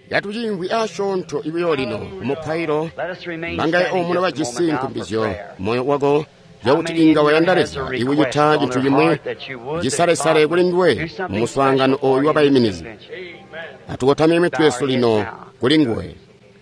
Katuciimvwi asyoonto buyo lino kumupailo, mangaye omuno bajisi nkumbizyo moyo wako yakuti inga wayanda Leza ikucita cintu cimwi cisalesale kuli nduwe mu muswaangano ooyu wabaiminizi. Atukotamye mitwe yesu lino kuli nguwe.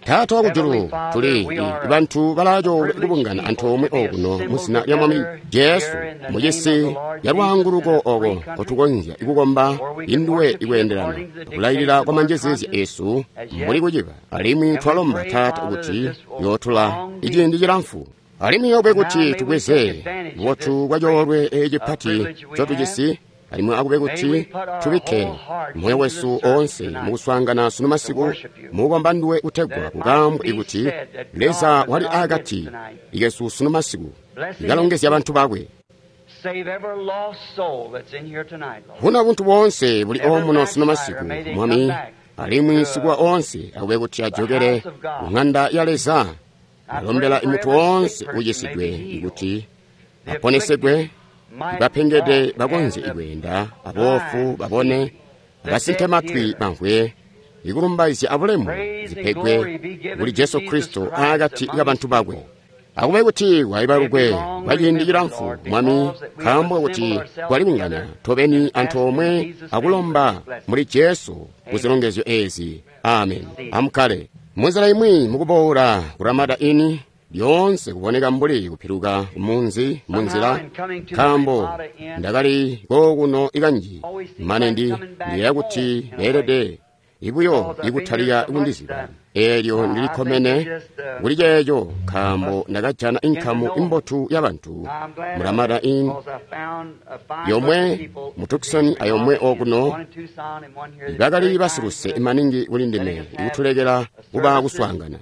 Taata wakujulu, tuli bantu balaaco kubungana antoomwe okuno muzina lya Mwami Jesu mucisi ya lwaanguluko oko nkotukonzya kukomba induwe ikweendelana akulailila kwa manjezeezya esu mbuli kuciba. Alimwi twalomba Taata kuti yootula iciindi cilamfu. Alimwi yobe kuti tubweze bubotu bwa coolwe ecipati ncotujisi, alimwi akube kuti tubikke moyo wesu oonse mukuswaangana sunu masiku mukukomba nduwe kutegwa kukambwe ikuti Leza wali akati ikesu sunu masiku ikalongezya bantu bakwe. Huna buntu boonse buli omuno sunu masiku, Mwami, alimwi sikuwa oonse akube kuti ajokere ku ng'anda ya Leza. Alombela imuntu woonse ucisidwe ikuti aponesegwe, bapengede bakonzye ikweenda, aboofu babone, abasinkematwi bamvwe, ikulumbaizya abulemu zipegwe kuli Jesu Kristo akati kabantu bakwe. Akube kuti waibalukwe kwa ciindi cilamfu, Mwami, nkaambo kuti twalibungana tobeni antoomwe akulomba muli Jesu kuzilongezyo ezi. Amen. Amukkale. Munzila imwi mukuboola ku Ramada Inn lyoonse kuboneka mbuli kupiluka kumunzi munzila, nkaambo ndakali kookuno ikanji mane ndi ndiyeeya kuti beelede ibuyo ikutalika kundiziba. Eelyo ndilikkomene kuli ceeco nkaambo ndakajana inkamu imbotu y'abantu mu Ramada Inn yomwe mu Tucson ayomwe okuno bakali basiluse maningi kuli ndime ikutulekela kuba kuswaangana.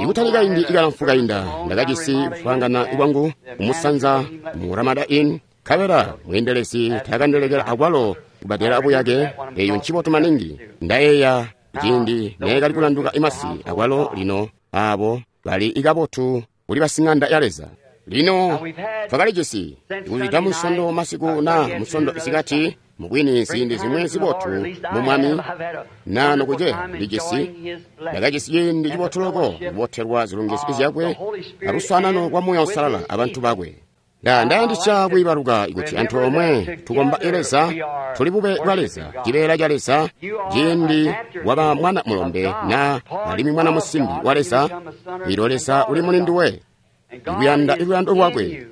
Ikutali kaindi ikalamfu kainda ndakajisi kuswaangana kwangu kumusanza mu Ramada Inn, nkabela mweendelezi taakandilekela akwalo kubadela buyake. Eyo ncibotu maningi. Ndayeeya ciindi neekali kulanduka imasi akwalo lino aabo bali ikabotu kuli basing'anda ya Leza. Lino twakalijisi kuzwida Munsondo masiku na Munsondo isikati, mubwini ziindi zimwi zibotu mu Mwami na nokuceya ndijisi ndakajisi ciindi cibotu loko kubotelwa zilongezyo zyakwe aluswaanano lwa Muuya Uusalala abantu bakwe. Ndayandisya kwiibaluka kuti antoomwe tukomba Leza, tuli bube bwa Leza, cibeela ca Leza, ciindi waba mwana mulombe na alimwi mwana musimbi wa Leza, ilyo Leza uli muli nduwe, ikuyanda iluyando lwakwe,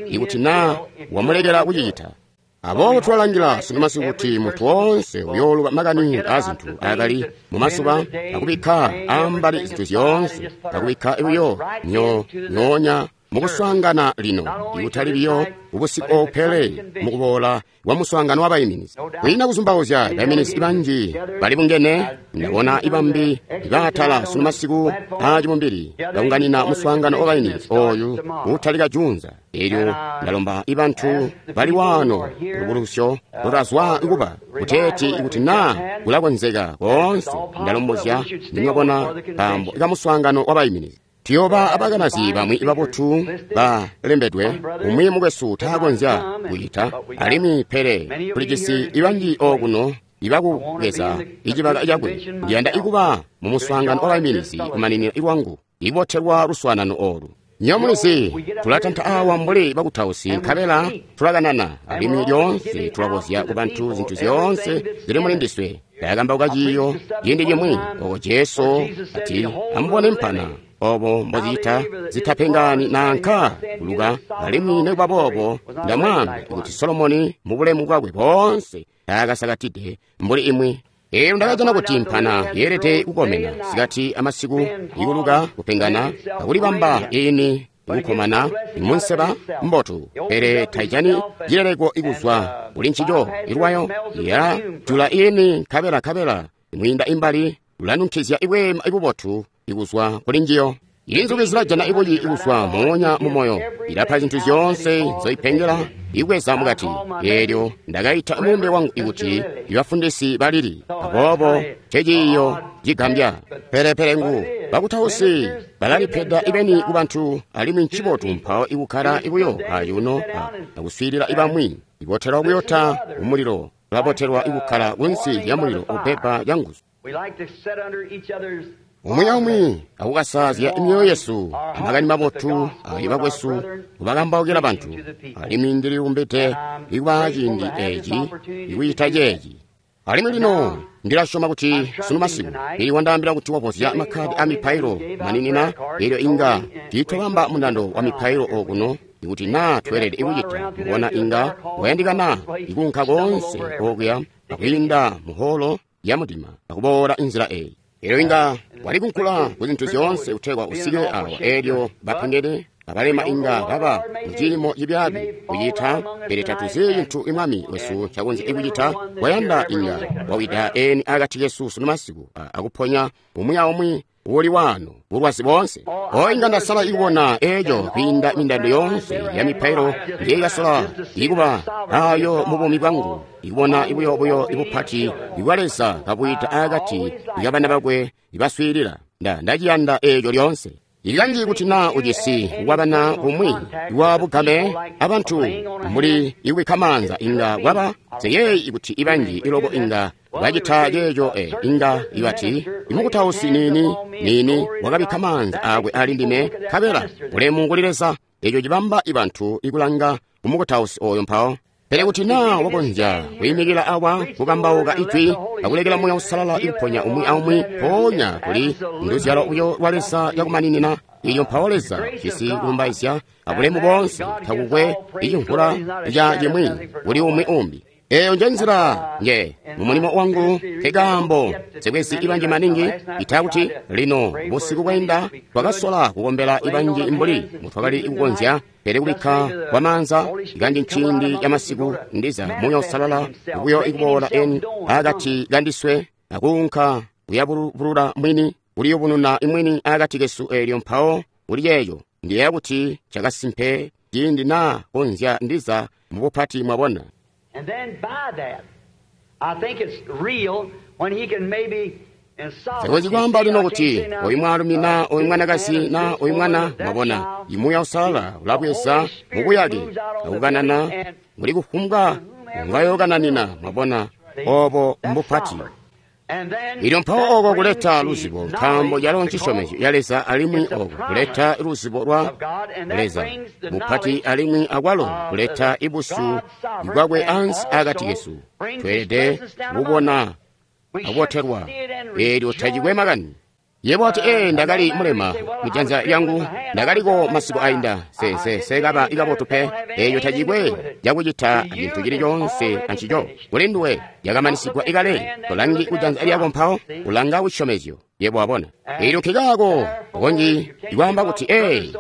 ikuti na wamulekela kucicita. Aboobo twalangila sunu masiku kuti muntu woonse uyooluba makani aazintu aakali mumasuba akubikka ambali zintu zyoonse, akubikka buyo nyoonya mukuswaangana lino, ikutali biyo ubusiku pele mukuboola kwa muswaangano wabaiminizi. Kwiina kuzumbauzya baiminizi banji balibungene, ndabona ibambi ibaatala sunu masiku aacibumbili baunganina muswaangano wabaiminizi ooyu uutalika juunza. Eelyo ndalomba ibantu bali waano lubulusyo lutazwa kuba kuteeti ikuti naa kulakonzeka koonse, ndalombozya nimwabona kaambo kamuswaangano wabaiminizi. Tuyoba abakanazi bamwi babotu balembedwe, umwi mukwesu taakonzya kucita, alimwi pele tulijisi ibanji okuno ibakubweza icibaka cakwe. Ndiyanda ikuba mu muswaangano wabaiminizi kumaninina ilwangu, ibotelwa luswaanano oolu. Nyomulizi tulatanta awa mbuli bakutausi, nkabela tulakanana, alimwi lyoonse tulakozya kubantu zintu zyoonse zili muli ndiswe. Ndakambauka ciiyo ciindi cimwi oko Jesu ati, amubone mpana obo mbozicita zitapengani nanka kuluka, alimwi nikuba boobo ndamwaamba kuti Solomoni mu bulemu bwakwe boonse taakasakatide mbuli imwi. Eelyo ndakajana kuti mpana yeelede kukomena sikati amasiku, ikuluka, kupengana, akulibamba iini ikukomana munseba mbotu, pele taijani cileleko ikuzwa kuli ncico ilwayo ya jula iini nkabela imwiinda imbali ulanunkizya ibweema ibubotu ikuzwa kuli njiyo. Inzuki zilajana ibuyi ikuzwa moonya mumoyo, ilapa zintu zyoonse nzoipengela ikweza mukati. Eelyo ndakaita mulumbe wangu ikuti ibafundisi balili, aboobo nceciiyo cigambya. Pelepele ngu bakutausi balalipeda ibeni kubantu, alimwi ncibotu mpawo ikukkala ibuyo ayuno akuswiilila ibamwi. Ibotelwa kuyota umulilo, ulabotelwa ikukkala kunsi lya mulilo upepa canguzu. Umwi aumwi akukasaazya myoyo yesu amakani mabotu ayo bakwesu kubakambaukila bantu, alimwi ndili lumbide ikuba ciindi eeci ikucita ceeci. Alimwi lino ndilasyoma kuti sunu masiku ili wandaambila kuti wavozya makkadi a mipailo maninina, elyo inga tiitwabamba mundando wa mipailo okuno ikuti naa tweelede kucita. Mubona inga wayandikana ikuunka koonse okuya akwiinda muholo ya mudima akuboola inzila eyi. Elyo inga walikunkula ku zintu zyoonse kutegwa usike awa, elyo bapengede abalema inga baba muciimo cibyaabi kucita, pele tatuzi cintu imwami wesu ncakonzya kucita. Wayanda inga wawida eni akati kesu sunu masiku akuponya umwi aumwi uli wano bulwazi boonse. O inga ndasala ikubona eco kwiinda mindando yoonse ya mipailo njeyikasola ikuba ayo mu buumi bwangu, ikubona ibuyobuyo ibupati ibwa Leza kabwita akati ikabana bakwe ibaswiilila. Ndaciyanda eco lyoonse. Ikanji kuti naa ujisi wabana kumwi wa bugame abantu mbuli ikubikka maanza inga kwaba seyeyi kuti ibanji iloko inga bacita ceeco inga ibati imukutausi niini niini wakabikka maanza akwe ali ndime, nkabela ulemu kuli Leza. Eco cibamba ibantu ikulanga kumukutausi oyo mpawo. Pele kuti naa wakonzya kwiimikila awa kukambauka ijwi akulekela Muuya Uusalala ikuponya umwi aumwi, mpoonya kuli nduzyalo buyo lwa Leza cakumaninina iyo mpawo Leza jisi kulumbaizya abulemu boonse, takukwe icimvula ca cimwi kuli umwi umbi. Eyo nje nzila nje mumulimo wangu, nkekaambo nsikwezi ibanji maningi ita kuti lino busiku bwainda twakasola kukombela ibanji mbuli mutwakali kukonzya, pele kubikka kwa maanza kanji nciindi ca masiku ndiza Muuya Uusalala buyo ikuboola eni akati kandiswe akuunka kuyabulula mwini kuliyubununa imwini akati kesu, elyo mpawo kuli ceeco ndiyeeya kuti cakasimpe ciindi naa konzya ndiza mubupati mwabona. And then by that, I think it's real when he can maybe in Sikonzi kwaamba lino kuti oyu mwaalumi na oyu mwanakazi na oyu mwana, mwabona imuuya Uusalala ulabweza mubuyake akukanana muli kufumbwa ngayokananina, mwabona obo mbupati. Ilyo mpawo oko kuleta luzibo, nkaambo calo ncisyomezyo ya Leza, alimwi oko kuleta luzibo lwa Leza bupati, alimwi akwalo kuleta ibusyu bwakwe ansi akati kesu. Tweelede kubona akubotelwa, eelyo tacikwe makani. Yebo ati, ndakali mulema kujanza lyangu, ndakaliko masiku ainda, sekaba ikabotu pe. Eyo tacikwe cakucita cintu cili coonse ancico. Kuli nduwe yakamanisigwa ikale, tolangi kujanza lyako mpawo ulanga kusyomezyo. Yebo wabona. Eelyo nkikaako konji ikwaamba kuti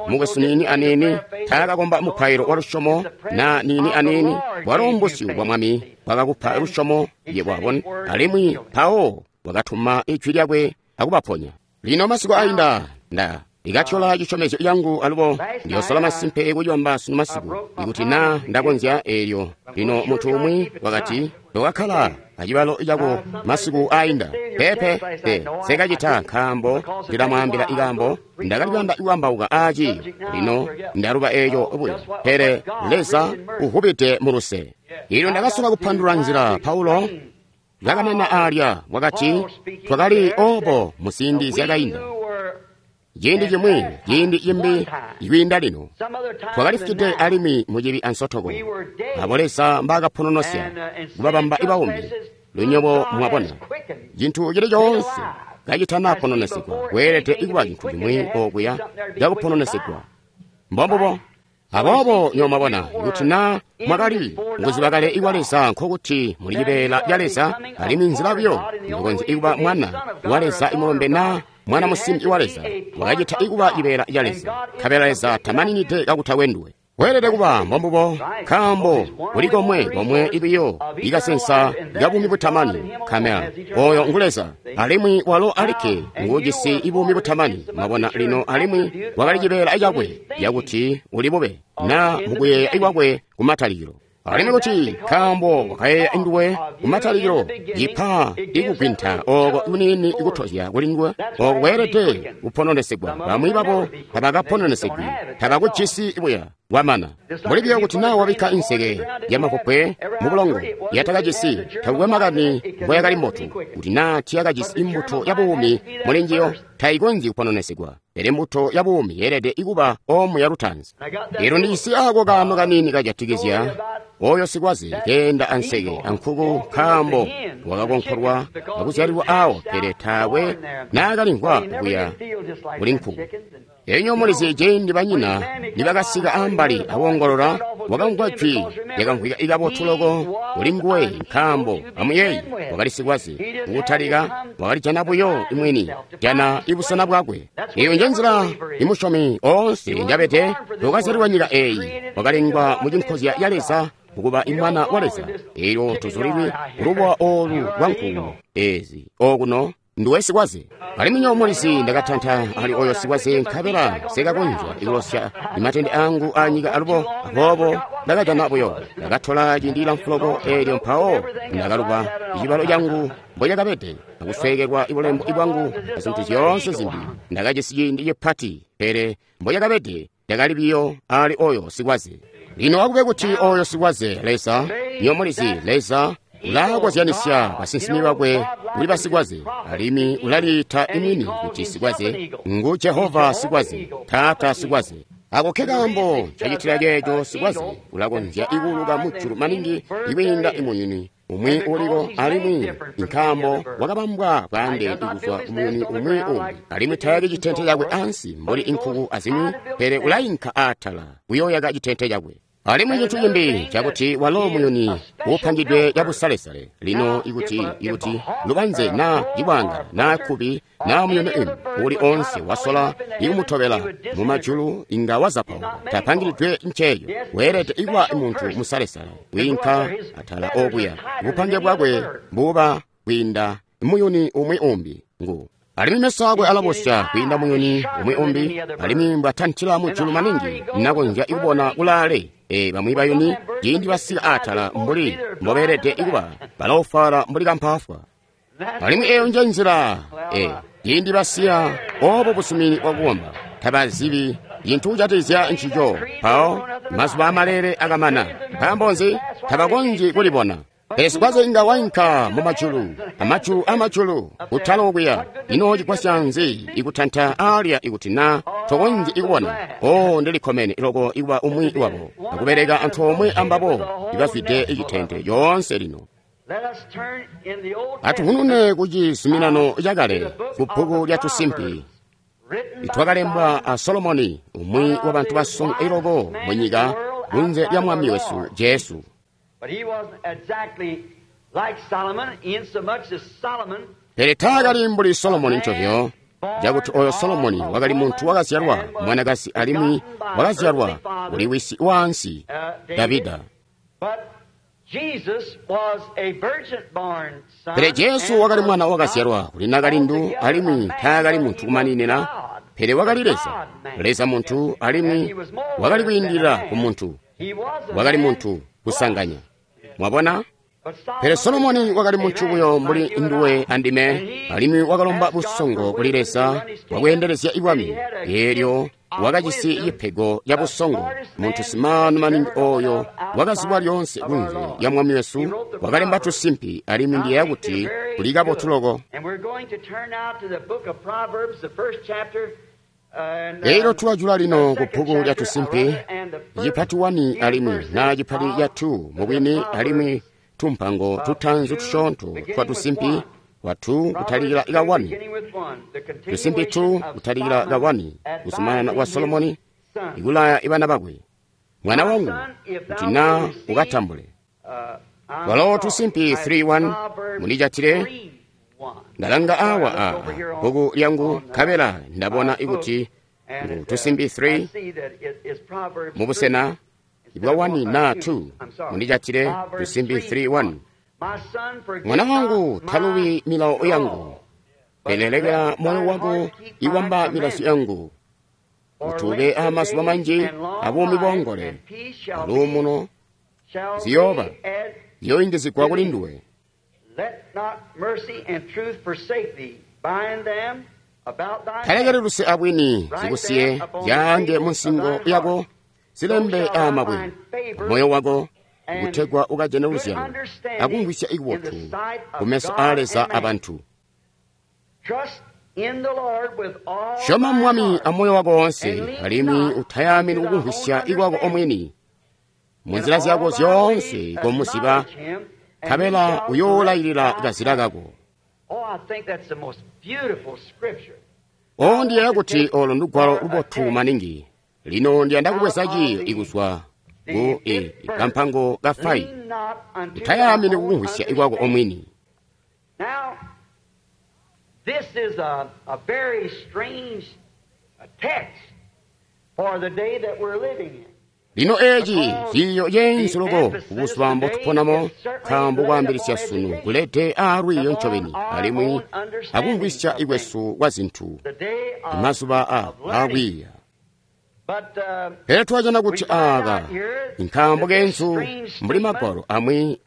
mukwesu niini aniini taakakomba mupailo wa lusyomo na niini aniini, bwalo mbusyu bwa Mwami bwakakupa lusyomo. Yebo wabona, alimwi mpawo wakatuma ijwi lyakwe akubaponya. Lino masiku ainda nda ikatyola cisyomezyo yangu, alubo ndiyosola masimpe kucibamba sunu masiku ikuti naa ndakonzya. Eelyo lino muntu umwi wakati tokakkala acibalo cako masiku ainda. Pepe pe sekacita, nkaambo ndilamwaambila ikaambo ndakali kuyanda aaci. Lino ndaluba eeco buyo, pele Leza uvubide muluse. Ilyo ndakasola kupandulula nzila Paulo kakanana alya wakati twakali obo muziindi zyakainda, ciindi cimwi ciindi cimbi ikwiinda lino twakalifwide alimwi mucibi ansotoko, abo Leza mbaakapononosya kubabamba ibaumi lunyobo. Mwabona, cintu cili coonse kacitanapononesigwa kweelede ikuba cintu cimwi okuya cakupononesigwa. Mbombubo. Aboobo nyo mwabona kuti naa mwakali mukuziba kale ikwa Leza, nkokuti muli cibeela ca Leza, alimwi nzila buyo mukonzya ikuba mwana wa Leza imulombe naa mwana musimbi wa Leza wakacita ikuba cibeela ca Leza, nkabela Leza tamaninide kakutakwe nduwe. Weelede kuba mbombubo, nkaambo kuli komwe komwe ibiyo ikasensa kabuumi butamani, kamela oyo ngu Leza, alimwi walo alikke nguujisi ibuumi butamani. Mwabona lino, alimwi wakali cibeela cakwe cakuti uli bube na mukuyeeya ikwakwe kumatalikilo. Alimwi kuti nkaambo wakayeeya nduwe kumatalikilo, cipa ikugwinta oko kuniini ikutozya kuli nduwe, oko kweelede kupononesigwa. Bamwi babo tabakapononesigwi, tabakujisi buya. Wamana. Mbuli biyo kuti naa wabikka inseke yamapopwe mubulongo yatakajisi, takukwe makani mboyakali mbotu, kuti naa tiyakajisi imbuto ya buumi muli njiyo, tayikonzyi kupononesigwa. Pele mbuto ya buumi yeelede ikuba omu ya lutanzi. Elyo ndijisi ako kaano kaniini kajatikizya oyo sikwaze keenda anseke ankuku, nkaambo wakakonkolwa akuzyalilwa awo, pele taakwe naakalimvwa kuya kuli nkuku. Elyo mulizi ciindi banyina nibakasika ambali awongolola, wakamvwa jwi lyakamvwika ikabotu loko kuli nguwe, nkaambo amuyeeyi wakali sikwaze. Mukutalika wakalijana buyo imwini, jana ibusena bwakwe. Eyo nje nzila imusyomi oonse njabede wakazyalilwa nyika eeyi, wakalengwa mu cinkozya ya Leza kukuba imwana wa Leza. Elyo tuzulilwi kulubuwa olu lwa nkuku ezi okuno nduwe sikwaze. Alimwi nyowe mulizi ndakatanta ali oyo sikwaze, nkabela sekakonzya ikulosya imatende angu anyika alubo, aboobo ndakajana buyo. Ndakatola ciindi cilamfu loko, elyo mpawo ndakaluba icibalo cangu mbocakabede, akusweekelwa ibulembo bwangu azintu zyoonse zimbi. Ndakajisi ciindi cipati, pele mbocakabede ndakali biyo ali oyo sikwaze. Lino akube kuti oyo sikwaze Leza, nyowe mulizi Leza ulakozyanisya basinsimi bakwe kuli basikwaze, alimwi ulaliita imwini kuti sikwaze. Ngu Jehova sikwaze, Taata sikwaze. Ako ke kaambo cacitila ceeco sikwaze ulakonzya ikuuluka mujulu maningi ikwiinda imuyuni umwi uliko, alimwi nkaambo wakabambwa bwaandeene kuzwa kumuyuni umwi umbi, alimwi tayaki citente cakwe ansi mbuli inkuku azimwi, pele ulayinka aatala kuyooyaka citente cakwe. Alimwi cintu cimbi cakuti walo muyuni uupangidwe cabusalesale. Lino ikuti lubanze naa cibwanga naa kkubi naa muyuni imbi uuli oonse wasola ikumutobela mumajulu inga wazapauka. Tapangilidwe nceeyo. Weelede ikuba muntu musalesale wiinka atala okuya. Bupange bwakwe buba kwiinda muyuni umwi umbi ngu. Alimwi meso akwe alabosya kwiinda muyuni umwi umbi, alimwi mbwatantila mujulu maningi nakonzya ikubona kulaale. Bamwi bayuni ciindi basika atala mbuli mbobeelede ikuba, balaofwaala mbuli kampaafwa. Alimwi eyo nje nzila, ciindi basiya obo busumini bwakukomba, tabazibi cintu kujatikizya ncico. Mpawo mazuba amalele akamana. Nkaambo nzi? Tabakonzyi kulibona. Pele sikwaze inga wainka mumajulu, amajulu amajulu, kutala okuya. Ino cigwasya nzi ikutanta alya ikuti na tokonzyi ikubona? O, ndilikkomene loko ikuba umwi wabo, akubeleka antoomwe ambabo ibazwide icitente yoonse lino. Atuhunune ku cizuminano cakale, ku bbuku lya Tusimpi, itwakalembwa a Solomoni, umwi wa bantu basongo iloko mu nyika kunze lya Mwami wesu Jesu. Pele taakali mbuli Solomoni ncovyo, cakuti oyo Solomoni wakali muntu wakazyalwa mwanakazi alimwi wakazyalwa kuli wisi waansi Davida. Pele Jesu wakali mwana wakazyalwa kuli nakalindu alimwi taakali muntu kumaninina, pele wakali Leza, Leza muntu, alimwi wakali kwiindilila ku muntu, wakali muntu kusanganya. Mwabona? Pele Solomoni wakali muntu buyo mbuli nduwe andime, alimwi wakalomba busongo kuli Leza bwakweendelezya ibwami. Eelyo wakajisi cipego ca busongo, muntu simaanu maningi oyo wakazibwa lyoonse kunze lya Mwami wesu, wakalemba Tusimpi, alimwi ndiyeeya kuti kuli kabotu loko. Elyo tulajula lino ku bbuku lya Tusimpi, cipati 1 alimwi na cipati ca 2 mubwini, alimwi tumpango tutanzu tusyoonto twa Tusimpi wa 2 kutalikila ka 1, Tusimpi 2 kutalikila ka 1, kuzumanana kwa Solomoni ikulaya ibana bakwe. Mwana wangu, kuti na ukatambule. Walo Tusimpi 3:1 mundijatile. Ndalanga awa a bbuku lyangu nkabela ndabona ikuti ngu Tusimpi 3 mubusena bwa 1 na 2 mundijatile Tusimpi 3:1. Mwana wangu, talubi milawo yangu, pele lekela moyo wako iwamba milazo yangu, kuti ube amazuba manji abuumi bongole aluumuno ziyooba ziyoyingizigwa kuli nduwe. Talekeli luse abwini zikusiye zyaange munsingo yako, zilembe aamabwe moyo wako kutegwa ukajane luzyalo akumvwisya ikubotu kumeso aa Leza abantu. Syoma Mwami amoyo wako wonse, alimwi utayamini kukumvwisya ikwako omwini. Munzila zyako zyoonse komuziba, nkabela uyoolayilila kazila kako. O ndiyeeya kuti olo ndugwalo lubotu maningi. Lino ndiyanda kubweza ciiyo ikuzwa ku kampango ka 5. Utayamini kukumvwisya ikwako omwini. This is a very strange text for the day that we're living in. Lino eeci ciiyo ceenzu loko kubuzuba mbotuponamo, nkaambo kwaambilisya sunu kulete aalwiiyo ncobeni alimwi akumvwisya ikwesu kwa zinthu mazuba aakwiiya. Pele twajana kuti aaka nkaambo keenzu mbuli magwalo amwi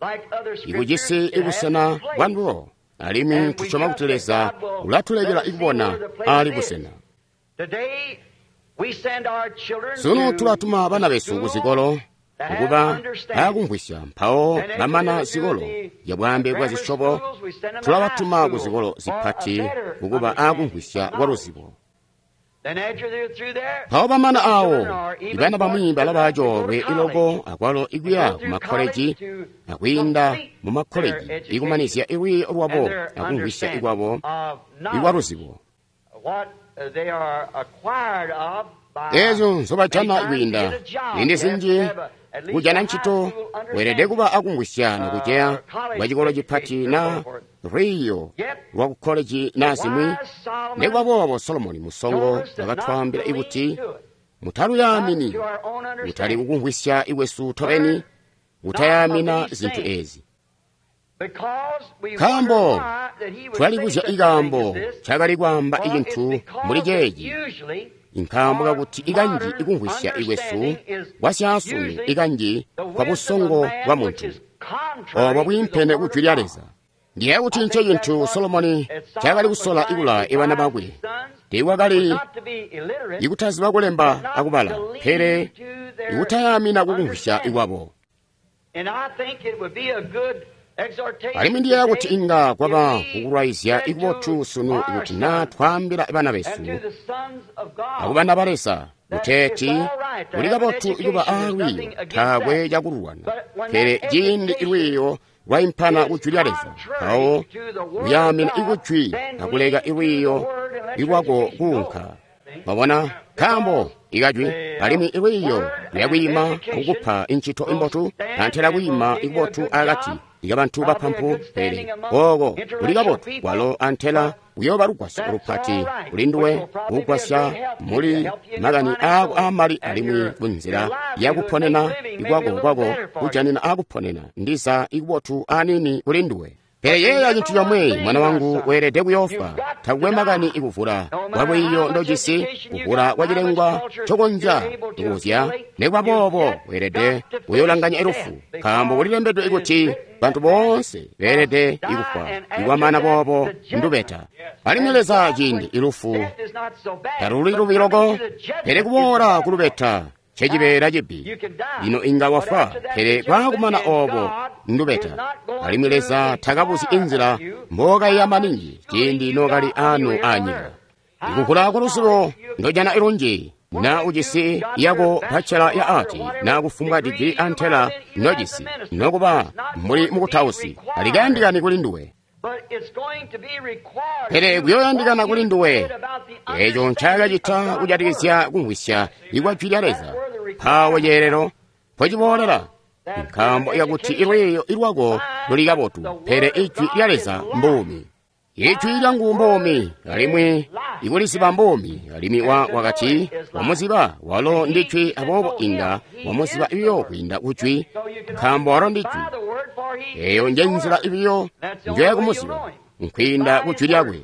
ikujisi ibusena bwa ndulo, alimwi tusyoma kuti Leza ulatulekela ikubona aali busena. Sunu tulatuma bana besu kuzikolo kukuba aakumvwisya, mpawo bamana zikolo ya bwaambe bwa zisyobo tulabatuma kuzikolo zipati kukuba aakumvwisya kwa luzibo. Mpawo bamana awo, ibana bamwi balaba coolwe iloko akwalo ikuya kumakkoleji akwiinda mu makkoleji ikumanizya ilwiiyo lwabo akumvwisya ikwabo ikwa luzibo. Eezyo nzobajana kwiinda ziindi zinji kujana ncito weelede kuba akumvwisya nokuceya kwa cikolo cipati na lwiiyo lwa kukkoleji na zimwi. Nikuba boobo Solomoni musongo wakatwaambila ikuti mutaluyaamini, kutali kukumvwisya ikwesu tobeni, kutayaamina zinthu ezi. Nkaambo twalibuzya ikaambo cakali kwaamba icintu mbuli ceeci, nkaambo kakuti ikanji ikumvwisya ikwesu kwasyaasunu ikanji kwa busongo bwa muntu obo bwiimpene ku jwi lya Leza. Ndiye kuti nce cintu Solomoni cakali kusola ikula ibana bakwe. Tiikwakali ikutaziba kulemba akubala, pele ikutayaamina kukumvwisya ikwabo. Alimwi ndiyeeya kuti inga kwaba kukulwaizya ikubotu sunu kuti naa twaambila bana besu akubana ba Leza kuteeti kuli kabotu ikuba aalwiiyo, taakwe cakulwana, pele ciindi ilwiiyo lwaimpana ku jwi lya Leza, mpawo kuyaamina ikujwi akuleka ilwiiyo ilwako kuunka. Mwabona, nkaambo ikajwi alimwi ilwiiyo luyakwiima akukupa incito imbotu antela kwiima ikubotu akati ikabantu bapampu, pele ooko kuli kabotu kwalo antela kuyooba lugwasyo lupati kuli nduwe kugwasya muli makani aako aamali alimwi kunzila yakuponena ikwako kwako kujanina aakuponena ndiza ikubotu aniini kuli nduwe. Pele yeeya cintu comwe, mwana wangu, weelede kuyoofwa. Takukwe makani ikuvula kwa lwiiyo ndojisi, kuvula kwa cilengwa ncokonzya kukuzya, nikuba boobo weelede kuyoolanganya ilufu, nkaambo kulilembedwe ikuti bantu boonse beelede ikufwa, ikwamana boobo ndubeta. Alimwi Leza ciindi ilufu taluli lubi loko, pele kuboola kulubeta ncecibeela cibi. Lino inga wafwa, pele kwaakumana oobo ndubeta. Alimwi Leza takabuzi inzila mbookayiya maningi ciindi nookali aano aanyika. Ikuvula kwa luzibo ndojana ilunji, na ujisi yako bachelor ya art na kufumbwa digiri antela nojisi, nokuba muli mukutausi, alikayandikani kuli nduwe. Pele kuyoyandikana kuli nduwe eeco ncaakacita kujatikizya kumvwisya ikwa jwi lya Leza. Mpawo ceelelo mpociboolela, nkaambo ikakuti ilwiiyo ilwako luli kabotu, pele ijwi lya Leza mbuumi. Ijwi lyangu mbuumi, alimwi ikuliziba mbuumi. Alimwi wakati wamuziba walo ndi jwi, aboobo inga wamuziba ibiyo kwiinda kujwi, nkaambo walo ndi jwi. Eeyo njenzila ibiyo njoyakumuziba, nkwiinda kujwi lyakwe.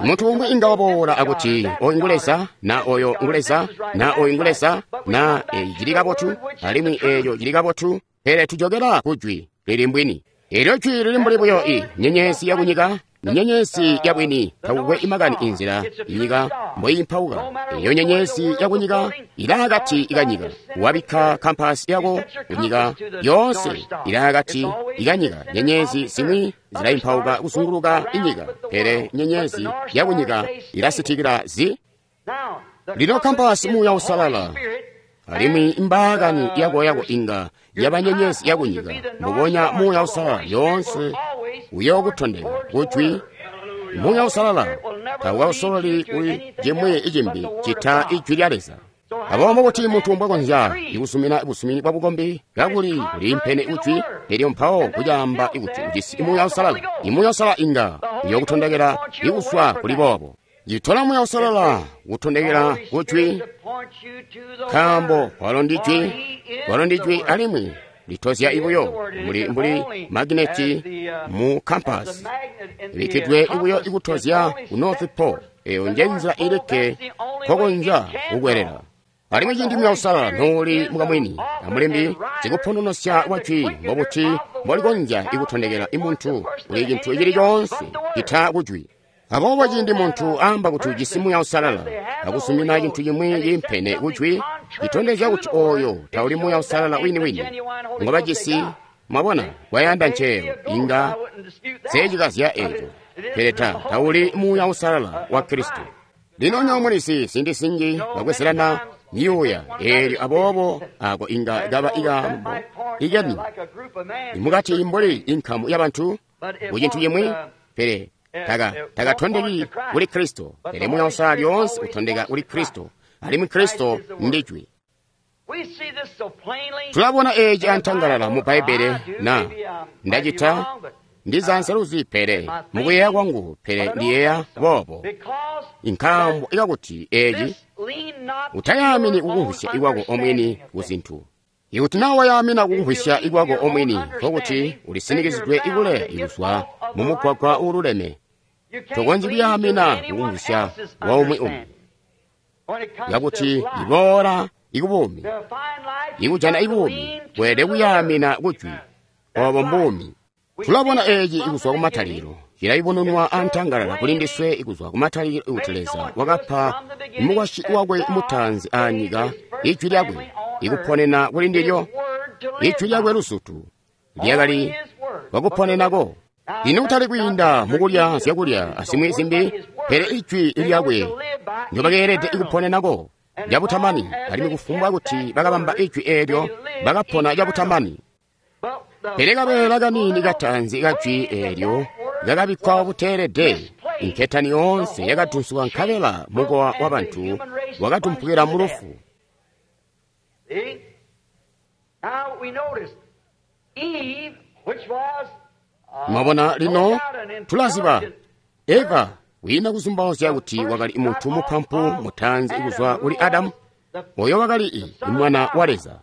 Muntu umwi inga waboola akuti oyu ngu Leza, na oyo ngu Leza, na oyu ngu Leza, na eeci cili kabotu, alimwi eeco cili kabotu, pele tujokela kujwi lili mbwini. Eelyo jwi lili mbuli buyo i nyenyezi yakunyika Nyenyezi yabwini takukwe imakani inzila inyika mboyimpauka. Eyo nyenyezi yakunyika ilaakati ikanyika. Wabikka kampasi yako kunyika yoonse ilaakati ikanyika. Nyenyezi zimwi zilayimpauka kuzunguluka inyika, pele nyenyezi yakunyika ilasitikila zi. Lino kampasi Muuya Uusalala, alimwi imbaakani yako yako inga yaba nyenyezi yakunyika. Mbubonya Muuya Uusalala yoonse uyookutondeka kujwi. Muuya Uusalala tawukausololi kuli cimwi icimbi cita ijwi lya Leza. Aboobo kuti muntu mbwakonzya ikusumina busumini bwa bukombi kakuli kuliimpene kujwi, elyo mpawo kucaamba kuti ujisi Muuya Uusalala, Imuuya Uusalala inga uyookutondekela ikuswa kuli boobo. Citola Muuya Uusalala kutondekela kujwi, nkaambo walo ndijwi, walo ndijwi alimwi litozya ibuyo mbuli mbuli magineti mu kampasi ibikkidwe ibuyo ikutozya ku North Pole. Eyo nje nzila ilikke nkokonzya kukwelela. Alimwi ciindi Muuya Uusalala nooli mukamwini amulembi sikupononosya kwa jwi, mbobuti mbolikonzya ikutondekela imuntu kuli cintu cili coonse cita kujwi? Aboobo ciindi muntu aamba kuti ujisi Muuya Uusalala akusumina cintu cimwi ciimpene kujwi, citondezya kuti oyo tauli Muuya Uusalala wini-wini ngobajisi. Mwabona, kwayanda nceelo inga seecikazya eco, pele tauli Muuya Uusalala wa Kristo. Lino nyoomulisi ziindi zinji bakwezelana myuuya eelyo, aboobo ako inga kaba ikaambo ikeni imukati mbuli inkamu yabantu ku cintu cimwi, pele takatondeki kuli Kristo. Pele Muuya Uusalala lyoonse utondeka kuli Kristo, alimwi Kristo ndijwi. Tulabona eeci antangalala mu Bbaibbele. Na ndacita ndizanseluzi, pele mukuyeeya kwangu, pele ndiyeeya boobo, nkaambo ikakuti eeci utayamini kukumvwisya ikwako omwini kuzintu. Ikuti naa wayamina kukumvwisya ikwako omwini, nkokuti ulisinikizidwe ikule ikuzwa mumugwagwa uululeme. Tokonzyi kuyaamina kukumvwisya waumwi umwi yakuti iboola ikubuumi, ikujana ibuumi, weelede kuyaamina kujwi. Obo mbuumi. Tulabona eeci ikuzwa kumatalikilo, cilayubununwa antangalala kuli ndiswe ikuzwa kumatalikilo ikuti Leza wakapa mukwasyi wakwe mutaanzi aanyika ijwi lyakwe ikuponena kuli ndilyo. Ijwi lyakwe luzutu lyakali kwakuponenako. Lino kutali kwiinda mukulya zyakulya azimwi zimbi, pele ijwi lyakwe ndyobakeelede ikuponenako lyabutamani, alimwi kufumbwa kuti bakabamba ijwi eelyo bakapona lyabutamani. Pele kabeela kaniini kataanzi kajwi eelyo kakabikkwa buteelede, inketani yoonse yakadunsuka nkabela mukowa wabantu wakatumpukila mu lufu. Mwabona, lino tulaziba Eva wiina kuzumbauzya kuti wakali muntu mupampu mutaanzi kuzwa kuli Adamu, oyo wakali mwana wa Leza.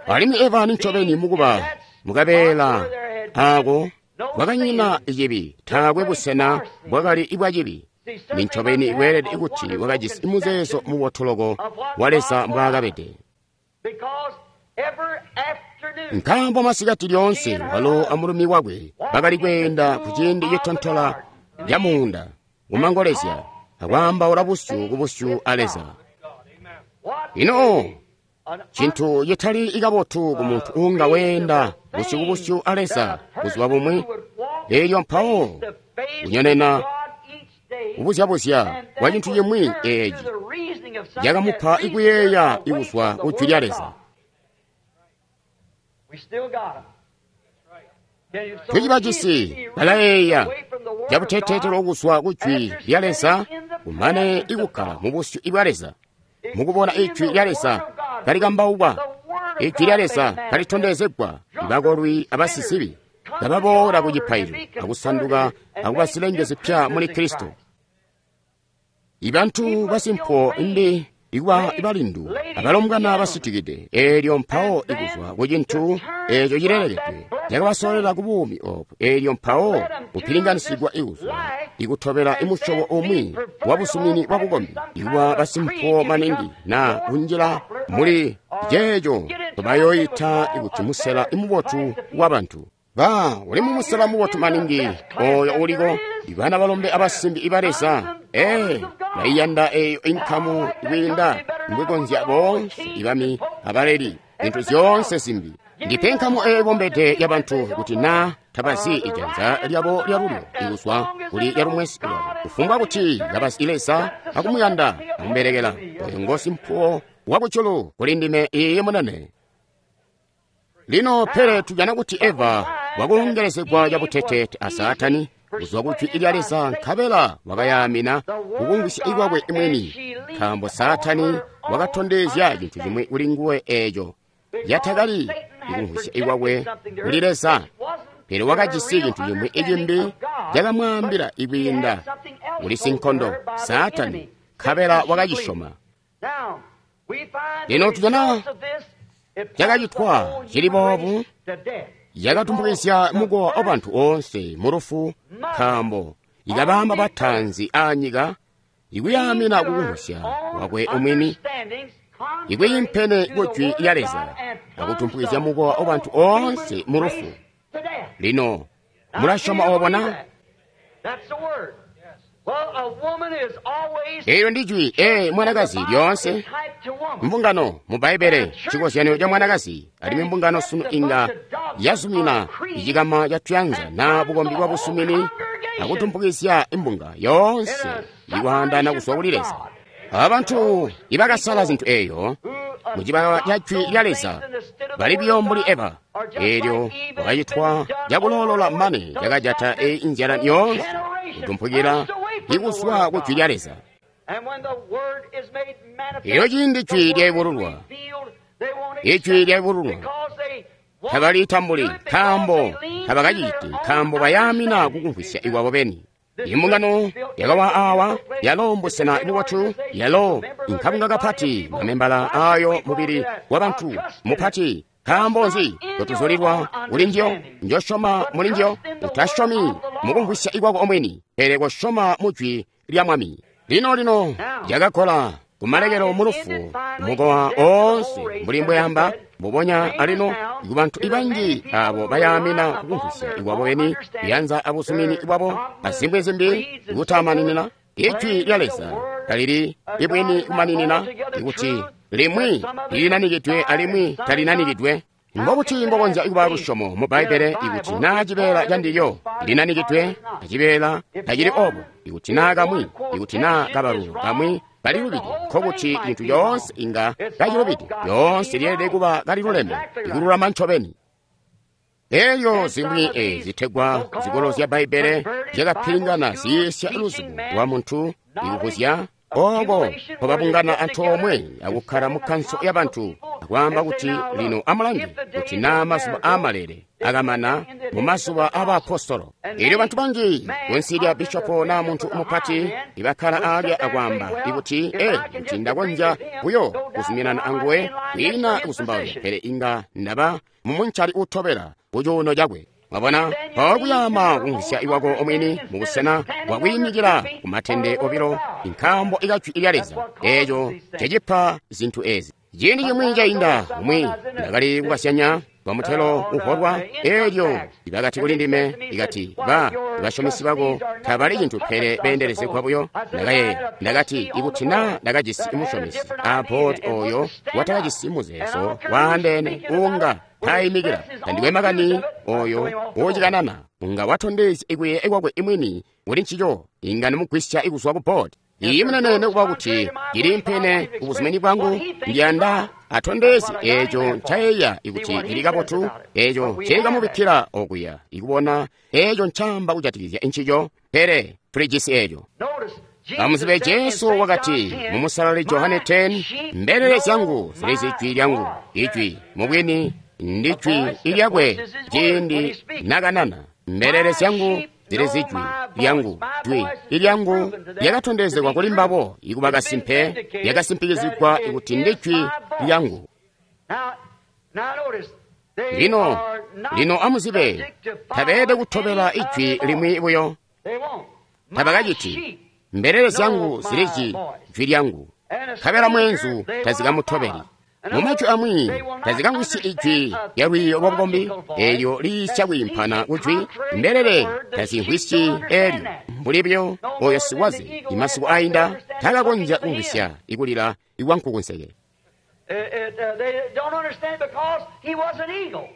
Alimwi Eva nincobeni mukuba mukabeela aako bwakanyina cibi, taakwe busena bwakali bwa cibi. Nincobeni bweelede kuti wakajisi muzeezo mubotoloko wa Leza mbwaakabede. Nkaambo masikati lyoonse walo amulumi wakwe bakali kweenda ku ciindi citontola camuunda kumangolezya akwaambaula busyu ku busyu a Leza. Ino cintu citali ikabotu ku muntu uunga weenda busyu ku busyu a Leza buzuba bumwi, eelyo mpawo kunyonena kubuzyabuzya kwa cintu cimwi eeci cakamupa ikuyeeya ikuzwa ku jwi lya Leza. Tucibajisi balayeeya cabuteteetelo kuzwa ku jwi lya Leza, kumane ikukkala mu busyu bwa Leza, mukubona ijwi lya Leza kalikambaukwa, ijwi lya Leza kalitondezegwa, ibakolwi abasizibi kababoola ku cipaililo akusanduka akuba zilenge zipya muli Kristo. Ibantu basimpo mbi ikuba ibalindu abalombwana basitikide, eelyo mpawo ikuzwa ku cintu eeco cilelekedwe cakabasolela ku buumi obu, eelyo mpawo kupilinganisigwa ikuzwa ikutobela imusyobo umwi wa busumini bwa bukombi, ikuba basimpo maningi na kunjila muli ceeco bayoyita ikuti musela imubotu wa bantu. Ba uli mumusela mubotu maningi oyo uliko, ibana balombe abasimbi iba Leza. Ee, baiyanda eyo inkamu kwiinda mbwikonzya boonse ibami abaleli, zintu zyoonse zimbi. Ndipe nkamu eyo ibombede ya bantu kuti na tabazi ijanza lyabo lyalulyo ikuzwa kuli lyalumwesi lwabo, kufumbwa kuti kabazi Leza akumuyanda akumubelekela. Oyo ngosimpuwo wakujulu kuli ndime iiyi munene. Lino pele tujana kuti Eva wakulongelezegwa cabuteteete a Saatani kuzwa ku jwi lya Leza, nkabela wakayaamina kukumvwisya kwakwe mwini, nkaambo Saatani wakatondezya cintu cimwi kuli nguwe eeco yatakali kukumvwisya kwakwe kuli Leza. Pele wakajisi cintu cimwi cimbi cakamwaambila ikwiinda kuli sinkondo Saatani, nkabela wakacisyoma. Lino tujana cakacitwa cili boobu yakatumbukizya mukowa wa bantu oonse mu lufu, nkaambo ikabamba batanzi aanyika ikuyaamina kukumvwisya kwakwe omwini, ikwiimpene ku jwi lya Leza, akutumbukizya mukowa wa bantu oonse mu lufu. Lino mulasyoma obo na? Eelyo ndi jwi, ee, mwanakazi lyoonse. Mbungano mu Bbaibbele cikozyanyo ca mwanakazi, alimwi mbungano sunu inga yazumina icikama ca tuyanza na bukombi bwa busumini akutumpukizya imbunga yoonse ikwaandana kuzwa kuli Leza. Abantu ibakasala zintu eeyo mucibaka ca jwi lya Leza bali buyo mbuli Eva. Eelyo wakacitwa cakuloolola mane cakajata eyi inzyala yoonse kutumpukila ikuzwa ku jwi lya Leza. Elyo ciindi jwi lyaibululwa, ijwi lyaibululwa, tabalitambuli, nkaambo tabakaciti, nkaambo bayaamina kukumvwisya ikwabo beni. Imbungano yakawa awa, yalo mbusena bubotu, yalo inkabunga kapati, mamembala ayo mubili wa bantu mupati. Nkaambo nzi totuzulilwa kuli njiyo? Njosyoma muli njiyo. Utasyomi mukumvwisya ikwako omwini, pele kosyoma mu jwi lya Mwami. Lino lino yakakola kumalekelo mu lufu mukowa oonse mbuli mbweyamba mbubonya alino kubantu ibanji abo bayaamina kukumvwisya ikwabo beni, kuyanza abusumini bwabo azimbwi zimbi kutamaninina. Ijwi lya Leza talili ibwini kumaninina, ikuti limwi lilinanikidwe alimwi talinanikidwe. Mbobuti mbokonzya kuba lusyomo mu Bbaibbele ikuti naa cibeela candilyo linanikidwe acibeela tacili obo? Ikuti naa kamwi, ikuti naa kabalu kamwi kalilubide, nkokuti cintu coonse inga kacilubide. Lyoonse lyeelede kuba kaliluleme, ikululama ncobeni. Elyo zimwi ezi zitegwa zikolo zya Bbaibbele zyakapilingana ziyiisya luzibo lwa muntu ikukuzya oko nkobabungana antoomwe akukkala mu kanso ya bantu akwaamba kuti lino amulange kuti naa mazuba aamalele akamana mu mazuba aabaapostolo. Elyo bantu banji kunsi lya bishopo naa muntu mupati ibakkala aalya akwaamba ikuti ee, kuti ndakonzya buyo kuzuminana anguwe kwiina kuzumbauzya, pele inga ndaba mumuncali utobela kucuuno cakwe. Mwabona, mpawo kuyaama kumvwisya iwako omwini mubusena bwakwiimikila ku matende obilo, nkaambo ikajwi lya Leza eeco cecipa zintu ezi. Ciindi cimwi cainda umwi ndakali kukasyanya bamutelo uholwa, eelyo ibakati kuli ndime ikati ba basyomesi bako tabali cintu pele beendelezegwa buyo. Ndakayeeya, ndakati ikuti naa ndakajisi musyomesi aboodi oyo watakajisi muzeezo waandeene uunga taimikila, tandikwe makani oyo ucikanana unga watondezya ikuyeeya kwakwe imwini kuli ncico, inga nimugwisya ikuzwa ku boodi. Iyi munene nekuba kuti cilimpene kubuzumini bwangu, ndiyanda atondezye eeco ncayeeya ikuti cili kabotu, eeco nceekamubikkila okuya ikubona eeco ncaamba kujatikizya ncico, pele tulijisi eeco. Amuzibe Jesu wakati mu Musalali Johane 10, mbelele zyangu zilizi jwi lyangu, ijwi mubwini ndi jwi ilyakwe ciindi nakanana. Mbelele zyangu zilizi jwi lyangu, jwi ilyangu lyakatondezegwa kuli mbabo ikuba kasimpe, lyakasimpikizigwa ikuti ndi jwi lyangu. Lino, lino amuzibe, tabeelede kutobela ijwi limwi buyo. Tabakaciti. Mbelele zyangu zilizi jwi lyangu, nkabela mweenzu tazikamutobeli. Mumajwi amwi tazikamvwisyi ijwi lya lwiiyo lwa bukombi eelyo liisya kwiimpana kujwi. Mbelele tazimvwisyi eelyo mbuli buyo oyo sikwaze imasiku ainda takakonzya kumvwisya ikulila ikwankukunseke.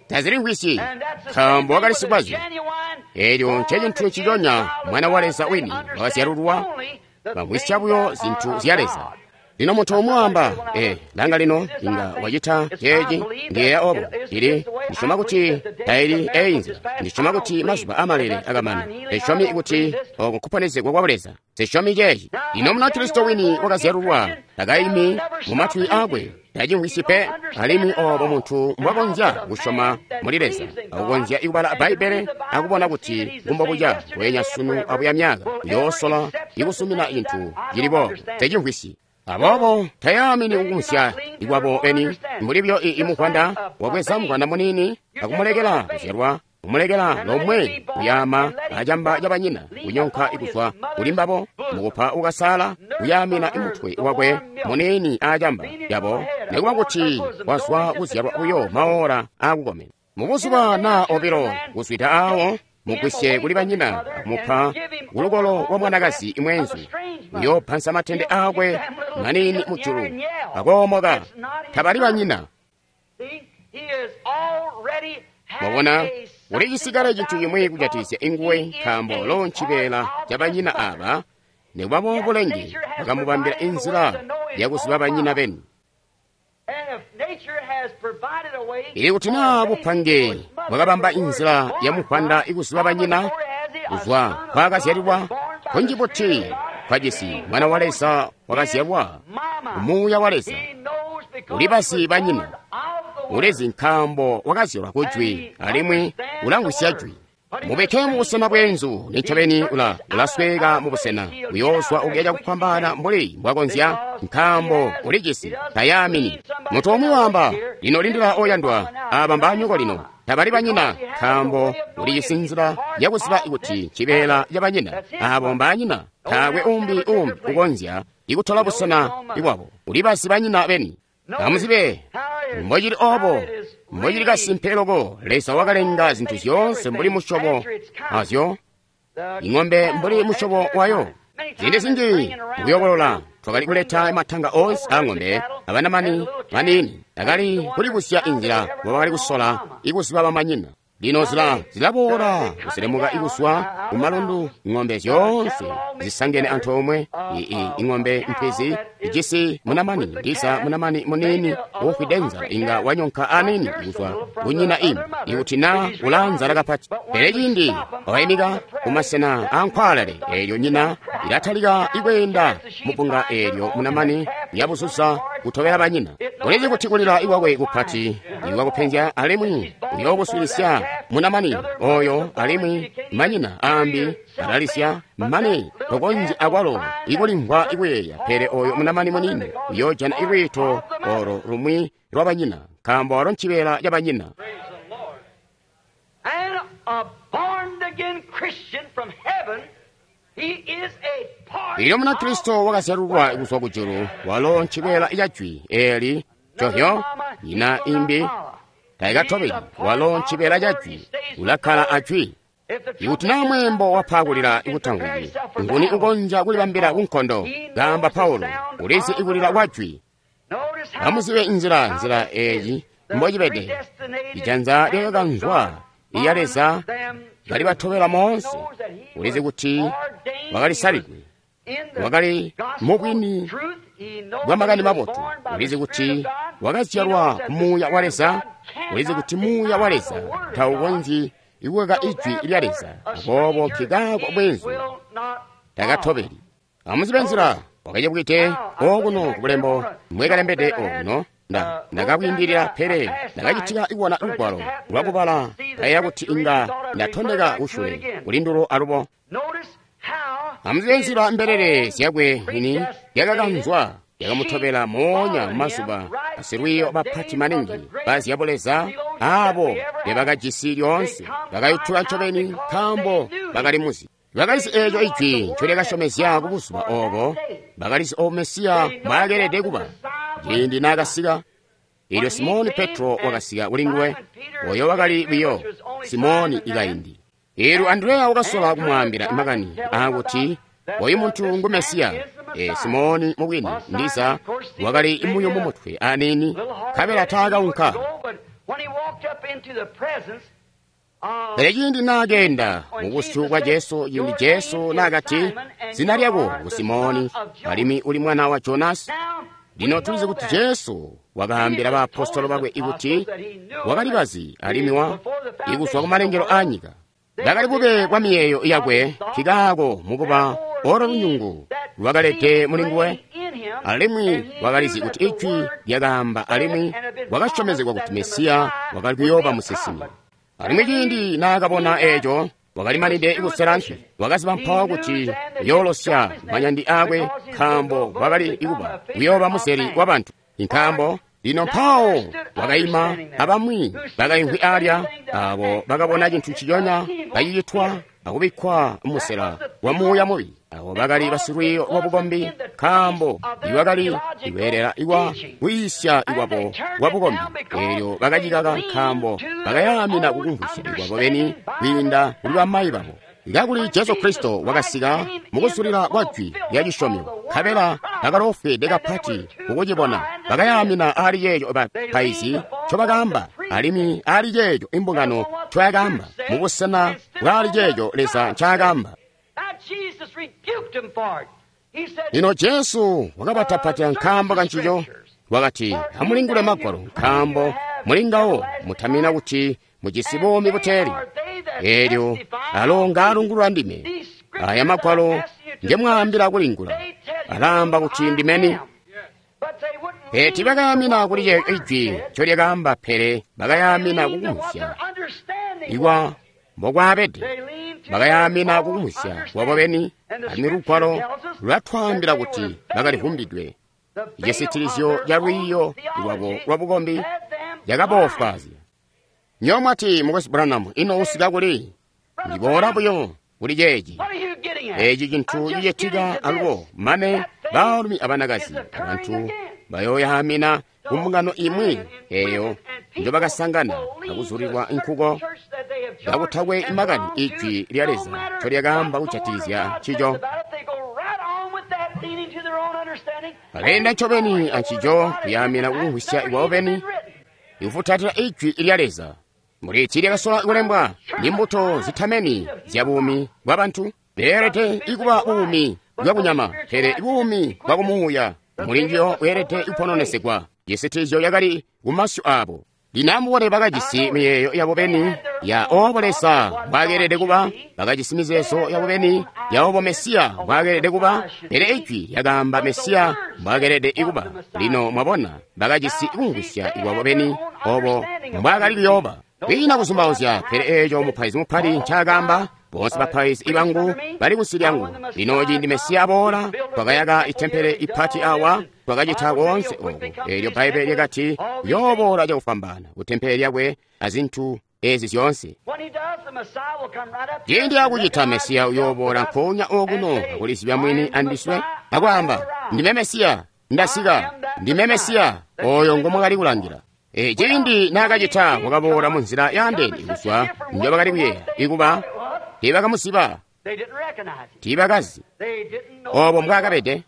Tazilimvwisyi nkaambo wakali sikwaze. Eelyo ncecintu nciconya mwana wa Leza wini wakazyalulwa, bamvwisya buyo zintu zya Leza. Lino muntu umwi waamba, langa lino inga wacita ceeci, ndiyeeya obo. Ili ndisyoma kuti taili eyi nzila. Ndisyoma kuti mazuba amalele akamana. Nsyomi kuti oko nkuponezegwa kwa Leza. Nsyomi ceeci. Lino Munakristo wini wakazyalulwa takaimi mumatwi akwe, tacimvwisyi pe. Alimwi obo muntu mbwakonzya kusyoma muli Leza, akukonzya kubala Bbaibbele akubona kuti kumbobuca bweenya sunu abuya myaka, uyoosola ikusumina cintu cili boobo. Tacimvwisyi. Aboobo tayaamini kukumvwisya ikwabo beni, mbuli buyo imuvwanda wabweza muvwanda muniini akumulekela kuzyalwa, kumulekela lomwe kuyaama acamba cabanyina, kunyonka kuzwa kuli mbabo, mukupa ukasaala kuyaamina mutwe wakwe muniini acamba yabo, nikuba kuti wazwa kuzyalwa buyo maora aakukomena. Mubuzuba naa obilo kuzwida aawo, mugwisye kuli banyina akumupa kulukolo lwa mwanakazi imwenzu, uyoopansa matende aakwe maniini mujulu akoomoka. Tabali banyina. Mwabona, uli cisikale cintu cimwi kujatikizya inguwe, nkaambo lo ncibeela ca banyina aba, nikuba boobo bulenge bwakamubambila inzila yakuziba banyina beni. Ili kuti naa bupange bwakabamba inzila yamuvwanda ikuziba banyina kuzwa kwaakazyalilwa, kunji buti kwajisi mwana wa Leza wakazyalwa Muuya wa Leza, ulibazi banyina, ulizi nkaambo wakazyalwa kujwi alimwi ulamvwisya jwi. Mubeke mubusena bwenzu, nincobeni ulasweka mubusena, uyoozwa ukuya cakufwambaana mbuli mbwakonzya, nkaambo ulijisi tayaamini. Muntu umwi waamba, lino lindila oyandwa, aaba mbaanyoko lino. Tabali banyina, nkaambo ulijisi nzila yakuziba kuti ncibeela cabanyina. Aabo mbaanyina, taakwe umbi ukonzya ikutola busena bwabo. Ulibazi banyina beni. Amuzibe mbocili obo, mbocili kasimpe loko. Leza wakalenga zintu zyoonse mbuli musyobo azyo, ing'ombe mbuli musyobo wayo. Ziindi zinji mukuyobolola twakali kuleta matanga onse a ng'ombe abanamani maniini, akali kulibusya inzila mbobakali kusola ikuziba bamanyina. Lino zilaboola kuselemuka ikuzwa kumalundu, ng'ombe zyoonse zisangene antoomwe. Ing'ombe mpwizi ijisi munamani, ndiza munamani muniini uufwide nzala inga wanyonka aniini kuzwa kunyina imbi, ikuti naa ulaanzala kapati. Pele ciindi waimika kumasena aankwaalale, eelyo nyina ilatalika ikweenda mupunga, eelyo munamani yabuzuza kutobela banyina. Ulizi kuti kulila ikwakwe kupati ikwakupenzya, alimwi uyookuswilisya munamani oyo, alimwi manyina aambi alalisya mane tokonzyi akwalo ikulimvwa ikuyeeya. Pele oyo munamani munini uyoojana ilwiito olo lumwi lwa banyina, nkaambo walo ncibeela ca banyina. Ilyo Munakristo wakazyalulwa kuzwa kujulu, walo ncibeela ca jwi eeli covyo, nyina imbi taikatobeli. Walo ncibeela ca jwi, ulakkala a jwi. Ikuti naa mweembo wapa kulila ikutamvwiki, nguni ukonzya kulibambila kunkondo? Kaamba Paulo, ulizi ikulila kwa jwi. Amuzibe nzila eeyi mbocibede. Ijanza lyakakanzwa iya Leza kalibatobela moonse. Ulizi kuti wakalisalidwe, wakali mubwini bwa makani mabotu. Ulizi kuti wakazyalwa Muuya wa Leza. Ulizi kuti Muuya wa Leza taukonzyi ikukaka ijwi lya Leza, aboobo nkikaako bwenzu takatobeli. Amuzibe nzila wakacebwite okuno kubulembo mbwekalembede okuno. Ndakabwiindilila, pele ndakacitika ikubona lugwalo lwakubala, kayeeya kuti inga ndatondeka kusyule kulindulo alubo. Amuzibe nzila mbelele zyakwe mwini yakakanzwa yakamutobela moonya mumazuba asilwiiyo bapati maningi bazyabuleza aabo bebakajisi lyoonse bakayutuka ncobeni nkaambo bakali muzi. Bakalizi eeco ijwi ncolyakasyomezya kubuzuba oobo. Bakalizi obo Mesiya mbwaakeelede kuba ciindi naakasika. Eelyo Simoni Petro wakasika kulinguwe, oyo wakali buyo Simoni ikaindi. Eelyo Andreya wakasola kumwaambila makani aakuti oyu muntu ngu Mesiya. Simoni mubwini ndiza wakali muyumu mutwe aniini, nkabela taakaunka. Pele ciindi naakeenda mubusyu bwa Jesu, ciindi Jesu naakati, zina lyako ngu Simoni, alimwi uli mwana wa Jonasi. Lino tulizi kuti Jesu wakaambila baapostolo bakwe ikuti wakali bazi alimwi ikuzwa kumalengelo aanyika. Bakali bube bwa miyeeyo yakwe, nkikaako mukuba olo lunyungu lwakalede mulinguwe, alimwi wakalizi kuti ijwi lyakaamba alimwi wakasyomezegwa kuti Mesiya wakali kuyooba musinsimi. Alimwi ciindi naakabona eeco, wakalimanide kusela nswi, wakaziba mpawo kuti uyoolosya manyandi aakwe, nkaambo wakali ikuba kuyooba museli wabantu. Nkaambo lino mpawo wakaima abamwi bakaimvwi alya, abo bakabona cintu nciconya kacicitwa akubikkwa musela wa muuya mubi. Abo bakali basilwiiyo lwabukombi, nkaambo iwakali iweelela iwa kwiisya ikwabo kwabukombi. Eelyo bakacikaka nkaambo bakayaamina kukumvwisya ikwabo beni kwiinda kuli bamayi babo. Kakuli Jesu Kristo wakasika mukuzulila kwa jwi lya cisyomyo, nkabela bakaloofwede kapati kukucibona. Bakayaamina aali ceeco bapaizi ncobakaamba, alimwi aali ceeco imbungano ncoyakaamba, mubusena bwaali ceeco Leza ncaakaamba. Lino Jesu wakabatapatila nkaambo kancico, wakati, amulingule Magwalo, nkaambo mulingawo mutamina kuti mujisi buumi buteeli. Eelyo alo ngaalungulula ndime. Aya Magwalo ngemwaambila kulingula, alaamba kuti ndimeni. Pele tiibakayaamina kuli ceeco ijwi ncolyakaamba, pele bakayaamina kukumvwisya ikwa mbokwaabede. Bakayaamina kukumvwisya kwabo beni, alimwi Lugwalo lulatwaambila kuti bakalivumbidwe. Icisitilizyo ca lwiiyo lwabo lwabukombi cakaboofwaazya. Nywebo mwati, Mukwesu Branham, ino usika kuli? Ndiboola buyo kuli ceeci. Eeci cintu cicitika alubo mane baalumi abanakazi abantu bayooyaamina kumbungano imwi eeyo njobakasangana akuzulilwa nkuko kakutakwe makani ijwi lya Leza ncolyakaamba kujatikizya ncico. Baleenda ncobeni ancico kuyaamina kukumvwisya ikwabo beni, ikufutatila ijwi lya Leza. Mbuli tiilyakasola kulembwa, ni mbuto zitameni zya buumi bwa bantu. Beelede ikuba buumi bwakunyama, pele buumi bwakumuuya mulinjiyo bweelede kupononesegwa. Cisitilizyo yakali kumasyu aabo. Lino amubone bakajisi miyeeyo yabo beni ya oobo Leza mbwaakeelede kuba, bakajisi mizeezo yabo beni ya oobo Mesiya mbwaakeelede kuba, pele ijwi lyakaamba Mesiya mbwaakeelede kuba. Lino mwabona, bakajisi kumvwisya ikwabo beni oobo mbwaakali kuyooba. Kwiina kuzumbauzya, pele eeco mupaizi mupati ncaakaamba, boonse bapaizi ibangu bali kunsi lyangu. Lino ciindi Mesiya aboola, twakayaka itempele ipati awa, twakacita koonse oku. Eelyo Bbaibbele lyakati uyooboola cakufwambaana ku tempele lyakwe azintu ezi zyoonse. Ciindi akucita Mesiya uyooboola nkoonya okuno akulizibya mwini andiswe akwaamba, ndime Mesiya, ndasika, ndime Mesiya, oyo ngomwakali kulangila. Ciindi naakacita wakaboola munzila yaandeene kuzwa njobakali kuyeeya ikuba tiibakamuziba, tiibakazi oobo mbwaakabede.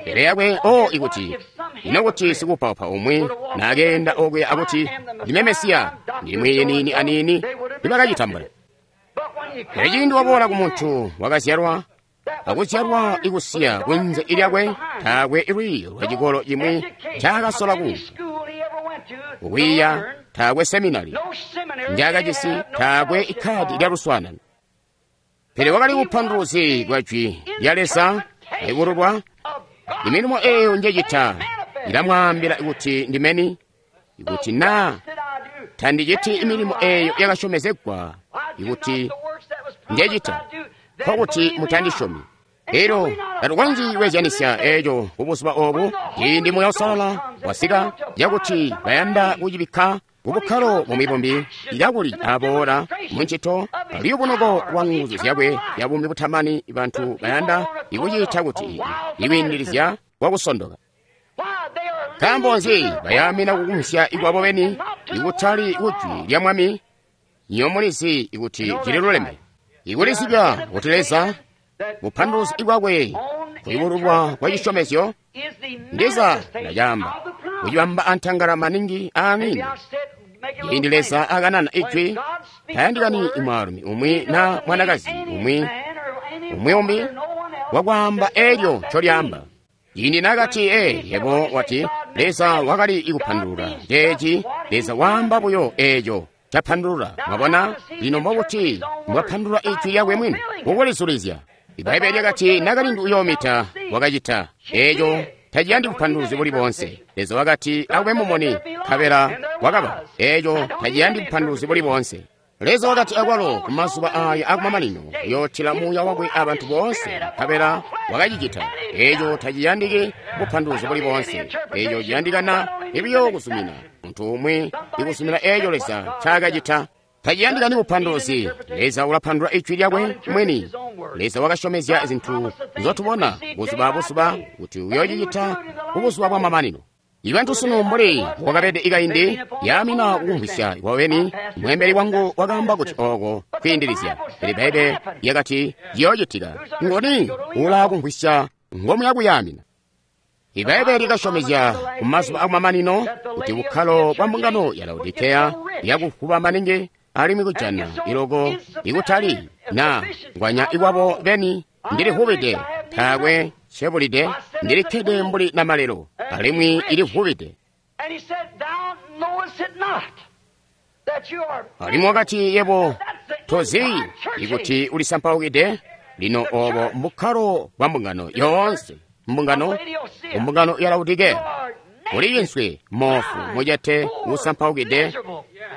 Pele yakwe ikuti ino kuti sikupaupa umwi naakeenda okuya akuti ndime Mesiya, ndili mwiiyi niini aniini, tiibakacitambula. Pele ciindi waboola kumuntu wakazyalwa akuzyalwa ikusiya kunze lyakwe, taakwe lwiiyo lwa cikolo cimwi ncaakasola kuunka kukwiiya, taakwe seminari njaakajisi, taakwe ikkaadi lya luswaanano. Pele wakali bupanduluzi bwa jwi lya Leza likululwa. Imilimo eeyo njecita ilamwaambila kuti ndimeni, ikuti naa tandiciti imilimo eeyo yakasyomezegwa ikuti njecita, nkokuti mutandisyomi. Elyo tatukonzyi kweezyanisya eeco kubuzuba oobu, ciindi Muuya Uusalala wasika, cakuti bayanda kucibikka kubukkalo bumwi bumbi, kakuli aboola muncito luyubunuko lwa nguzu zyakwe zya buumi butamani, bantu bayanda ikuciita kuti ikwiindilizya kwakusondoka. Nkaambo nzi bayaamina kukumvwisya ikwabo beni ikutali kujwi lya Mwami? Nyo mulizi ikuti cililuleme. Ikulizibya kuti Leza bupanduluzi bwakwe kuyubululwa kwa cisyomezyo ndiza ndacaamba kucibamba antangala maningi. Amini. Ciindi Leza akanana ijwi, tayandikani mwaalumi umwi na mwanakazi umwi umwi umbi wakwaamba elyo ncolyaamba. Ciindi nakati yebo wati Leza wakali ikupandulula ceeci, Leza waamba buyo eeco capandulula. Mwabona lino mbokuti mbwapandulula ijwi lyakwe mwini kukulizulizya. Ibaibbele lyakati nakalindu uyoomita wakacita eeco taciyandi bupanduluzi buli boonse. Leza wakati akube mumuni, nkabela wakaba. Eeco taciyandi bupanduluzi buli boonse. Leza wakati akwalo kumazuba aya akumamanino uyootila muuya wakwe abantu boonse, nkabela wakacicita. Eeco taciyandiki bupanduluzi buli boonse. Eeco ciyandikana ibiyo kuzumina muntu umwi ikuzumina eeco Leza ncaakacita. Taciyandikani bupanduluzi. Leza ulapandulula ijwi lyakwe mwini. Leza wakasyomezya zintu nzotubona buzuba abuzuba kuti uyoocicita kubuzuba bwamamanino. Ibantu sunu mbuli wakabede ikaindi yaamina kukumvwisya kwaweni. Mweembeli wangu wakaamba kuti ooko kwiindilizya, pele Bbaibbele lyakati ciyoocitika. Ngoni ulaakumvwisya ngomuya kuyaamina. Ibaibbele lyakasyomezya kumazuba akumamanino kuti bukkalo bwa mbungano ya Laodikeya yakufuba maningi alimwi kujana iloko ikutali na ngwanya ikwabo beni ndilivubide taakwe ncebulide ndilikkede mbuli namalelo alimwi ilivubide. Alimwi wakati yebo tozi ikuti ulisampaukide. Lino obo mbukkalo bwa mbungano yoonse, mbungano mbungano ya Laodikeya uli inswi moofu mucete usampaukide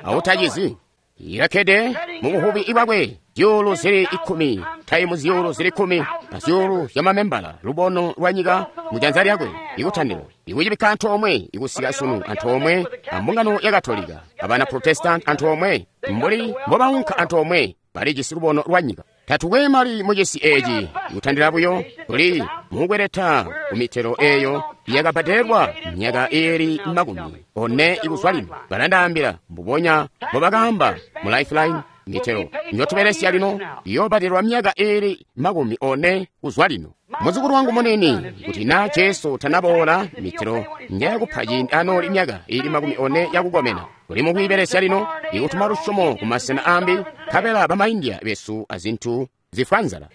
autacizi. Ilakkede mubuvubi bwakwe zyuulu zili 10 taimu zyuulu zili 10 na zyuulu zyamamembala lubono lwa nyika mujanza lyakwe ikutandilo ikucibikka antoomwe ikusika sunu antoomwe ambungano ya Katolika abana Protestant antoomwe mbuli mbobaunka antoomwe balijisi lubono lwa nyika. Tatukwe mali mucisi eeci kutandila buyo tuli mukweleta kumitelo eeyo yakabbadelwa myaka iili 40 ikuzwa lino. Balandaambila mbubonya mbobakaamba mu Lifeline, mitelo njotubelesya lino iyoobadelwa myaka iili 40 kuzwa lino. Muzukulu wangu munini, kuti na Jesu tanaboola, mitelo njayakupa ciindi anooli myaka iili 40 yakukomena. Tuli mukwiibelesya lino ikutuma lusyomo kumasena ambi, nkabela bamaindia besu azintu zifwa nzala.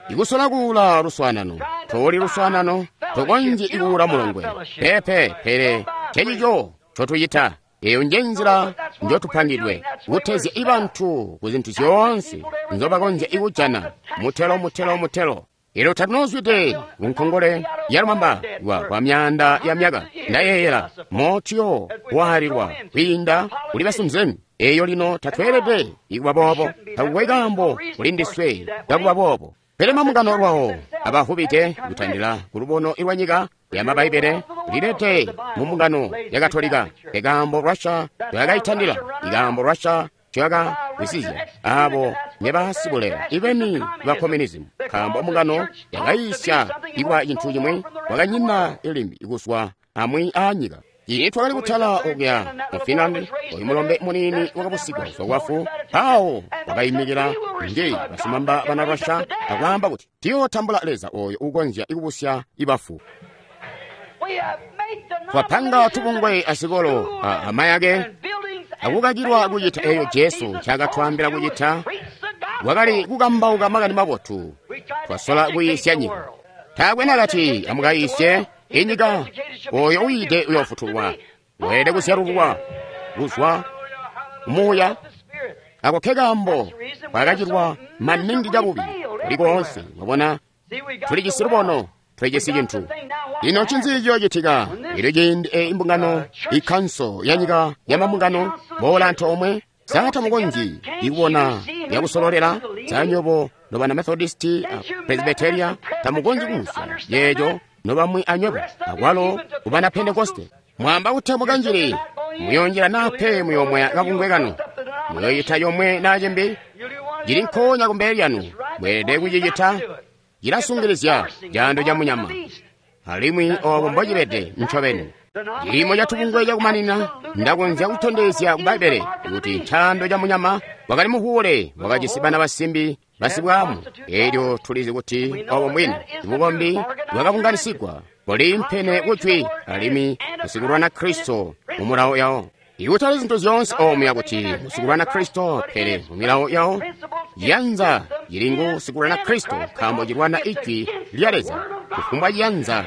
Ikusola kuula luswaanano, toli luswaanano, tokonzyi ikuula mulongwe. Pepe, pele cecico ncotuyita. Eyo nje nzila njotupangidwe kutezya ibantu ku zintu zyoonse nzobakonzya ikujana. Mutelo, mutelo, mutelo. Elyo tatunozwide kunkongole ya lumamba lwa myaanda ya myaka. Ndayeeyela motiyo waalilwa kwiinda kuli basunzeni. Eyo lino tatweelede ikuba boobo. Takukwe kaambo kuli ndiswe kakuba boobo. Pele mambungano lwawo abavubide kutandila ku lubono lwa nyika ya Mabaibele lilete mu mbungano ya Katolika. Ikaambo Russia ncoyakaitandila, ikaambo Russia ncoyakagwisizya abo nebasibulela ibeni ba communism, nkaambo mbungano yakayiisya ikwa cintu cimwi kwakanyina limbi kuzwa amwi aanyika. Iye twakali kutala okuya mu Finland, oyu mulombe munini wakabusigwa kuzwa kwafu, mpawo wakayimikila nje basimamba bana Russia akwaamba kuti tiyootambula Leza oyo ukonzya ikubusya ibafu. Twapanga tubungwe azikolo amayake akukakilwa kucita eyo Jesu ncaakatwaambila kucita. Wakali kukambauka makani mabotu. Twasola kuyiisya nyika. Taakwe nakati amukayiisye inyika. Oyo uyiide uyoofutulwa. Weelede kuzyalulwa kuzwa kumuuya. Ako ke kaambo kwakacilwa maningi cabubi kuli koonse. Mwabona, tulijisi lubono, tulijisi cintu. Lino ncinzi ciyoocitika elyo ciindi eyi mbungano, ikanso ya nyika ya mambungano boola antoomwe? Sa tamukonzyi ikubona yakusololela zanyobo nobana Methodisti a Presbyteria? Tamukonzyi kumvwisya yeeco nobamwi anywebo akwalo kubana Pentekoste. Mwamba kuti mukanjili muyonjela nape muyomweya kabungwe kanu, muyoyita yomwe na cimbi cili nkoonya kumbele lyanu. Mweelede kucicita. Cilasungilizya caando ca munyama, alimwi obo mbocibede ncobeni. Ciimo catubungwe cakumanina, ndakonzya kutondezya ku Bbaibbele kuti ncaando ca munyama wakali muhuule, wakajisi bana basimbi basibwaamu. Elyo tulizi kuti obo mbwini. Bukombi bwakabunganisigwa buliimpene kujwi alimwi musikulwana Kristo mu mulawo yawo. Ikutali zintu zyoonse omuya kuti musikulwana Kristo, pele mu milawo yawo yanza ili ngu sikulwana Kristo, nkaambo cilwana ijwi lya Leza. Kufumbwa ciyanza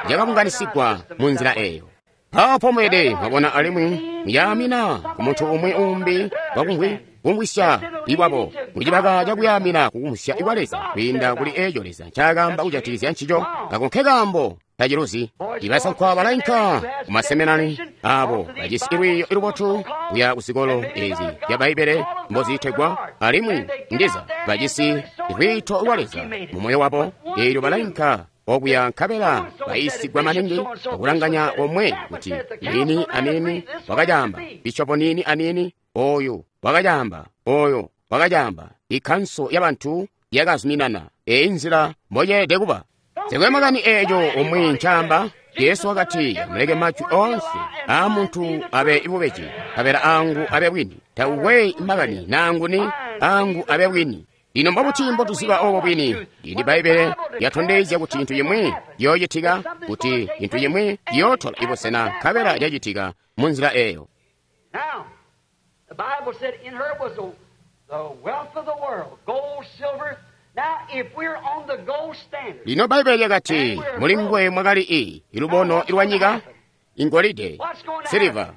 cakabunganisigwa mu nzila eyo. Mpawo mwede mwabona alimwi muyaamina ku muntu umwi umbi wakumvwi kumvwisya iwabo mucibaka cakuyaamina kukumvwisya ikwa Leza kwiinda kuli eco Leza ncaakaamba kujatikizya ncico. Ako nkekaambo taciluzi. Ibasankwa balainka ku maseminari abo bajisi lwiiyo lubotu kuya ku zikolo ezi zya Bbaibbele mbozitegwa, alimwi ndiza bajisi lwiito lwa Leza mu moyo wabo. Eelyo balainka okuya nkabela bayiisigwa maningi akulanganya omwe kuti nini anini wakacaamba, bishopo nini anini oyu wakacaamba, oyo wakacaamba. Ikkanso yabantu yakazuminana eyi nzila mboceelede kuba. Sikwe makani eeco umwi ncaamba. Jesu wakati, muleke majwi oonse aa muntu abe bubeji, nkabela angu abe bwini. Takukwe makani naanguni, angu abe bwini. Lino mbobuti mbotuziba obo bwini? Ili Bbaibbele lyatondezya kuti cintu cimwi ciyoocitika, kuti cintu cimwi ciyootola ibusena, nkabela cacitika mu nzila eyo. Now, the Bible said in her was the wealth of the world, gold, silver. Now, if we're on the gold standard, Lino Bbaibbele lyakati muli nguwe mwakali ilubono lwa nyika, ingolide, siliva.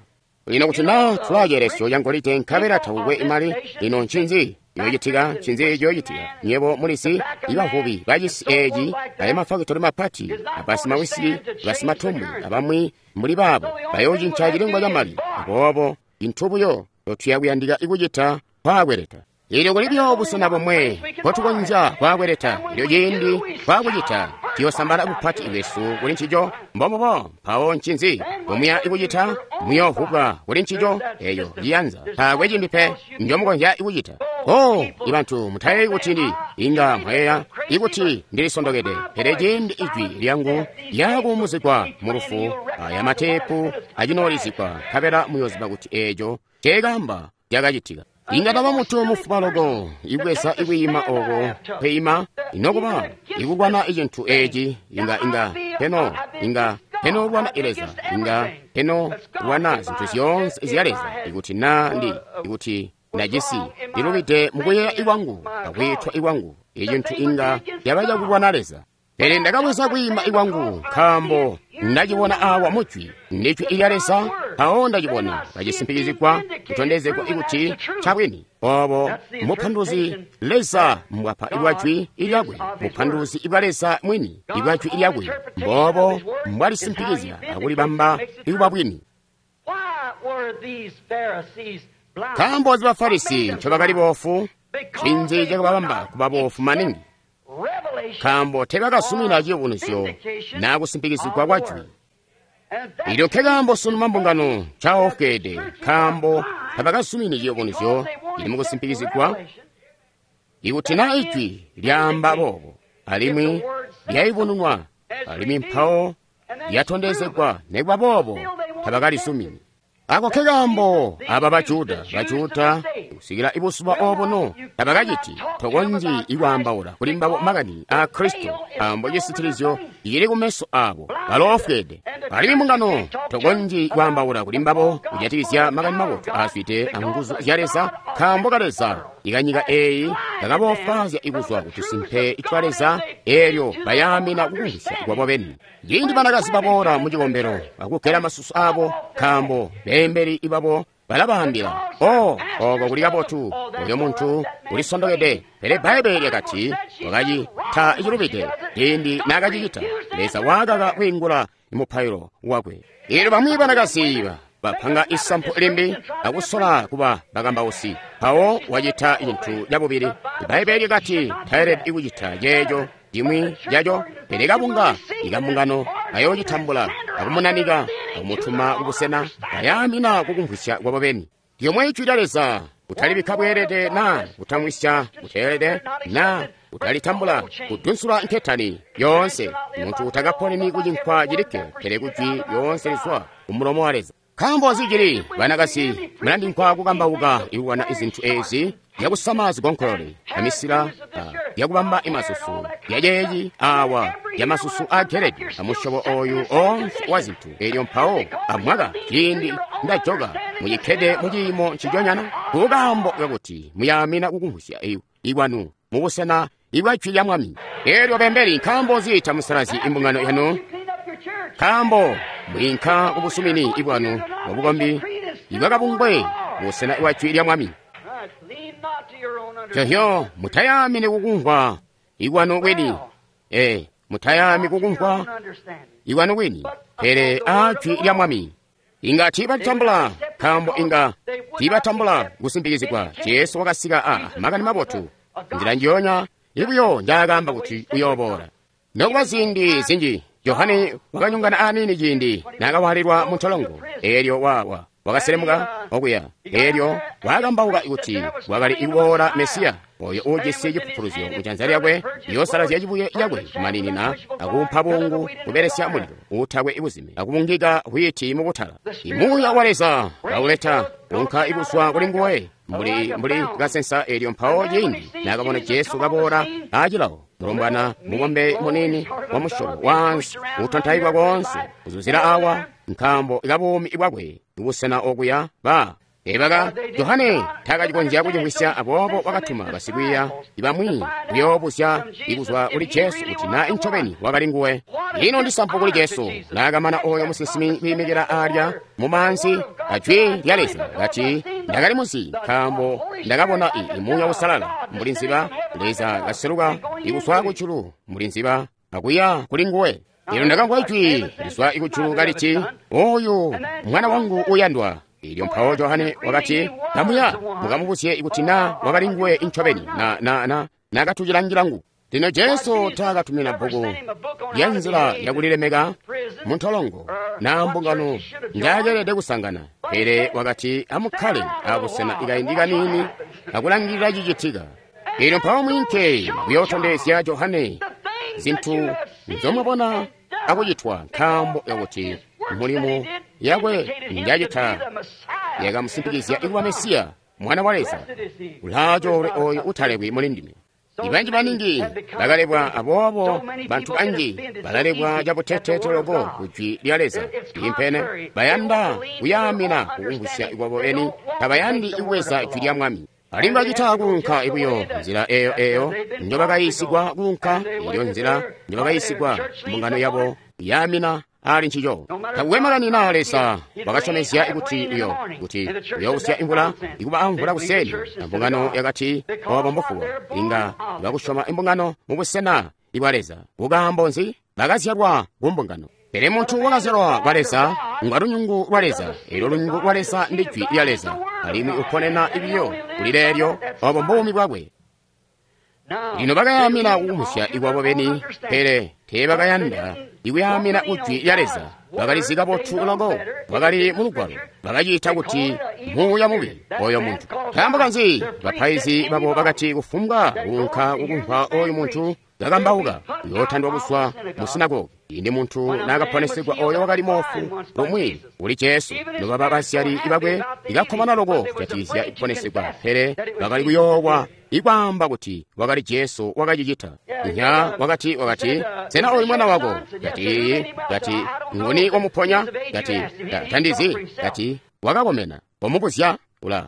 Lino kuti naa tulaaceelesyo ca ngolide nkabela takukwe imali, lino ncinzi ciyoocitika? Ncinzi ciyoocitika? Nywebo mulizi, ibavubi bacisi eeci ayo mafakitori mapati, abasimawisiki, basimatumbu, abamwi mbuli baabo bayoocinca cilengwa ca mali. Aboobo cintu buyo tuya kuyandika ikucita kwaakweleta. Elyo kuli buyo busena bomwe mpotukonzya kwaakweleta. Elyo ciindi kwakucita, tuyoosambala bupati bwesu kuli ncico. Mbombubo. Mpawo ncinzi mbomuya ikucita? Muyoovubwa kuli ncico. Eyo ciyanza taakwe cimbi pe njomukonzya ikucita. Oh, ibantu mutayeeyi kuti ndi inga mwayeeya ikuti ndilisondokede, pele ciindi ijwi lyangu lyakuumuzigwa mu lufu, aya mateepu acinoolizigwa, nkabela muyooziba kuti eeco ceekaamba cakacitika. Inga taba muntu mufuba loko ibweza ikwiima oko kwiima inokuba ikulwana icintu eci inga inga peno inga peno lwana ileza inga peno lwana zintu zyoonse zya Leza ikuti na ndi ikuti ndajisi ndilubide mukuyeeya ikwangu akwiitwa ikwangu icintu inga yaba cakulwana Leza. Pele ndakabweza kwiima ikwangu nkaambo ndacibona awa mujwi ndijwi ilya Leza, mpawo ndacibona kacisimpikizigwa kutondezegwa ikuti ncabwini. Obo muphanduzi Leza mbwapa ibwajwi ilyakwe, muphanduzi ibwa Leza mwini ibwajwi ilyakwe, mbobo mbwalisimpikizya akulibamba ikuba bwini. why were these Pharisees blind? Nkaambo ba Farisi ncobakali boofu, ncinzi cakababamba kuba boofu maningi? Revelation Nkaambo teebakazumina ciyubunuzyo naa kusimpikizigwa kwa jwi. and that Ilyo nkekaambo sunu mambungano ncaofweede, nkaambo tabakazumini ciyubunuzyo cili mukusimpikizigwa. Ikuti naa ijwi lyaamba boobo, alimwi lyayubununwa, alimwi mpawo lyatondezegwa, nekuba boobo tabakalizumini. Ako nkekaambo aba Bajuda, Bajuda kusikila ibuzuba obuno tabakaciti tokonzyi ikwaambaula kuli mbabo makani aa Kristo, nkaambo cisitilizyo cili kumeso abo baloofweede. Alimwi mbungano tokonzyi kwaambaula kuli mbabo kujatikizya makani mabotu aazwide anguzu zya Leza, nkaambo ka Leza ikanyika eeyi kakaboofwaazya ikuzwa kutusimpe twa Leza, eelyo bayaamina kukumvwisya kwabo beni. Ciindi banakazi baboola mu cikombelo akugela masusu abo, nkaambo beembeli ibabo balabaambila, "Oh, oko kuli kabotu, oyo muntu ulisondokede." Pele Bbaibbele lyakati wakacita icilubide ciindi naakacicita. Leza waakaka kwiingula mupailo wakwe. Eelyo bamwi banakazi bapanga isampu limbi akusola kuba bakambausi, mpawo wacita cintu cabubili. Bbaibbele lyakati taelede kucita ceeco cimwi caco, pele kabunga ikambungano kayoocitambula akumunanika akumutuma kubusena bayaamina kukumvwisya kwabo beni. Lyomwe ijwi lya Leza Kutalibikka bweelede na kutamwisya buteelede na kutalitambula kudunsula nketani yoonse. Muntu takaponeni kucinkwa cilikke, pele kujwi lyoonse lizwa kumulomo wa Leza. Nkaambo nzi cili banakasi mulandinkwa kukambauka ikulwana izintu ezi zyakusama zigonkolole amisila zyakubamba imasusu yaceeci awa yamasusu ageledi amusyobo oyu oonse wa zintu. Elyo mpawo amwaka ciindi ndajoka mucikkede muciimo nciconyana kukaambo kakuti muyaamina kukumvwisya ikwanu mubusena ibwa jwi lya Mwami. Elyo bembeli, nkaambo nzi tamusalazyi imbungano yanu? Nkaambo mwiinka kubusumini ibwanu bwabukombi ibwakabungwe busena bwa jwi lya Mwami. Cehyo mutayaamini kukumvwa ikwanu kwini. Mutayaami kukumvwa ikwanu kwini, pele a jwi lya Mwami. Inga tiibatambula, nkaambo inga tiibatambula kusimpikizigwa. Jesu wakasika a makani mabotu nzila njiyonya ibuyo njaakaamba kuti uyooboola. Nokuba ziindi zinji Johane wakanyongana aniini ciindi naakawaalilwa mu ntolongo. Eelyo wakaselemuka okuya. Eelyo wakambauka kuti wakali ikuboola Mesiya oyo uujisi cipupuluzyo mujanza lyakwe liyoosalazya cibuye cakwe kumaninina akuumpa buungu kubelesya mulilo uutakwe ibuzime akubungika whiiti mubutala. Imuuya wa Leza kauleta unka ikuzwa kuli nguwe mbuli kasensa. Eelyo mpawo ciindi naakabona Jesu kaboola aacilawo, mulombwana mubombe munini wa musyobo waansi utontaikwa koonse kuzuzila awa nkaambo kabuumi bwakwe kubusena okuya ebaka Johane takacikonzya kucimvwisya, aboobo wakatuma basikwiiya bamwi kuyoobuzya ikuzwa kuli Jesu kuti na incobeni wakali nguwe. Ino ndisampu kuli Jesu naakamana oyo musinsimi kwiimikila alya mumaanzi ajwi lya Leza kati, ndakali muzi nkaambo ndakabona Muuya Uusalala mbuli nziba Leza kaseluka ikuzwa kujulu mbuli nziba akuya kuli nguwe. Elyo ndakamvwa ijwi lizwa ikujulu kaliti, oyu mwana wangu uyandwa. Elyo mpawo Johane wakati, kamuya mukamubuzye kuti na wakali nguwe incobeni nakatucilangilangu. Lino Jesu taakatumina bbuku lya nzila yakulilemeka muntolongo na mbungano njaakeelede kusangana, pele wakati amukkale abusena kaindi kaniini akulangilila cicitika. Elyo mpawo mwiinke kuyootondezya Johane zintu nzomwabona akucitwa, nkaambo kakuti mulimo yakwe njacita yakamusimpikizya ikuba Mesiya, Mwana wa Leza. Ulaacoolwe oyo utalebwi muli ndime. Ibanji baningi bakalebwa, aboobo bantu banji balalebwa cabutete loko kujwi lya Leza. Impene bayanda kuyaamina kukumvwisya kwabo eni, tabayandi ikubweza jwi lya Mwami. Alimwi bacita kuunka ibuyo nzila eyo njobakayiisigwa kuunka, elyo nzila njobakayiisigwa mbungano yabo yaamina ali ncico. Takukwe makani na Leza wakasyomezya kuti kuti uyousya imvula ikuba amvula kuseni, na mbungano yakati obo mbufuba. Inga bakusyoma imbungano mubusena ibwa Leza. Kukaambo nzi? Bakazyalwa ku mbungano. Pele muntu wakazyalwa kwa Leza ngwa lunyungu lwa Leza. Elyo lunyungu lwa Leza ndi jwi lya Leza, alimwi uponena ibiyo kuli leelyo. Obo mbuumi bwakwe. Lino bakayaamina kukumvwisya ikwabo beni, pele teebakayanda ikuyaamina kujwi lya Leza. Bakalizi kabotu loko bwakali mu Lugwalo, bakaciita kuti muuya mubi oyo muntu. Nkaambo kanzi? Bapaizi babo bakati kufumbwa kuunka kukumvwa oyu muntu kakambauka uyootandwa kuzwa mu sinagogi. Indi muntu naakaponesegwa oyo wakali moofu lumwi kuli Jesu, nobaba bazyali bakwe ikakkomana loko kujatikizya kuponesegwa, pele bakali kuyoowa ikwaamba kuti wakali Jesu wakacicita. Nya wakati, sena oyu mwana wako? Kati iiyi. Kati nguni wamuponya? Kati tandizi. Kati wakakomena. Wamubuzya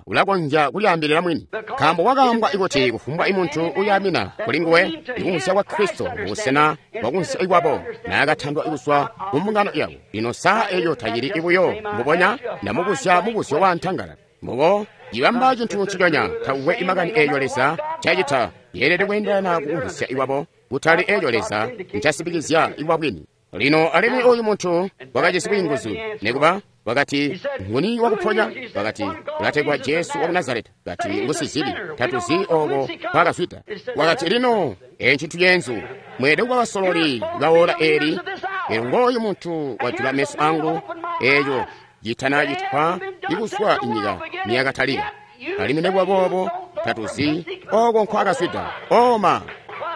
ulakonzya kulyaambilila mwini, nkaambo wakaambwa kuti kufumbwa imuntu uyaamina kuli nguwe ikumvwisya kwa Kristo mubusena bwakumvwisya ikwabo naakatandwa kuzwa mu mbungano yabo. Lino saa eyo tacili ibuyo mbubonya ndamubuzya mubuzyo wa ntangala. Mbubo ibamba cintu nciconya, takukwe imakani eeyo Leza ncacita yeelede kweendelana kukumvwisya ikwabo, kutali eeyo Leza ncasimpikizya ikwa bwini. Lino alimwi oyu muntu wakajisi bwiinguzu, nekuba wakati nguni wakuponya? Wakati ulategwa Jesu waku Nazareta. Kati ngusizibi, tatuzi oko kwakazwida. Wakati lino ncintu ceenzu, mweelede kuba basololi bawola eli. Elyo ngooyu muntu wajula meso angu, eeco citana citwa ikuzwa inyika niyakatalika. Alimwi nekubaboobo tatuzi oko nkwakazwida. Oma!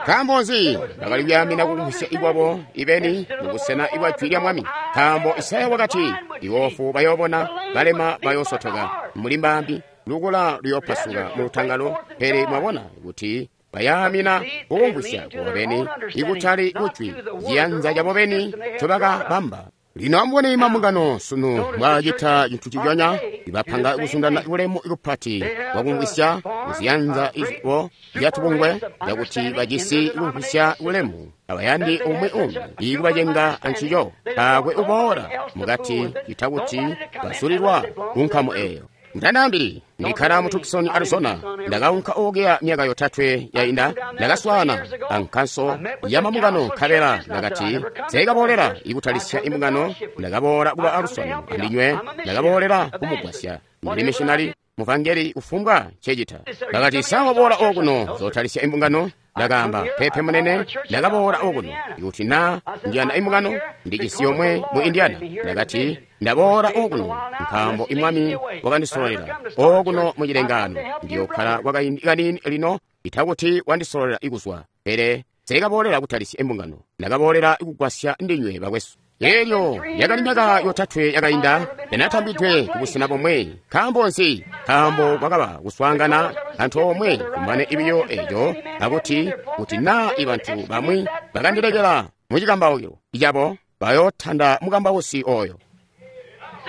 Nkaambo nzi bakali kuyaamina kukumvwisya ikwabo ibeni mubusena ibwa jwi lya Mwami? Nkaambo Isaya wakati, iwofu bayoobona, balema bayoosotoka, mbuli mbambi lukula luyoopasuka mu lutangalo. Pele mwabona kuti bayaamina kukumvwisya kwabo beni ikutali kujwi, ciyanza cabo beni ncobakabamba. Lino amubone mambungano sunu mbwaacita cintu ciconya, ibapanga kuzundana bulemu kupati bwakumvwisya muziyanza ibo zyatubungwe cakuti bajisi kumvwisya bulemu abayandi umwi umbi ikubacenga ancico. Taakwe uboola mukati cita kuti basulilwa kunkamu eeyo. Ndandaambili ndikkala mu Tucson, Arizona. Ndakaunka okuya myaka yotatwe yainda. Ndakaswaana ankanso ya mambungano, nkabela ndakati nseekaboolera ikutalisya imbungano. Ndakaboola kuba aluswano andinywe, ndakaboolera kumugwasya. Ndili missionary, muvangeli, kufumbwa ncecita. Bakati, sa waboola okuno zotalisya imbungano? Ndakaamba, pepe munene, ndakaboola okuno ikuti na njiyanda imbungano ndijisi yomwe mu Indiana. Ndakati, ndaboola okuno nkaambo imwami wakandisololela okuno mu cilengaano. Ndiyokkala kwakaindi kaniini lino itakuti wandisololela ikuzwa, pele nseekaboolera kutalisya imbungano, ndakaboolera kugwasya ndinywe bakwesu. Elyo yakali myaka yotatwe yakainda ndanatambidwe kubusena bomwe. Nkaambo nzi? Nkaambo kwakaba kuswaangana antoomwe kumane ibiyo eco, akuti kuti naa ibantu bamwi bakandilekela mucikambaukilo cabo, bayootanda mukambausi oyo.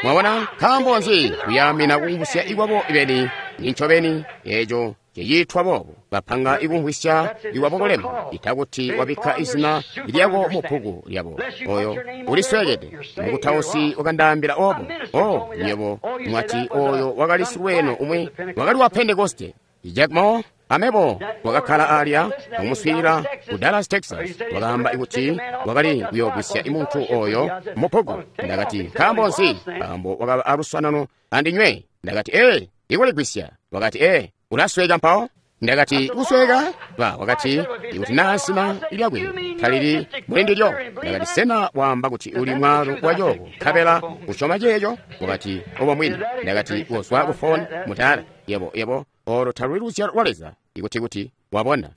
Mwabona? Nkaambo nzi? Kuyaamina kukumvwisya ikwabo ibeni. Nincobeni eco ciciitwa boobo. Bapanga ikumvwisya ikwabo kulema, itakuti wabikka izina lyako mu bbuku lyabo. Oyo ulisweekede. Mukutausi wakandaambila obo. O, nywebo mwati oyo wakali silweeno umwi wakali wa Pentekoste. Jack Moore amebo wakakkala alya akumuswiilila ku Dallas, Texas. Wakaamba kuti wakali kuyoogwisya imuntu oyo mu bbuku. Ndakati, nkaambo nzi? Nkaambo wakaba aluswanano andinywe. Ndakati, ee, ikuligwisya. Wakati, ee, ulasweka mpawo. Ndakati, kusweka? Ba, wakati, ikuti naa zina lyakwe talili muli ndilyo. Ndakati, sena waamba kuti uli mwaalu wa cooko nkabela usyoma ceeco? Wakati, obo mwini. Ndakati, kozwa ku foni mutala. Yebo, yebo, olo taluli luzyalo lwa Leza. Ikuti kuti wabona.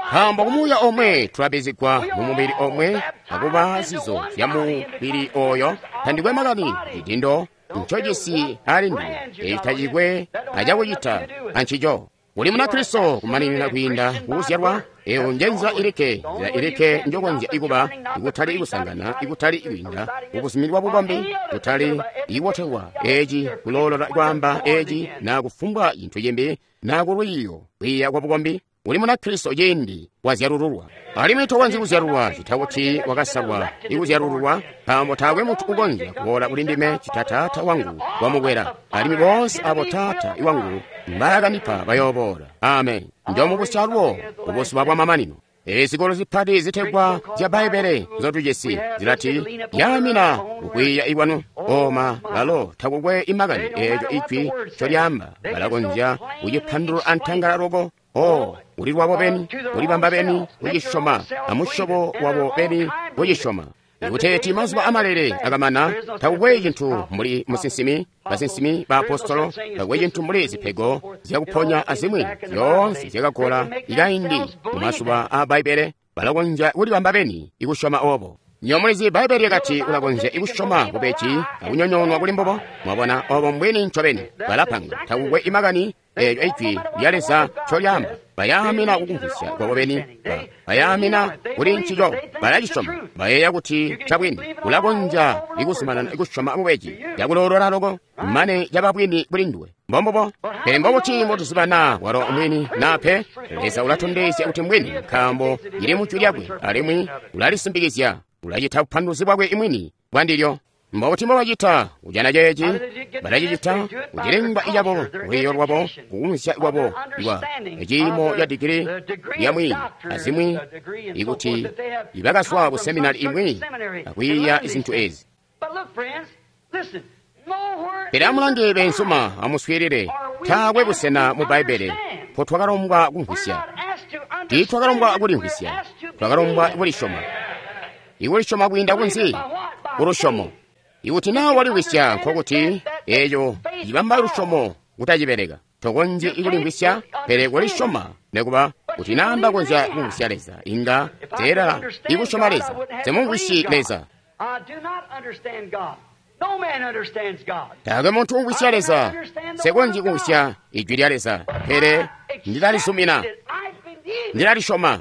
Nkaambo kumuuya omwe tulabizigwa mu mubili omwe, akuba zizo zya mubili oyo. Tandikwe makani cidindo ncojisi ali ndiwe, eeci tacikwe acakucita ancico. Uli Munakristo kumaninina kwiinda kukuzyalwa. Eyo nje nzila ilikke, nzila ilikke njokonzya ikuba, ikutali ikusangana, ikutali ikwiinda kubuzumini bwa bukombi, kutali ikubotelwa eci, kuloolola kwaamba eci, na kufumbwa cintu cimbi, na kulwiiyo kwiiya kwa bukombi. Uli Munakristo ciindi wazyalululwa. Alimwi tokonzyi kuzyalulwa cita kuti wakasalwa ikuzyalululwa, nkaambo taakwe muntu ukonzya kuboola kuli ndime cita Taata wangu wamukwela, alimwi boonse abo Taata wangu mbaakandipa bayooboola. Amen. Njoomubusya alubo kubuzuba bwamamanino. Ezikolo zipati zitegwa zya Bbaibbele nzotujisi zilati yaamina kukwiiya ikwanu. Oma balo takukwe imakani eeco ijwi ncolyaamba, balakonzya kucipandulula antangala loko. O, uli lwabo beni, ulibamba beni kucisyoma, amusyobo wabo beni kucisyoma. Ikuteeti mazuba amalele akamana, takukwe cintu mbuli musinsimi, basinsimi, baapostolo, takukwe cintu mbuli zipego zyakuponya azimwi zyoonse zyakagola ikaindi mu mazuba aa Bbaibbele. Balakonzya kulibamba beni ikusyoma obo. Nywebo mulizi Bbaibbele lyakati ulakonzya ikusyoma bubeji akunyonyoonwa kuli mbubo. Mwabona obo mbwini ncobeni. Balapanga takukwe imakani eeco ijwi lya Leza ncolyaamba. Bayaamina kukumvwisya kwabo beni, bayaamina kuli ncico, balacisyoma, bayeeya kuti ncabwini. Ulakonzya ikuzumanana ikusyoma bubeji cakuloolola loko mane caba bwini kuli nduwe. Mbombubo. Pele mbobuti mbotuziba naa walo mwini naa pe? Leza ulatondezya kuti mbwini, nkaambo cili mu jwi lyakwe, alimwi ulalisimbikizya, ulacita bupanduluzi bwakwe mwini bwandilyo. Mbobuti mbobacita kujana ceeci? Balacicita kucilengwa cabo, lwiiyo lwabo, kukumvwisya kwabo kwa ciimo ca digili lyamwi azimwi, ikuti ibakazwa ku seminari imwi akwiiya zintu ezi. Pele amulange beenzuma, amuswiilile, taakwe busena mu Bbaibbele mpotwakalombwa kumvwisya. Tiitwakalombwa kulimvwisya, twakalombwa kulisyoma. Ikulisyoma kwiinda kunzi? Kulusyomo. Ikuti naa walimvwisya, nkokuti eeco cibamba lusyomo kutacibeleka. Tokonzyi kulimvwisya, pele kulisyoma. Nekuba kuti naa ndakonzya kumvwisya Leza, inga teelala ikusyoma Leza. Semumvwisyi Leza. Taakwe muntu umvwisya Leza. Nsekonzyi kumvwisya Ijwi lya Leza, pele ndilalizumina, ndilalisyoma.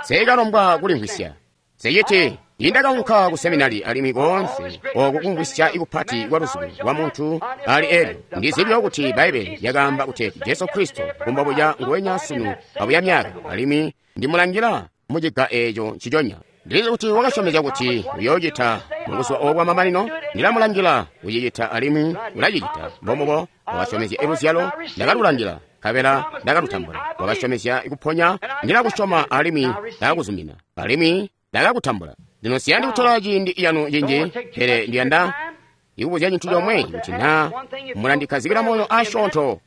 Nseekalombwa kulimvwisya. Sechiti indakaunka ku seminari alimwi koonse oku kumvwisya ikupati kwa luzubo lwa muntu ali elyo ndizibyo kuti Bbaibele lyakaamba kuti Jesu Kristo kumbabuya nguwenya sunu abuya myaka, alimwi ndimulangila muciga eeco nciconya. Ndilizi kuti wakasyomezya kuti uyoocita mubuzuba obu bwamamanino. Ndilamulangila kucicita alimwi ulacicita. Mbomubo wakasyomezya iluzyalo, ndakalulangila nkabela ndakalutambula. Wakasyomezya kuponya, ndilakusyoma alimwi ndakakuzumina, alimwi ndakakutambula. Lino siyandi kutola ciindi yanu cinji, pele ndiyanda ikubuzya cintu comwe, kuti naa mulandikhazikira moyo asyoonto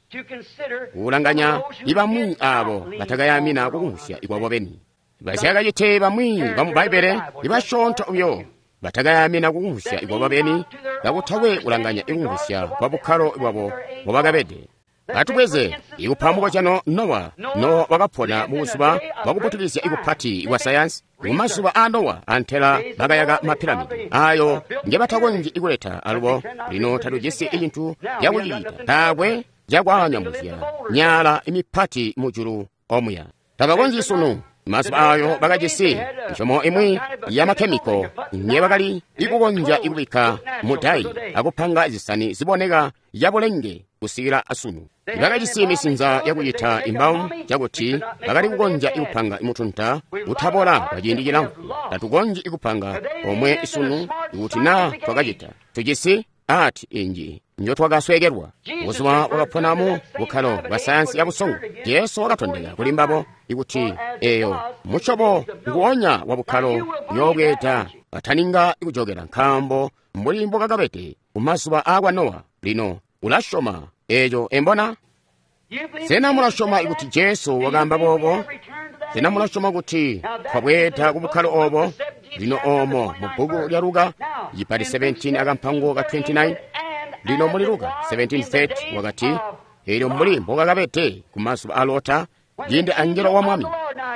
kulanganya ibamwi abo batakayamina kukumvwisya ikwabo beni. Basyakacite bamwi bamu Bbaibbele ibasyoonto buyo batakayamina kukumvwisya ikwabo beni, kakutakwe kulanganya ikumvwisya kwa bukkalo bwabo mbobakabede. Atubweze ikupa mukozyano Nowa. Nowa wakapona mubuzuba bwakuputukizya ikupati kwa sayansi. Mumazuba a Nowa antela bakayaka mapiramidi ayo ngebatakonzyi ikuleta alubo. Lino tatujisi icintu cakucita, taakwe cakwaanyamuzya myala imipati mujulu omuya. Tabakonzyi sunu. Mazuba ayo bakajisi misyomo imwi yamakhemiko ngebakali ikukonzya ikubikka mudayi akupanga zisani ziboneka yabulenge kusikila asunu. Bakajisi misinza yakucita imbawu cakuti bakali kukonzya ikupanga mutunta utabola kwa ciindi cilamfu. Tatukonzyi ikupanga omwe sunu ikuti naa twakacita. Tujisi ati inji njotwakasweekelwa. Buzuba wakaponamu bukkalo bwa sayansi yabusongo, Jesu wakatondeka kuli mbabo ikuti eyo musyobo nguonya wa bukkalo uyoobweeda ataninga ikujokela, nkaambo mbuli mbokakabede kumazuba aakwa Nowa. Lino ulasyoma eeco embona? Sena mulasyoma ikuti Jesu wakaamba boobo? Sena mulasyoma kuti twabweeda ku bukkalo obo? Lino oomo mu bbuku lya Luka cipati 17 akampango ka 29. Lino muli Luka 17:30 wakati, eelyo mbuli mbokakabede kumazuba a Lota, ciindi angelo wa Mwami.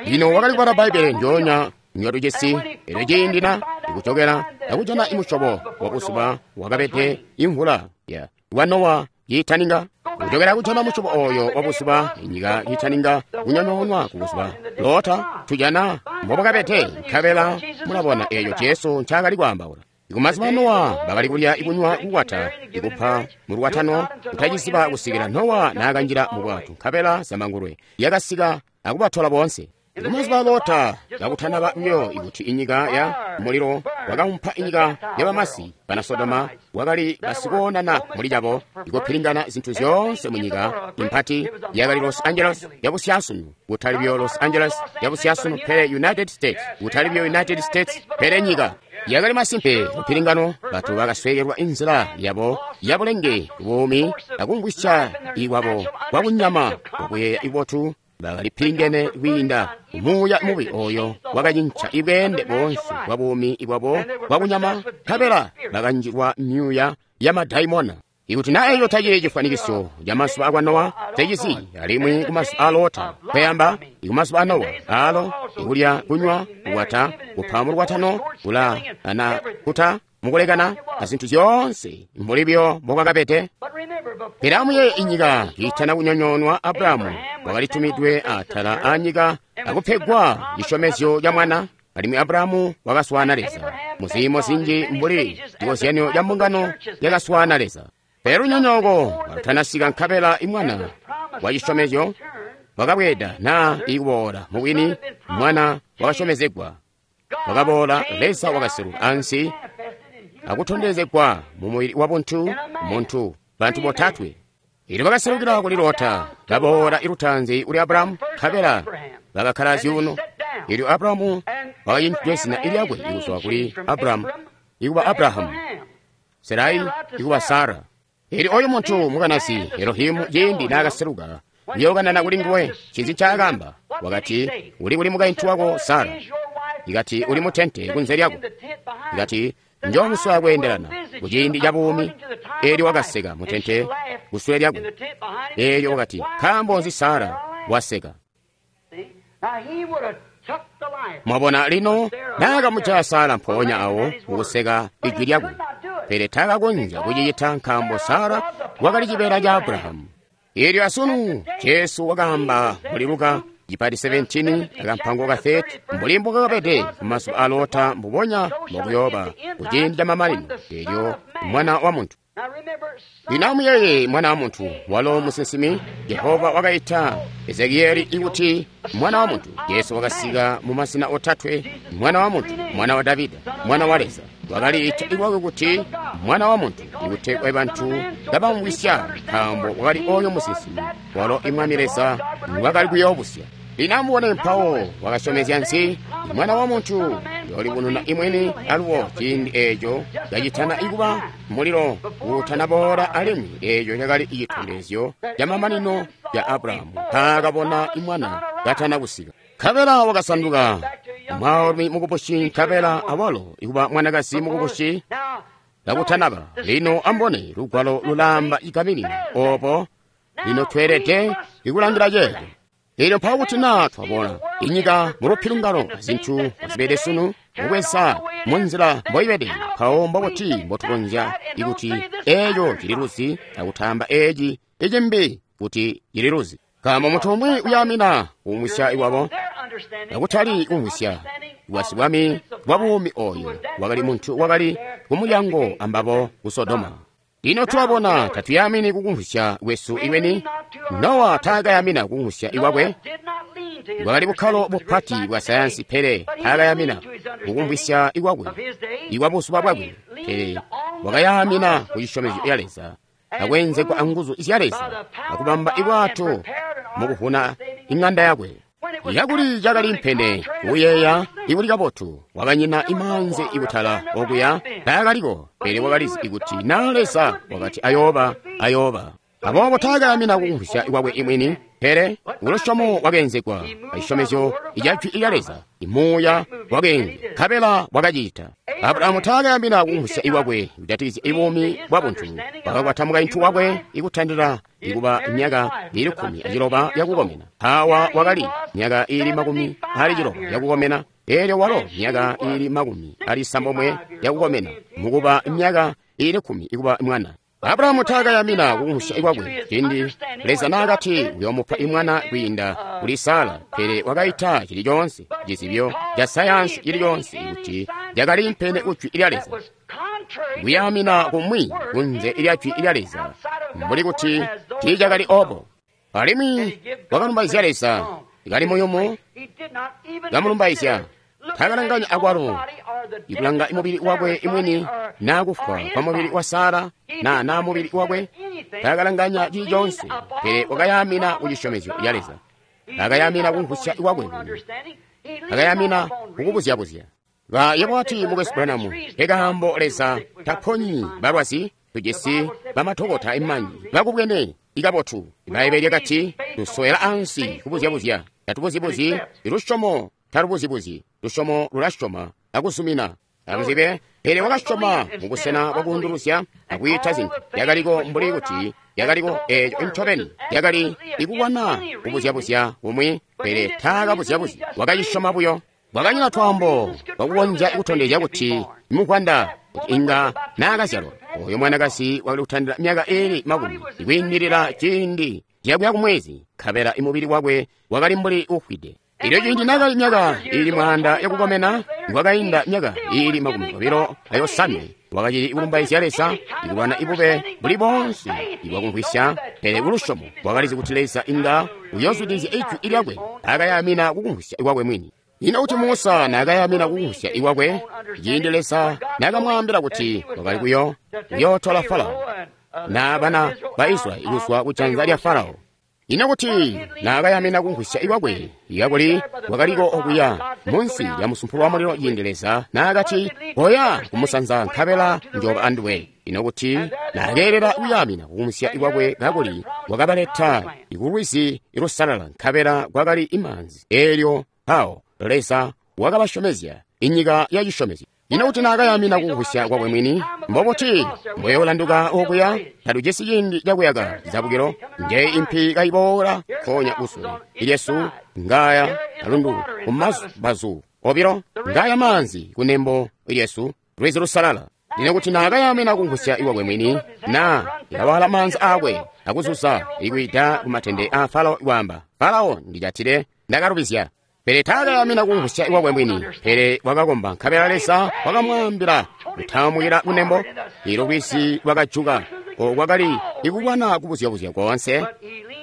Lino wakali kubala Bbaibbele njoonya njotujisi, elyo ciindi na ikujokela akujana imusyobo wa buzuba wakabede imvula ya wa Nowa yiitaninga kujokela kujana musyobo oyo wa buzuba inyika yiitaninga kunyonyoonwa ku buzuba Lota, tujana mbobakabede, nkabela mulabona eeyo Jesu ncaakali kwaambaula. Kumazuba Nowa bakali kulya ikunywa kukwata ikupa mulukwatano kutaciziba kusikila Nowa naakanjila mu bwato, nkabela zambangulwe lyakasika akubatola boonse. Kumazuba Lota kakutanaba buyo ikuti inyika ya mulilo wakaumpa inyika yabamasi bana Sodoma, wakali basikoonana muli cabo ikupilingana zintu zyoonse munyika impati yakali Los Angeles yabusyasunu, kutali buyo Los Angeles yabusyasunu pele United States, kutali buyo United States pele nyika. Yakali masimpe kupilingano, bantu bakasweekelwa inzila yabo yabulenge buumi akumvwisya ikwabo kwakunyama kwakuyeeya ibotu. Bakalipilingene kwiinda muuya mubi oyo wakacinca ibweende boonse bwa buumi bwabo bwakunyama, nkabela bakanjilwa myuuya ya madaimona. Ikuti naa eyo tacili cifwanikiso ca mazuba akwa Nowa, tecizi, alimwi kumazuba a Lota, kweyamba ikumazuba a Nowa, alo ikulya, kunywa, kukwata, kupa mulukwatano, kula ana kuta mukulekana azintu zyoonse mbuli byo mbokakabede. Pele amuyeeye inyika kiitana kunyonyoonwa, Abrahamu wakalitumidwe atala anyika akupegwa cisyomezyo ca mwana, alimwi Abrahamu wakaswaana Leza muziimo zinji mbuli cikozyanyo ca mbungano yakaswaana Leza. Pele lunyonyooko kalutanasika, nkabela imwana wa cisyomezyo wakabweeda naa ikuboola. Mubwini mwana wakasyomezegwa wakaboola, Leza wakaseluka ansi akutondezegwa mu mubili wa buntu, muntu, bantu botatwe. Ilyo bakaselukila kuli Lota, baboola ilutaanzi kuli Abrahamu, nkabela bakakkala zyuuno. Ilyo Abrahamu wakacinjidwe zina lyakwe ikuzwa kuli Abrahamu ikuba Abrahamu, Sarai ikuba Sara. Ilyo oyo muntu mukanasi Elohimu ciindi naakaseluka kuyookanana kuli nguwe, ncinzi ncaakaamba? Wakati, uli kuli mukaintu wako Sara? Ikati, uli mutente kunze lyako. Ikati, Njomuswaya kweendelana kuciindi ca buumi. Eelyo wakaseka mutente kusule lyakwe. Eelyo wakati, nkaambo nzi Sara waseka? Mwabona lino, naakamujaya Sara mpoonya awo mukuseka ijwi lyakwe, pele taakakonzya kucicita nkaambo Sara wakali cibeela ca Abrahamu. Eelyo asunu Jesu wakaamba muli Luka cipati 17 akampango ka 30, mbuli mbukakabede kumazuba a Lota mbubonya mbokuyooba kuciindi ca mamanino, eelyo Mwana wa Muntu. Lino amuyeeye Mwana wa Muntu walo musinsimi. Jehova wakaita Ezekieli ikuti Mwana wa Muntu. Jesu wakasika mu masina otatwe: Mwana wa Muntu, Mwana wa Davida, Mwana wa Leza. Wakaliita iwakwe kuti Mwana wa Muntu ikutegwa bantu kabamvwisya, nkaambo wakali oyo musinsimi walo Imwami Leza wakali kuyoobusya. Lino amubone mpawo wakasyomezya nzi? Mwana wa Muntu yoolibununa imwini alubo ciindi eeco kacitana ikuba mulilo kuutanaboola, alimwi eeco cakali citondezyo camamanino ca Abrahamu nkaakabona imwana katana kusika. Nkabela wakasanduka mwaalumi mukubusi, nkabela awalo ikuba mwanakazi mukubusi kakutanaba. Lino ambone lugwalo lulaamba ikaminina opo. Lino tweelede ikulangila ceeco. Eelyo mpawo kuti naa twabona inyika mulupilungano azintu azibede sunu mubweza munzila mboibede, mpawo mbobuti mbotukonzya ikuti eeco cililuzi akutaamba eeci icimbi kuti cililuzi? Nkaambo muntu umwi uyaamina kumwisya iwabo akutali kumwisya iwasibwami bwa buumi. Oyo wakali muntu wakali kumulyango ambabo ku Sodoma. Lino tulabona tatuyamini kukumvwisya kwesu iweni. Nowa taakayamina kukumvwisya iwakwe. Bwakali bukkalo bupati bwa sayansi, pele taakayamina kukumvwisya ikwakwe ikwa buzuba bwakwe, pele wakayamina ku cisyomezyo ya Leza akwenzegwa anguzu zya Leza akubamba ibwato mukuvuna ing'anda yakwe. Yakuli cakali mpene kuyeeya ikuli kabotu, wakanyina imanzi ikutala okuya taakaliko, pele wakalizi ikuti na Leza wakati ayooba, ayooba. Aboobo taakayamina kukumvwisya kwakwe imwini, pele kulusyomo wakeenzegwa acisyomezyo ica jwi lya Leza. Imuuya wakeenze nkabela wakacita. Abrahamu taakayamina kukumvwisya ikwakwe kujatikizya ibuumi bwa buntu. Wakakwata mukaintu wakwe ikutandila ikuba myaka iili 16 yakukomena. Hawa wakali myaka iili 60 yakukomena, eelyo walo myaka iili 90 yakukomena, mukuba myaka iili 10 ikuba mwana. Abrahamu taakayamina kukumvwisya ikwakwe ciindi Leza naakati uyoomupa imwana kwiinda kuli Sara, pele wakaita cili coonse cizibyo ca sayansi cili coonse kuti cakali mpene kujwi lya Leza. Kuyamina kumwi kunze lya jwi lya Leza mbuli kuti tiicakali obo. Alimwi wakalumbaizya Leza kali muyumu, kamulumbaizya. Taakalanganya akwalo ikulanga mubili wakwe imwini naa kufwa kwa mubili wa Sara naa mubili wakwe. Taakalanganya cili coonse, pele wakayamina kucisyomezyo ya Leza. Akayamina kumvwisya kwakwe mwini, akayamina kukubuzyabuzya. Yebo wati, Mukwesu Branham, ekaambo Leza taponyi balwazi, tujisi bamadokota imanyi bakubwene ikabotu. Ibbaibbele lyakati tusowela ansi kubuzyabuzya, tatubuzyibuzi. Lusyomo talubuzyibuzi, lusyomo lulasyoma akuzumina. Amuzibe, pele wakasyoma mubusena bwakuunduluzya akwiita zintu yakaliko mbuli kuti yakaliko. Eeco ncobeni yakali ikubona kubuzyabuzya kumwi, pele taakabuzyabuzya, wakacisyoma buyo. Kwakanyina twaambo twakukonzya kutondezya kuti muvwanda kuti inga naakazyalwa. Oyo mwanakazi wakali kutandila myaka iili 10 ikwiindilila ciindi cakuya kumwezi, nkabela imubili wakwe wakali mbuli ufwide. Elyo ciindi naakali myaka iili 1000 yakukomena, nikwakainda myaka iili 29, wakacili kulumbaizya Leza, ikulwana ibube buli boonse ibwakumvwisya, pele kulusyomo wakalizi kuti Leza inga uyoozwidilizya ijwi lyakwe. Akayamina kukumvwisya kwakwe mwini. Ino kuti Musa naakayamina kukumvwisya ikwakwe ciindi Leza naakamwaambila kuti wakali kuyootola Farao na bana ba Israyeli kuzwa kujanza lya Farao? Ino kuti naakayamina kumvwisya ikwakwe ikakuli wakaliko okuya munsi lya musumpulo wa mulilo ciindi Leza naakati koya kumusanza nkabela njooba anduwe? Ino kuti naakeelela kuyamina kukumvwisya ikwakwe kakuli wakabaleta ikulwizi ilusalala nkabela kwakali imaanzi, eelyo mpawo Leza wakabasyomezya inyika ya cisyomezyo? Ino kuti naakayamina kukumvwisya kwakwe mwini, mbobuti mbweyolanduka okuya? Tatujisi ciindi cakuyaka zizabukilo. Nje impi kayiboola nkoonya kusule ilyesu, ngaya alundu kumabazu obilo, ngaya maanzi kunembo lyesu, lwizi lusalala. Lino kuti naakayamina kukumvwisya iwakwe mwini, na ilawala maanzi aakwe akuzuza ikwiida kumatende a Farao kwaamba, Farao, ndijatile, ndakalubizya. Pele taakayamina kukumvwisya iwakwe mwini, pele wakakomba, nkabela Leza wakamwaambila kutaamukila kunembo. Ilo lwizi lwakajuka, oko kwakali ikulwana kubuzyabuzya koonse,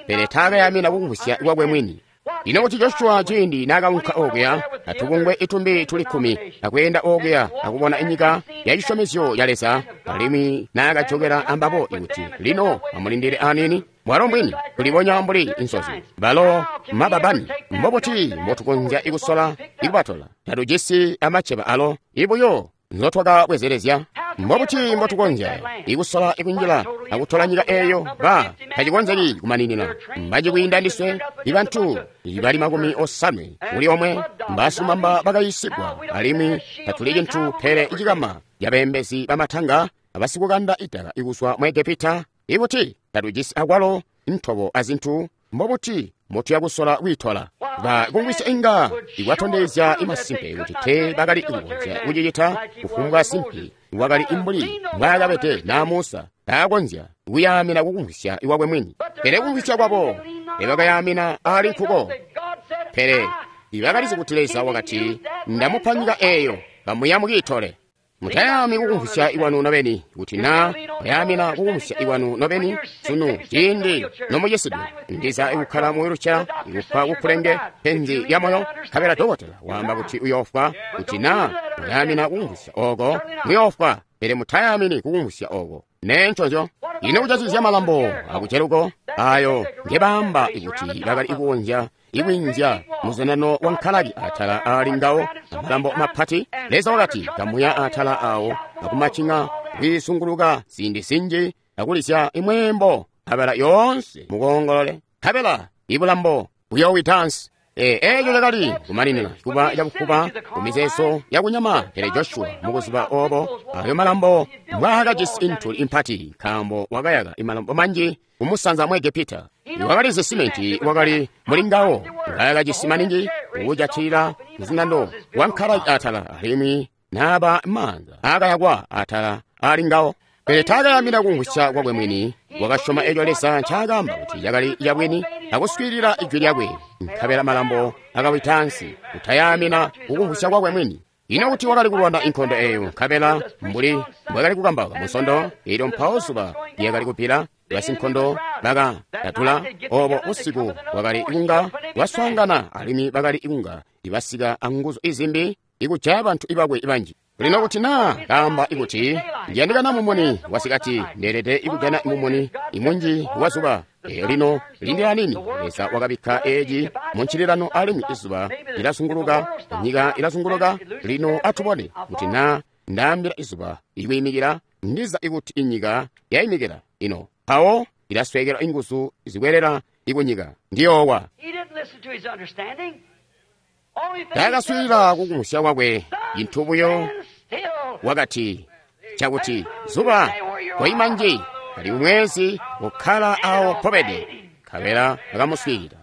pele taakayamina kukumvwisya iwakwe mwini. Lino kuti Joshua ciindi naakaunka okuya atubungwe itumbi tuli 10 akweenda okuya akubona inyika ya cisyomezyo ya Leza, alimwi naakajokela ambabo ikuti lino amulindile aniini, mwalo mbwini kulibonya mbuli insozi balo mababani. Mbobuti mbotukonzya ikusola ikubatola? Tatujisi amaceba alo ibuyo nzotwakabwezelezya. Mbobuti mbotukonzya ikusola ikunjila akutola nyika eeyo? Ba tacikonzeki kumaninina. Mbanji kwiinda ndiswe, ibantu ibali 80 kuli omwe mbasilumamba bakayisigwa, alimwi tatuli cintu pele icikama cabeembezi bamatanga abasikukanda idaka ikuzwa mu Egepita. Ikuti tatujisi akwalo ntobo azintu, mbobuti mbotuya kusola kwiitola? Ba kumvwisya inga ikwatondezya imasimpe kuti te bakali kukonzya kucicita. Kufumbwa simpi wakali imbuli mbwaakabede na Musa taakonzya kuyaamina kukumvwisya iwakwe mwini, pele kumvwisya kwabo tebakayaamina ali nkuko. Pele ibakalizi kuti Leza wakati, ndamupa nyika eeyo, kamuya mukiitole. Mutayami kukumvwisya iwanu nobeni, kuti na muyamina kukumvwisya iwanu nobeni sunu ciindi nomucisidwe, ndiza ikukkala mu wheelchair, ikufa kukulenge penzi lya moyo, nkabela dokotela waamba kuti uyoofwa. Kuti na muyamina kukumvwisya oko, muyoofwa, pele mutayamini kukumvwisya oko. Nenconzyo. Ino kucazizya malambo akuceluko ayo ngebaamba ikuti bakali kukonzya ikwinzya muzanano wa nkalaki atala aali ngawo amalambo mapati. Leza wakati kamuya atala awo akumacinga kwiisunguluka ziindi zinji akulizya imweembo nkabela yoonse mukoongolole, nkabela ibulambo buyoowita ansi. Eeco cakali kumaninina kuba cakufuba kumizeezo yakunyama. Pele Joshua mukuziba obo ayo malambo mbwaakajisi intuli impati, nkaambo wakayaka imalambo manji kumusanza mu Egepita. Wakalizi simenti wakali muli ngawo, ngaakajisi maningi kujatilila muzindando wa nkalaki atala, alimwi naaba maanza aakayakwa atala ali ngawo. Pele taakayamina kumvwisya kwakwe mwini, wakasyoma eco Leza ncaakaamba kuti cakali cabwini akuswiilila ijwi lyakwe, nkabela malambo akawita ansi. Kutayamina kukumvwisya kwakwe mwini. Ino kuti wakali kulwana inkondo eeyo, nkabela mbuli mbwakali kukambauka munsondo eelyo, mpawo zuba lyakali kubbila, basinkondo bakatatula. Obo busiku bwakali kunga bwaswaangana, alimwi bakali kunga ibasika anguzu izimbi ikujaya bantu ibakwe banji. Lino kuti naa kaamba ikuti ndiyandikana mumuni wasikati, ndeelede ikujana mumuni imunji wa zuba. Lino lindila nini? Leza wakabikka eeci muncililano, alimwi izuba lilazunguluka, nyika ilazunguluka. Lino atubone kuti naa ndaambila izuba ikwiimikila, ndiza ikuti inyika yayimikila ino, mpawo ilasweekela inguzu zikwelela ikunyika, ndiyoowa. Taakaswiilila kukumvwisya kwakwe, cintu buyo wakati cakuti zuba koima nji, kali mwezi kukkala awo pobede, nkabela akamuswiilila.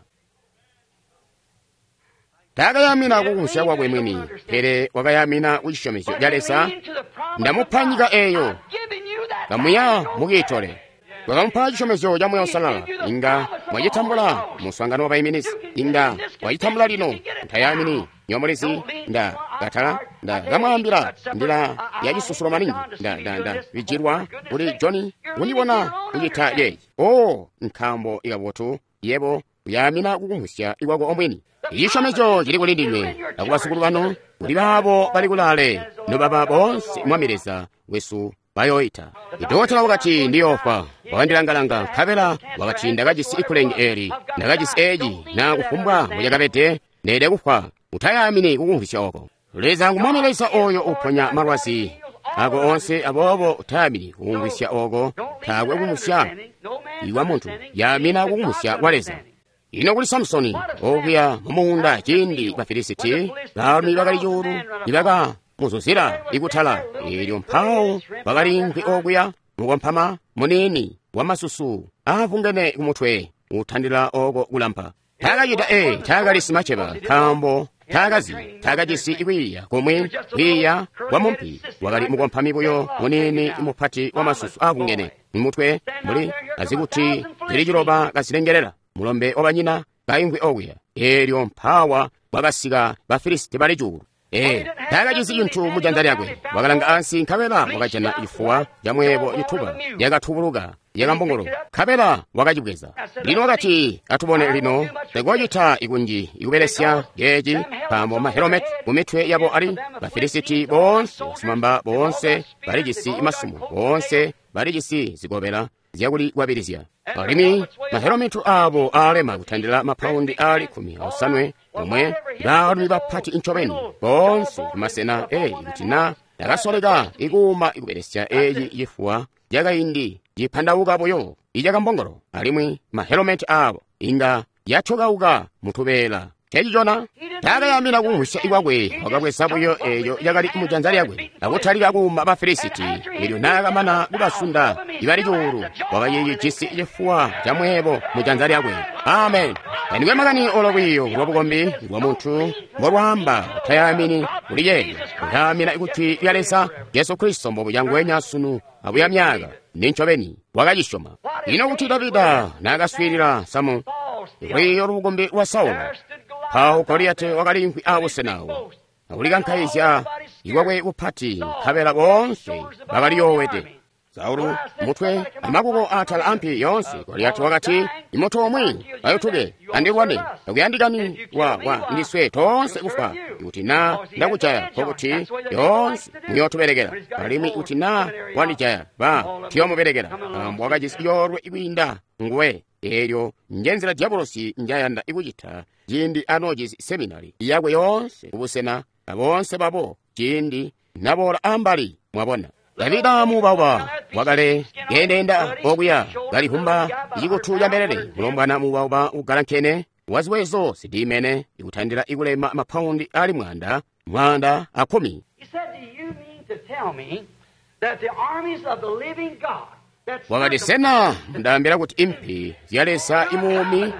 Taakayamina kukumvwisya kwakwe mwini, pele wakayamina kucisyomezyo ca Leza. Ndamupa nyika eeyo, kamuya mukiitole. Wakamupa cisyomezyo ca Muuya Uusalala. Inga mwacitambula muswaangano wa baiminizi. Inga mwacitambula lino. Mutayamini nyomulizi. Nda katala, nda kamwaambila ndila yacisusulo maningi. Nda bijilwa kuli Johnny kundibona kucita yeeci. Oh, nkaambo ikabotu yebo uyamina kukumvwisya ikwako omwini. Icisyomezyo cili kuli ndinywe akubasukulu banu, kuli baabo bali kulaale, nobaba boonse Mwami Leza wesu bayoita. Idokotela wakati ndiyofwa, wakandilangalanga, nkabela wakati ndakajisi ikulenge eeli, ndakajisi eeci, na kufumbwa mbucakabede, ndeelede kufwa. Utayamini kukumvwisya oko. Leza ngu Mwami Leza oyo uponya malwazi ako onse, aboobo utayamini kukumvwisya oko. Taakwe kumvwisya iwa muntu, yamina kukumvwisya kwa Leza. Ino kuli Samusoni okuya mumuunda ciindi Bafilisiti baalumi bakali cuulu nibaka muzuzila ikutala. Elyo mpawo wakaliimvwi okuya mukompama muniini wamasusu aavungene kumutwe utandila oko kulampa. Taakacita taakali simaceba, nkaambo taakazi, taakajisi kwiiya komwe, kwiiya kwa mumpi. Wakali mukompami buyo muniini mupati wamasusu aavungene mutwe mbuli azikuti zili ciloba kazilengelela, mulombe wabanyina kaimvwi okuya. Elyo mpawa kwakasika Bafilisiti bali cuulu. Taakajisi cintu mu janza lyakwe. Wakalanga ansi nkabela wakajana cifuwa camweebo cituba yakatubuluka yakambongolo, nkabela wakacibweza. Lino wakati, atubone lino, tekocita ikunji ikubelesya ceeci, nkaambo mahelometi kumitwe yabo ali Bafilisiti boonse, basimamba boonse balijisi masumo, boonse balijisi zikobela zyakulikwabilizya. Alimwi mahelometu abo aalema kutandila mapaundi aali 18, omwe baalumi bapati incobeni boonse kumasena. Kuti na ndakasoleka ikuuma ikubelesya eci cifuwa cakaindi cipandauka buyo icakambongolo, alimwi mahelometi abo inga yatyokauka mutubeela. Cecicona taakayamina kumvwisya ikwakwe, wakabweza buyo eeyo yakali mujanza lyakwe akutalika kuuma Bafilisiti. Elyo naakamana kubasunda ibali cuulu, wakacijisi cifuwa camweebo mujanza lyakwe. Amen. Tandikwe makani olo lwiiyo lwabukombi lwa muntu mbolwaamba, utayamini kuli ceeco, utaamina kuti lya Leza Jesu Kristo mbobuca nguwenya sunu abuya myaaka. Nincobeni wakacisyoma. Ino kuti Davida naakaswiilila samu lwiiyo lwabukombi lwa Saulo, mpawo Goliyati wakaliimvwi aabusena awo akulikankaizya ikwakwe kupati, nkabela boonse bakaliyoowede. Saulu mutwe amakuko atala ampi yoonse. Goliyati wakati, imuntu omwe ayutuke andilwane, takuyandikani wa ndiswe toonse kufa. Ikuti na ndakujaya, nkokuti yoonse muyootubelekela, alimwi kuti na wandijaya, ba tuyoomubelekela. Nkaambo wakajisi coolwe kwiinda nguwe. Eelyo njenzila diabolosi njayanda ikucita ciindi anoojisi seminari yakwe yoonse kubusena aboonse babo ciindi naboola ambali. Mwabona, Davida muubauba wakale keendeenda okuya kalivumba icikutu ca mbelele, mulombwana muubauba ugalankene waziwezo zidimene ikutandila ikulema mapaundi ali 110. He said, do you mean to tell me that the armies of the living God that's Wakati, sena ndaambila kuti impi zya Leza imuumi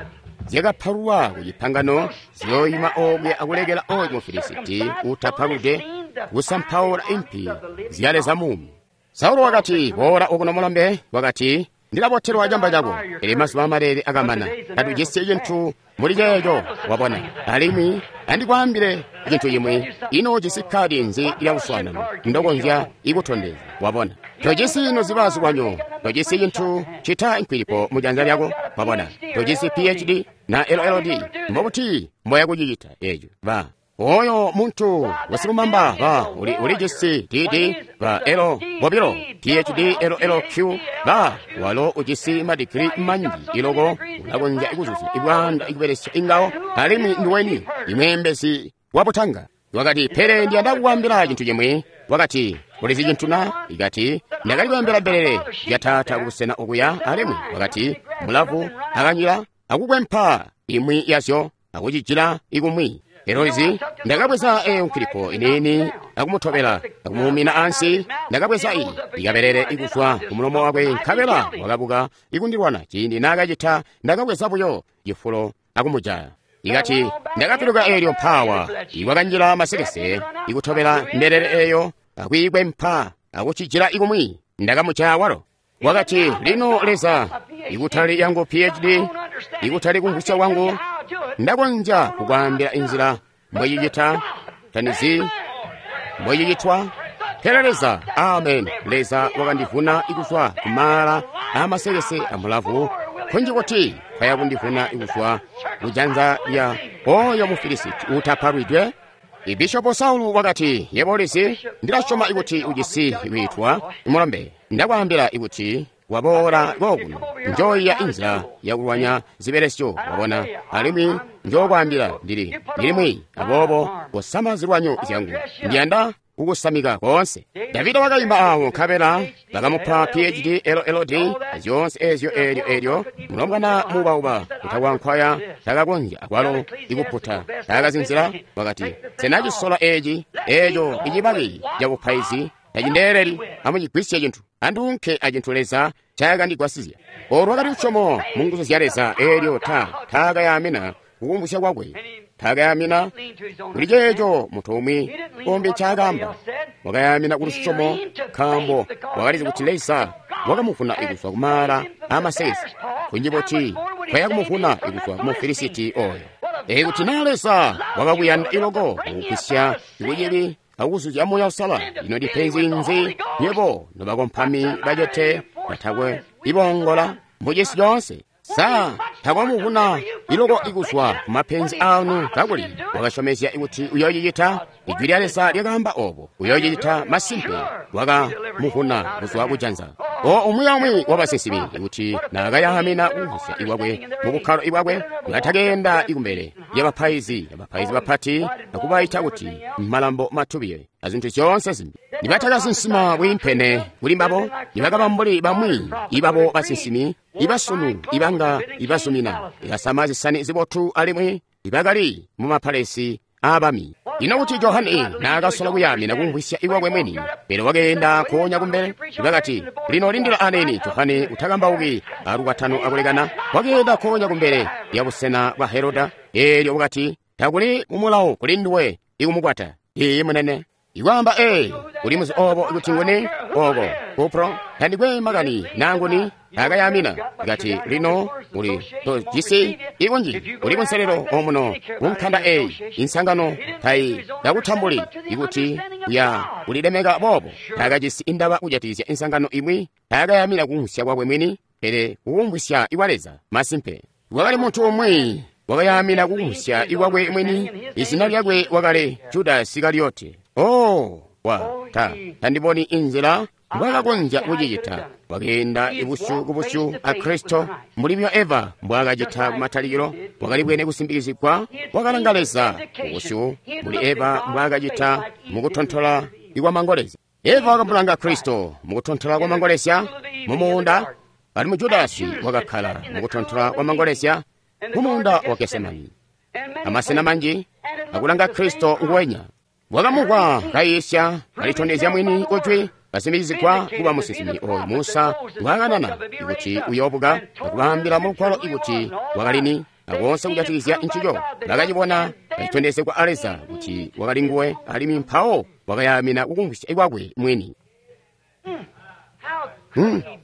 zyakapalulwa ku cipangano ziyooyima okuya akulekela oyo Mufilisiti utapaludwe kusampaula impi zya Leza muumi? Saulo wakati, boola okuno mulombe. Wakati, ndilabotelwa camba cako. Pele mazuba amalele akamana, tatujisi cintu muli ceeco. Wabona, alimwi andikwaambile cintu cimwi. Ino ujisi kadi nzi lya luswaanano ndokonzya ikutondezya? Wabona, tojisi noziba zilwanyo, tojisi cintu cita nkwilipo mu janza lyako. Wabona, tojisi PhD na LLD. Mbobuti mboya kucicita eco? Ba oyo muntu wasilumamba ba ulijisi DD ba L bobilo PhD LLQ ba walo ujisi madigiri manji iloko ulakonzya ikuzuzya ibwanda ikubelesya ingawo, alimwi ndiweni imweembezi wabutanga. Wakati, pele ndiyanda kukwambila cintu cimwi. Wakati, ulizi cintu na? Ikati, ndakali kweembela mbelele zya taata kubusena okuya, alimwi wakati, mulavu akanyila akukwempa imwi yazyo akucijila ikumwi. Eloizi, ndakabweza eyo nkilipo iniini akumutobela akumuumina ansi. Ndakabweza iyi ikabelele ikuzwa kumulomo wakwe, nkabela wakabuka ikundilwana. Ciindi naakacita, ndakabweza buyo cifulo akumujaya. Ikati, ndakapiluka eelyo mpawa ikwakanjila masekese ikutobela mbelele eyo akwiikwempa akucijila ikumwi. Ndakamujaya walo. Wakati, lino Leza, ikutali yangu PhD, ikutali kumvwisya kwangu, ndakonzya kukwaambila inzila mbwecicita, tanizi mbwecicitwa, pele Leza, amen, Leza wakandivuna ikuzwa kumaala amasekese amulavu, kunji kuti kwaya kundivuna ikuzwa kujanza lya oyo Mufilisiti utapalwidwe. Ibishopo Saulu wakati, yebo ulizi, ndilasyoma ikuti ujisi wiitwa mulombe. Ndakwaambila ikuti waboola kokuno, njoiya inzila yakulwanya zibelesyo, wabona, alimwi njokwaambila ndili mwiyi, aboobo kosama zilwanyo zyangu, ndiyanda kukusamika koonse. Davida wakaimba awo, nkabela bakamupa PhD LLD zyoonse ezyo eelyo eelyo mulombwana muubauba utakwankwaya takakonzya akwalo ikuputa takazinzila. Wakati, sena cisola eci Eeco icibaki cabupaizi tacindeeleli. Amucigwisye cintu. Anduunke acintu Leza ncayakandigwasizya. Olu lwakali lusyomo mu nguzu zya Leza eelyo taakayamina kukumvwisya kwakwe. Taakayamina kuli ceeco muntu umwi umbi ncaakaamba. Wakayamina ku lusyomo nkaambo wakalizi kuti Leza wakamuvuna kuzwa kumaala aamasekese. Kunji buti kwaya kumuvuna kuzwa ku Mufilisiti oyo. Ikuti naa Leza wakakuyanda iloko kukugwisya kucibi akukuzuzya Muuya Uusalala, ino ndipenzi nzi nywebo nobakompami bacete batakwe ibongola mucisi coonse? Sa takwamuvuna iloko ikuzwa kumapenzi anu kakuli wakasyomezya kuti uyoocicita? Ijwi lya Leza lyakaamba obo, uyoocicita masimpe. Wakamuvuna kuzwa kujanza. O umwi aumwi wabasinsimi kuti naakayaamina kumvwisya ikwakwe mubukkalo ibwakwe, batakeenda ikumbele lyabapaizi abapaizi bapati akubaita kuti malambo matubiye azintu zyoonse zimbi. Nibatakasinsima bwiimpene kuli mbabo, nibakaba mbuli bamwi ibabo basinsimi ibasunu ibanga ibazumina ikasama zisani zibotu alimwi ibakali mumapalesi aabami. Ino kuti Johane naakasola kuyamina kumvwisya ikwakwe mwini, pele wakeenda nkoonya kumbele. Bakati, lino lindila aneni Johane utakambauki alukwatano akulekana. Wakeenda nkoonya kumbele lya busena bwa Heroda, eelyo wakati, takuli mumulawo kuli nduwe ikumukwata. Iiyi munene. Ikwaamba uli muzi obo kuti nguni oko Kupro tandikwe makani nanguni akayamina kati lino uli tojisi ikunji uli kunselelo omuno kunkanda eyi insangano tayi yakutambuli ikuti uya ulilemeka boobo. Takajisi indaba kujatikizya insangano imwi, takayamina kumvwisya kwakwe mwini, pele kukumvwisya ikwa Leza masimpe. Wakali muntu umwi wakayamina kukumvwisya ikwakwe mwini, izina lyakwe wakali Judasi Isikarioti. Oh, tandiboni inzila mbwaakakonzya kucicita. Wakeenda ibusyu kubusyu a Kristo mbuli byo Eva mbwaakacita kumatalikilo. Wakali bwene kusimbikizigwa, wakalanga Leza kubusyu mbuli Eva mbwaakacita mukutontola ikwamangolezya. Eva wakamulanga Kristo mukutontola kwamangolezya mumuunda, alimwi Judasi wakakkala mukutontola kwamangolezya mumuunda wa Gesemani. Amasena manji akulanga Kristo nguwenya. Wakamuvwa kayiisya kalitondezya mwini kujwi kasimbikizigwa kuba musinsimi oyo Musa ngwaakanana ikuti uyoobuka akubaambila mulugwalo ikuti wakalini akoonse kujatikizya ncico. Bakacibona kacitondezegwa a Leza kuti wakali nguwe, alimwi mpawo wakayamina kukumvwisya ikwakwe mwini.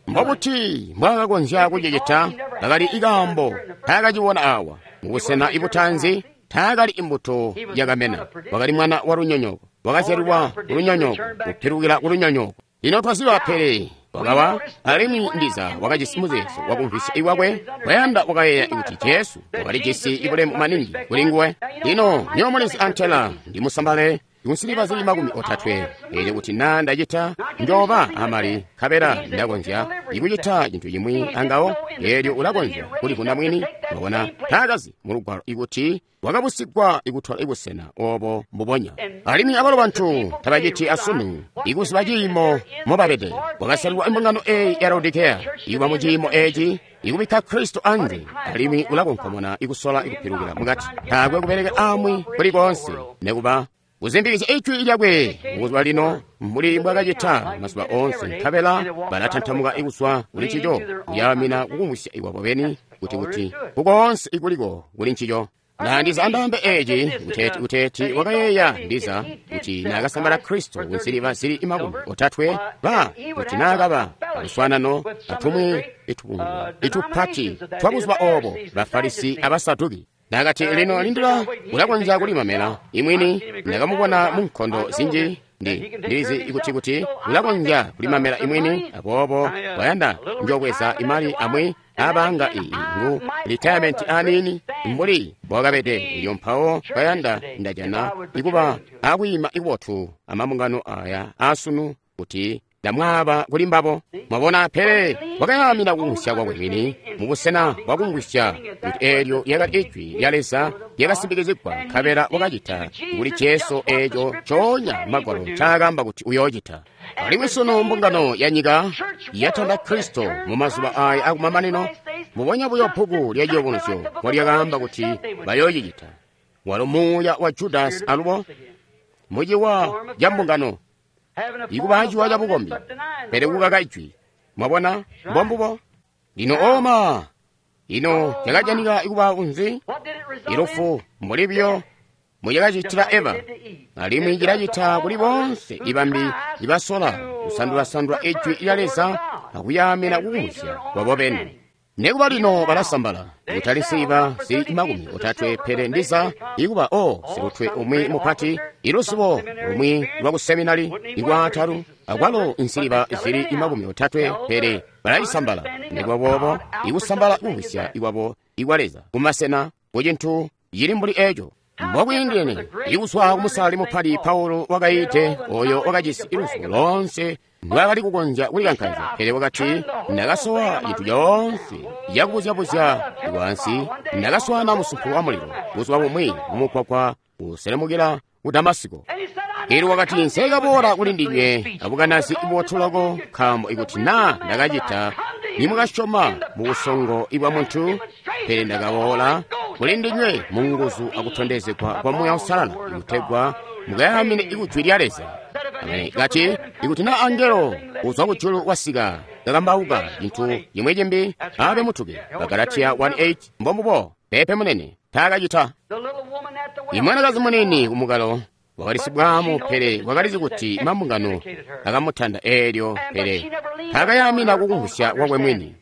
Mbobuti mbwaakakonzya kucicita? Kakali ikaambo taakacibona awa mubusena ibutanzi. Taakali imbuto yakamena, wakali mwana wa lunyonyoko, wakazyalilwa kulunyonyoko, kupilukila kulunyonyoko. Lino twaziba pele wakawa, alimwi ndiza wakajisi muzeezo wakumvwisya ikwakwe. Wayanda wakayeeya kuti Jesu wakalijisi ibulemu maningi kuli nguwe. Lino nywebo mulizi antela ndimusambale kunsiliva zili 30, eelyo kuti naa ndacita njooba amali nkabela ndakonzya ikucita cintu cimwi angawo, eelyo ulakonzya kulivuna mwini. Wabona taakazi mulugwalo ikuti wakabusigwa ikutola ibusena obo mbubonya. Alimwi abalo bantu tabaciti asunu ikuziba ciimo mobabede. Wakasalilwa imbungano eyi ya Laodikeya ikuba mu ciimo eci ikubikka Kristo anze, alimwi ulakonkomona ikusola ikupilukila mukati. Taakwe kubelekela amwi kuli koonse nekuba kuzimbikizya ijwi lyakwe kuzwa lino mbuli mbwakacita mazuba oonse, nkabela balatantamuka ikuzwa kuli ncico, kuyamina kukumvwisya ikwabo beni kuti kukoonse ikuliko kuli ncico. Na ndiza andambe eci kuteeti wakayeeya ndiza kuti naakasambala Kristo kunsiliva zili 30 ba kuti naakaba aluswaanano atumwi itubungwe itupati twabuzuba obo Bafarisi abasaduki. Nakati lino lindila ulakonzya kulimamela imwini, ndakamubona mu nkondo zinji ndilizi kuti ulakonzya kulimamela imwini, aboobo wayanda njobweza imali amwi abanga iyi ngu retirement anini mbuli bwakabede. Ilyo mpawo bayanda ndajana ikuba akwiima ikubotu amambungano aya asunu kuti ndamwaaba kuli mbabo. Mwabona, pele wakayamina kukumvwisya kwakwe mwini mubusena bwakumvwisya kuti eelyo lyakali ijwi lya Leza lyakasimbikizigwa, nkabela wakacita kuli Jesu eeco coonya Magwalo ncaakaamba kuti uyoocita. Alimwi sunu mbungano ya nyika yatanda Kristo mumazuba aya akumamanino, mubonya buyo bbuku lya Ciyubunuzyo mbolyakaamba kuti bayoocicita. Walo muuya wa Judasi alubo. Muciwa ca mbungano, ikuba ciwa ca bukombi, pele kukaka Ijwi. Mwabona? Mbombubo. Lino oma, ino cakajanika kuba kunzi? Ilufu mbuli biyo mucakacitila Eva, alimwi cilacita kuli boonse ibambi ibasola kusandula-sandula Ijwi lya Leza akuyaamina kukumvwisya kwabo beni. Nekuba lino balasambala, kutali nsiliva zili 30, pele ndiza ikuba o silutwe umwi mupati, iluzibo lumwi lwa kuseminari ikwatalu, akwalo nsiliva zili 30, pele balayisambala. Nekuba boobo ikusambala kumvwisya ikwabo ikwa Leza kumasena kucintu cili mbuli eco. Mbokwiindene ikuzwa kumusali mupati Paulo wakaite oyo wakajisi iluzibo loonse ndwaakali kukonzya kulikankaizya, pele wakati, ndakasowa cintu coonse cakubuzyabuzya ikwaansi, ndakaswaana musumpu wa mulilo buzuba bumwi mumukwakwa kuselemukila ku Damasiko. Elyo wakati, nsekaboola kuli ndinywe abukanazi bubotu loko, nkaambo ikuti naa ndakacita nimwakasyoma mu busongo ibwa muntu, pele ndakaboola kuli ndinywe mu nguzu akutondezegwa kwa Muuya Uusalala, ikutegwa mukayaamine ikujwi lya Leza. Amene. Kati, ikuti na angelo uzwa kujulu wasika kakambauka cintu cimwi cimbi, abe mutuke. Bagalatiya 1:8. Mbombubo. Pepe munene taakacita. Imwanakazi munini kumukalo wakali sibwaamu, pele wakalizi kuti mambungano akamutanda eelyo, pele taakayaamina kukumvwisya kwakwe mwini.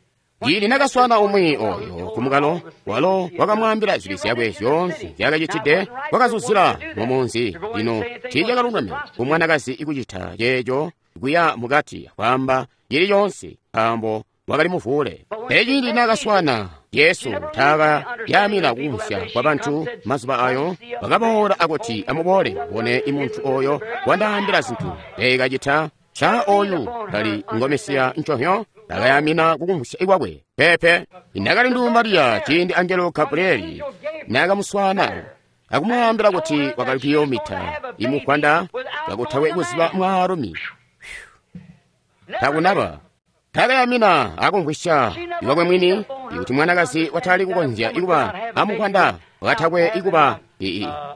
Ciindi nakaswaana umwi oyo kumukalo, walo wakamwaambila zibi zyakwe zyoonse nzyaakacitide, wakazuzila mumunzi. Lino tiicakalungame kumwanakazi ikucita ceeco kuya mukati kwaamba cili coonse, nkaambo wakali muvuule. Pele ciindi naakaswaana Yesu, taakayaamina kukumvwisya kwa bantu mazuba ayo, bakaboola akuti, amuboole mubone imuntu oyo wandaambila zintu ndeekacita. Ca oyu kali ngo Mesiya nconhyo? Takayamina kukumvwisya ikwakwe. Pepe. Inakali ndu Mariya ciindi angelo Gabrieli naakamuswaana akumwaambila kuti wakali kuyoomita imukwanda kakutakwe kuziba mwaalumi. Takunaba. Takayamina akumvwisya ikwakwe mwini ikuti mwanakazi watali kukonzya ikuba amukwanda wakatakwe ikuba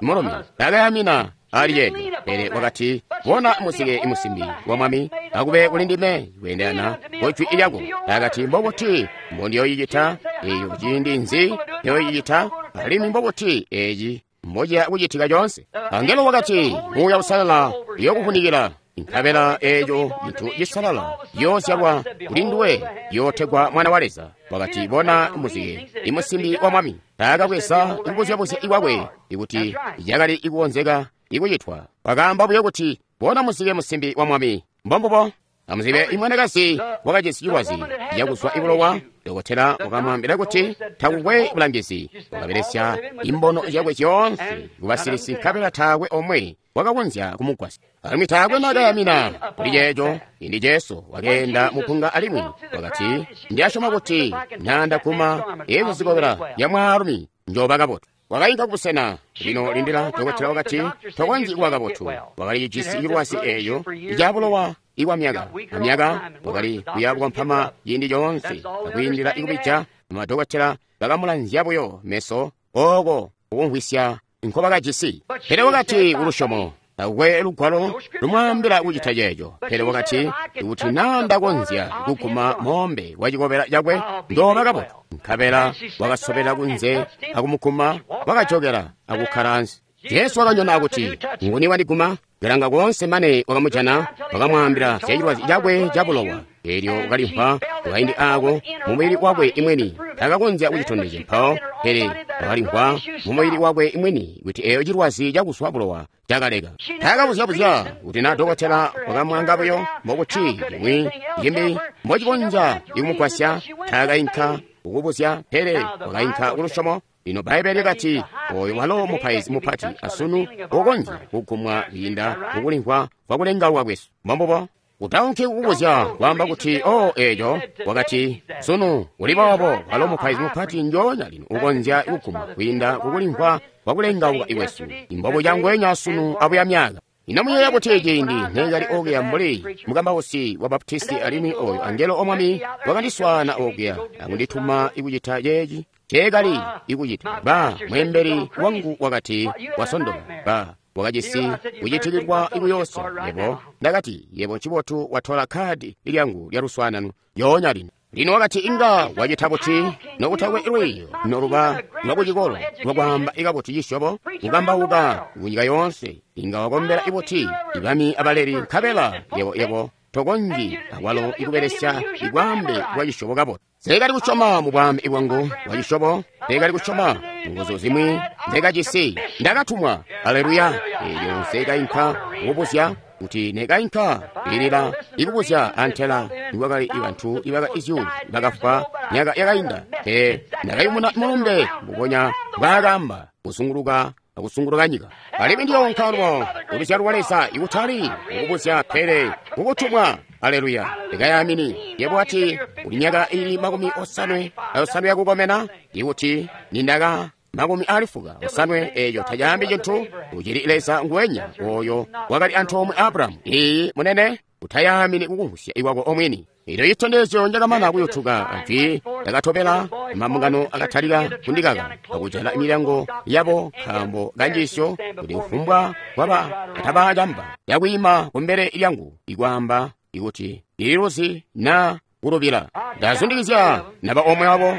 mulumi. Takayamina ali yeyo, pele wakati, bona muzike imusimbi wa mwami akube kuli ndime kwendelana kujwi lyako. Akati, mbobuti mbondiyoyicita eyo, ciindi nzi yoyicita, alimwi mbobuti eci mbociya kucitika coonse? Angelo wakati, Muuya Uusalala uyokuvunikila, nkabela eeco cintu cisalala ciyoozyalwa kuli nduwe, ciyootegwa Mwana wa Leza. Wakati, bona muzike imusimbi wa mwami. Taakabweza ikubuzyabuzya ikwakwe ikuti cakali ikukonzeka ikucitwa. Wakaamba buyo kuti, bona muzike musimbi wa mwami. Mbombubo. Amuzibe imwanakazi wakajisi cilwazi cakuzwa ibulowa. Dokotela wakamwaambila kuti takukwe bulangizi. Wakabelesya imbono zyakwe zyoonse kubasilisi, nkabela taakwe omwe wakakonzya kumugwasya. Alimwi taakwe nakayamina kuli ceeco. Indi Jesu wakeenda mupunga alimwi wakati, ndiyasyoma kuti nandaguma ezikobela ya mwaalumi njoba kabotu. Wakainka kubusena. Lino lindila, dokotela wakati, tokonzyi kuba kabotu. Wakali jisi cilwazi eeyo icabulowa ikwa myaka amyaka, wakali kuya kukompama ciindi coonse akwiindila ikubija. Amadokotela bakamulanzya buyo meso oko kukumvwisya nkobakajisi. Pele wakati kulusyomo, takukwe lugwalo lumwaambila kucita ceeco. Pele wakati, ikuti naa ndakonzya kuguma moombe wa cikobela cakwe, ndooba kabotu. Nkabela wakasobela kunze akumuguma, wakajokela akukkala ansi. Jesu wakanyona akuti, nguni wandiguma? Kalanga koonse mane wakamujana, wakamwaambila zya cilwazi cakwe cabulowa. Eelyo wakalimvwa kukaindi aako mumubili wakwe imweni, takakonzya kucitondezya mpawo, pele wakalimvwa mumubili wakwe imweni kuti eeyo cilwazi cakuzwa bulowa cakaleka. Takabuzya-buzya kuti na dokotela wakamwaanga buyo mbokuti cimwi cimbi mbocikonzya ikumugwasya. Takainka kukubuzya, pele wakainka kulusyomo. Lino Bbaibbele likati, oyo walo mupaizi mupati asunu ukonzya kugumwa kwiinda kukulimvwa kwakulengaulwa kwesu. Mbombubo. Utaunki kukubuzya kwaamba kuti, o eeco, wakati, sunu uli boobo, walo mupaizi mupati njoonya lino ukonzya kugumwa kwiinda kukulimvwa kwakulengauka kwesu. Imbobo cangwenya sunu abuya myaka. Ino muyeeya kuti ciindi neekali okuya mbuli mukambausi wa Baptisti, alimwi oyo angelo omwami wakandiswaana okuya akundituma ikucita ceeci ceekali ikucita. Ba mweembeli wangu wakati, wasondoka. Ba Wakajisi kucitikilwa ikuyoosya. Yebo, ndakati, yebo ncibotu watola khadi lyangu lya luswaanano yoonya lino. Lino wakati inga wacita buti nokutakwe lwiiyo noluba lwakucikolo lwakwaamba ikabuti cisyobo kukambauka kunyika yoonse, inga wakombela ibuti ibami abaleli, nkabela yebo yebo tokonzyi akwalo ikubelesya ibwaambe bwa cisyobo kabotu. Nsekali kusyoma mu bwaambe bwangu bwa cisyobo, nsekali kusyoma nguzu zimwi nzekajisi. Ndakatumwa, aleluya. Eelyo nsekainka kukubuzya kuti nekainka ilila ikubuzya antela nikwakali bantu ibaka izyuulu bakafwa myaka yakainda. Pe ndakayumuna mulumbe mbubonya mbwaakaamba kuzunguluka akusunguluka nyika. Alimwi ndiyoonka lwo uluzyalo lwa Leza ikutali kukubuzya pele kukutumwa. Aleluya. Ndikayamini. Yebo ati uli myaka ili 58 yakukomena, ikuti nindaka 95 eeyo tacaambi cintu. Ucili Leza nguwenya oyo wakali antoomwe Abrahamu. Iyi munene, utayamini kukumvwisya ikwako omwini. Elyo citondezyo njakamana kuyutuka ajwi ndakatobela, mambungano akatalika kundikaka akujala milyango yabo nkaambo kanjiisyo kuti kufumbwa kwaba atabacamba yakwiima kumbele lyangu ikwaamba ikuti ililuzi na kulubila. Ndazundikizya naba omwe wabo,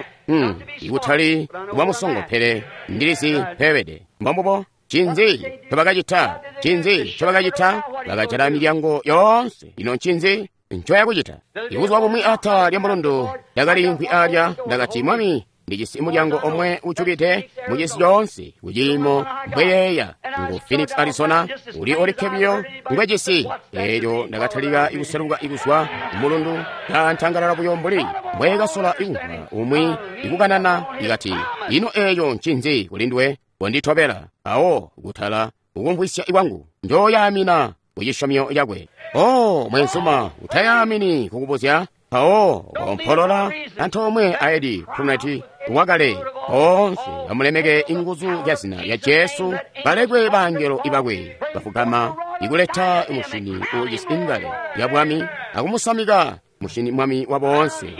ikutali kuba musongo, pele ndilizi mpebede. Mbombubo. Ncinzi ncobakacita? Ncinzi ncobakacita? Bakajala milyango yoonse. Ino ncinzi ncoyakucita? Ibuzuba bumwi ata lya mulundu ndakaliimvwi alya, ndakati, Mwami, ndijisi mulyango omwe ujukide mucisi coonse kuciimo mbweyeeya ngu Phoenix, Arizona, uli olikke biyo ngwejisi. Eelyo ndakatalika ikuseluka ikuzwa mulundu kantangalala buyo mbuli mbweekasola ikumvwa umwi ikukanana ikati, ino eeyo ncinzi kulinduwe? Konditobela. Awo kutala kukumvwisya ikwangu njooyaamina kucisyomyo cakwe. Oh, mwenzuma, utayaamini kukubuzya. Mpawo kompolola antoomwe aedi Prunet wakale boonse bamulemeke inguzu zya zina lya Jesu, balekwe bangelo ibakwe bafugama ikuleta mushini uujisi ingale ya bwami akumusamika mushini mwami wa boonse.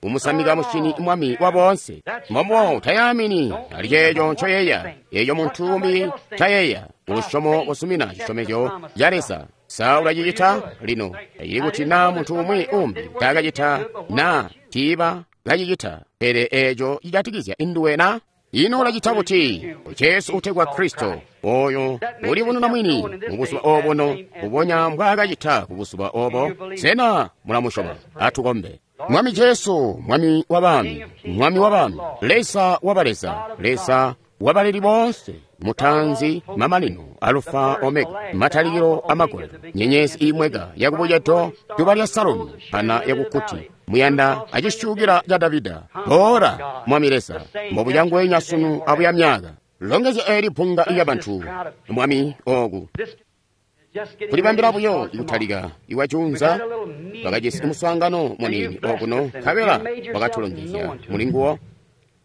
Umusamika mushini mwami wa boonse. Mbombo utayaamini ali ceeco ncoyeeya, eeco muntu umbi ncayeeya. Ulusyomo kusumina cisyomezyo ca Leza. Sa ulacicita lino? Ili kuti na muntu umwi umbi taakacita na tiiba kacicita, pele eeco cijatikizya induwe na? Ino ulacita buti? Jesu utegwa Kristo, oyo ulibonuna mwini mubuzuba obuno, mbubonya mbwaakacita kubuzuba obo. Sena mulamusyoma? Atukombe. Mwami Jesu, Mwami wa bami, Mwami wa bami, Leza wa baleza, Leza wabaleli boonse, mutanzi, mamanino, Alufa, Omega, matalikilo amagolelo, nyenyezi imweka yakubucedo, duba lya Salomu, pana yakukuti, muyanda acisyukila ca Davida. Boola, Mwami Leza, mbobucangwenya sunu abuya myaka. Longezya eeli bbunga lya bantu, Mwami, ooku kulibambila buyo ikutalika iwajunza. Bakajisi muswaangano muniini okuno, nkabela wakatulongezya mulinguwo,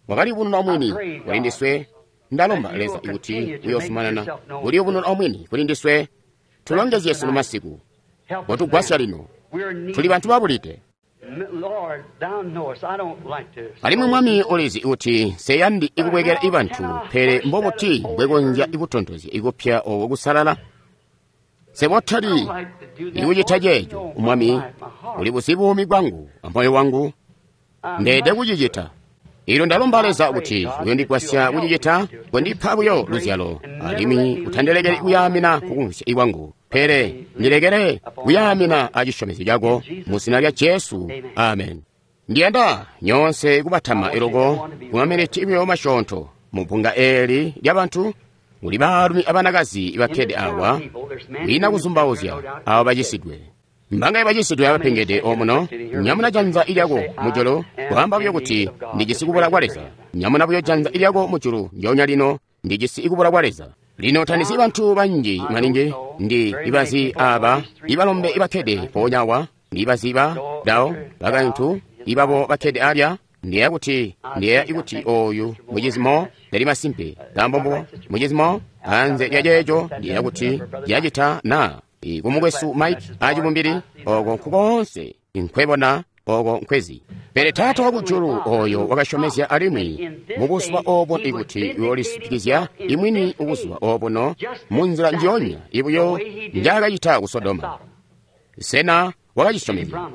wakalibununa omwini kuli ndiswe. Ndalomba Leza ikuti uyozumanana kuliyubununa omwini kuli ndiswe. Tulongezye sunu masiku, kotugwasya lino, tuli bantu babulide. Alimwi Mwami ulizi kuti nseyandi ikubwekela ibantu, pele mbobuti mbwekonzya ikutontozya ikupya oko kusalala? Sebotali ikucita ceeco, Mwami, uli buzi buumi bwangu amoyo wangu, ndeede kucicita. Ilyo ndalomba Leza kuti uyondigwasya kucicita, kondipa buyo luzyalo, alimwi utandilekeli kuyaamina kukumvwisya ikwangu, pele ndilekele kuyaamina acisyomezyo cako, mu zina lya Jesu, amen. Ndiyanda nyoonse kubatama iloko kumaminiti buyo masyoonto mu bbunga eeli lya bantu. Kuli baalumi abanakazi bakkede awa, kwiina kuzumbauzya abo bacisidwe. Mbangaye bacisidwe abapengede omuno? Nyamuna janza lyako mujulu, kwaamba buyo kuti ndijisi kubula kwa Leza. Nyamuna buyo janza lyako mujulu ndyoonya lino, ndijisi kubula kwa Leza. Lino tandisi bantu banji maningi, ndi ibazi aba ibalombe ibakkede mpoonya awa, ndibazi ba dao bakaintu ibabo bakkede alya. Ndiyeeya kuti ndiyeeya ikuti oyu mucizimo ndali masimpe nkaambo mbubo mucizimo anze lya ceeco ndiyeeya kuti lyacita na kumukwesu Mike acibumbili oko nkukoonse nkwebona. oko nkwezi. Pele Taata wakujulu oyo wakasyomezya alimwi mubuzuba obo ikuti uyoolisipikizya imwini ubuzuba obuno munzila njionya ibuyo njaakacita ku Sodoma. Sena wakacisyomezya?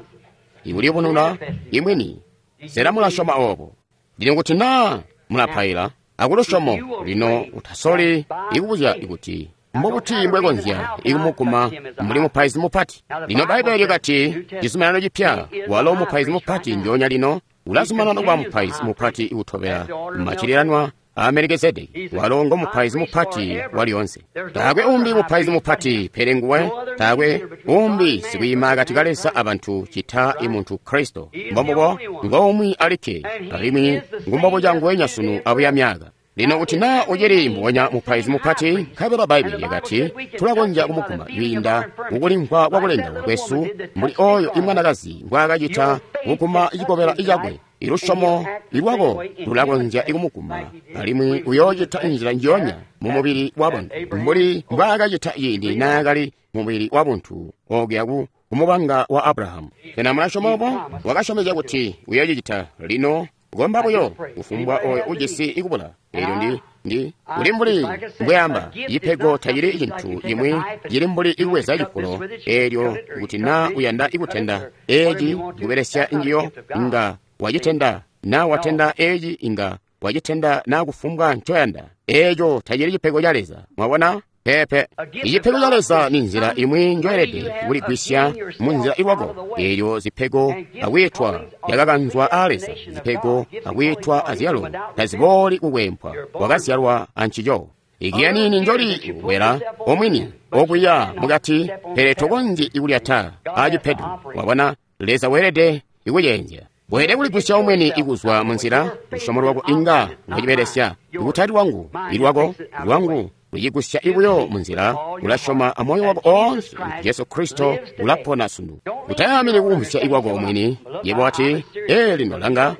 Ikuliyubununa imwini. Sena mulasyoma obo? Lino kuti naa mulapaila akulusyomo, lino utasoli ikubuzya ikuti mbobuti mbwekonzya ikumuguma mbuli mupaizi mupati. Lino Bbaibbele lyakati cizuminano cipya, walo mupaizi mupati njoonya lino ulazumanana kuba mupaizi mupati utobela macilelanwa a Melikezedeki. Walo ngo mupaizi mupati walyoonse. Taakwe umbi mupaizi mupati pele nguwe, taakwe umbi sikwiima akati ka Leza abantu cita imuntu Kristo. Mbombubo ngoumwi alikke, alimwi ngumbobuca nguwenya sunu abuya myaka. Lino kuti naa ucili mbubonya mupaizi mupati, nkabela Bbaibbele lyakati tulakonzya kumuguma kwiinda mukulimvwa kwakulengaula kwesu mbuli oyo imwanakazi mbwaakacita kuguma cikobela cakwe. Ilusyomo lwako lulakonzya ikumuguma, alimwi uyoocita nzila njionya mumubili wabuntu mbuli mbwaakacita ciindi naakali mumubili wabuntu okuya ku kumubanga wa Abrahamu. Sena mulasyoma obo? Wakasyomezya kuti uyoocicita. Lino komba buyo kufumbwa oyo ujisi ikubula. Eelyo ndi uli mbuli mbweamba, cipego tacili cintu cimwi cili mbuli ikubweza cifulo. Eelyo kuti naa uyanda ikutenda eeci kubelesya njiyo, inga wacitenda. Naa watenda eeci, inga wacitenda naa kufumbwa ncoyanda. Eeco tacili cipego ca Leza. Mwabona? Peepe. Icipego ca Leza ni nzila imwi njoelede kuligwisya munzila ilwako. Eelyo zipego akwiitwa yakakanzwa aa Leza, zipego akwiitwa azyalo tazibooli kukwempwa, wakazyalwa ancico. Igiya nini njoli kukwela omwini okuya mukati, pele tokonzyi ikulyata acipedu. Wabona, Leza weelede ikuceenzya. Weelede kuligwisya omwini ikuzwa munzila. Lusyomo lwako inga lwacibelesya, ikutali lwangu, ilwako lwangu lucigusya ibuyo munzila. Ulasyoma amoyo wako oonse kuti Jesu Kristo ulapona sunu. Utayamini kukumvwisya ikwako omwini. Yebo wati, ee, lino langa,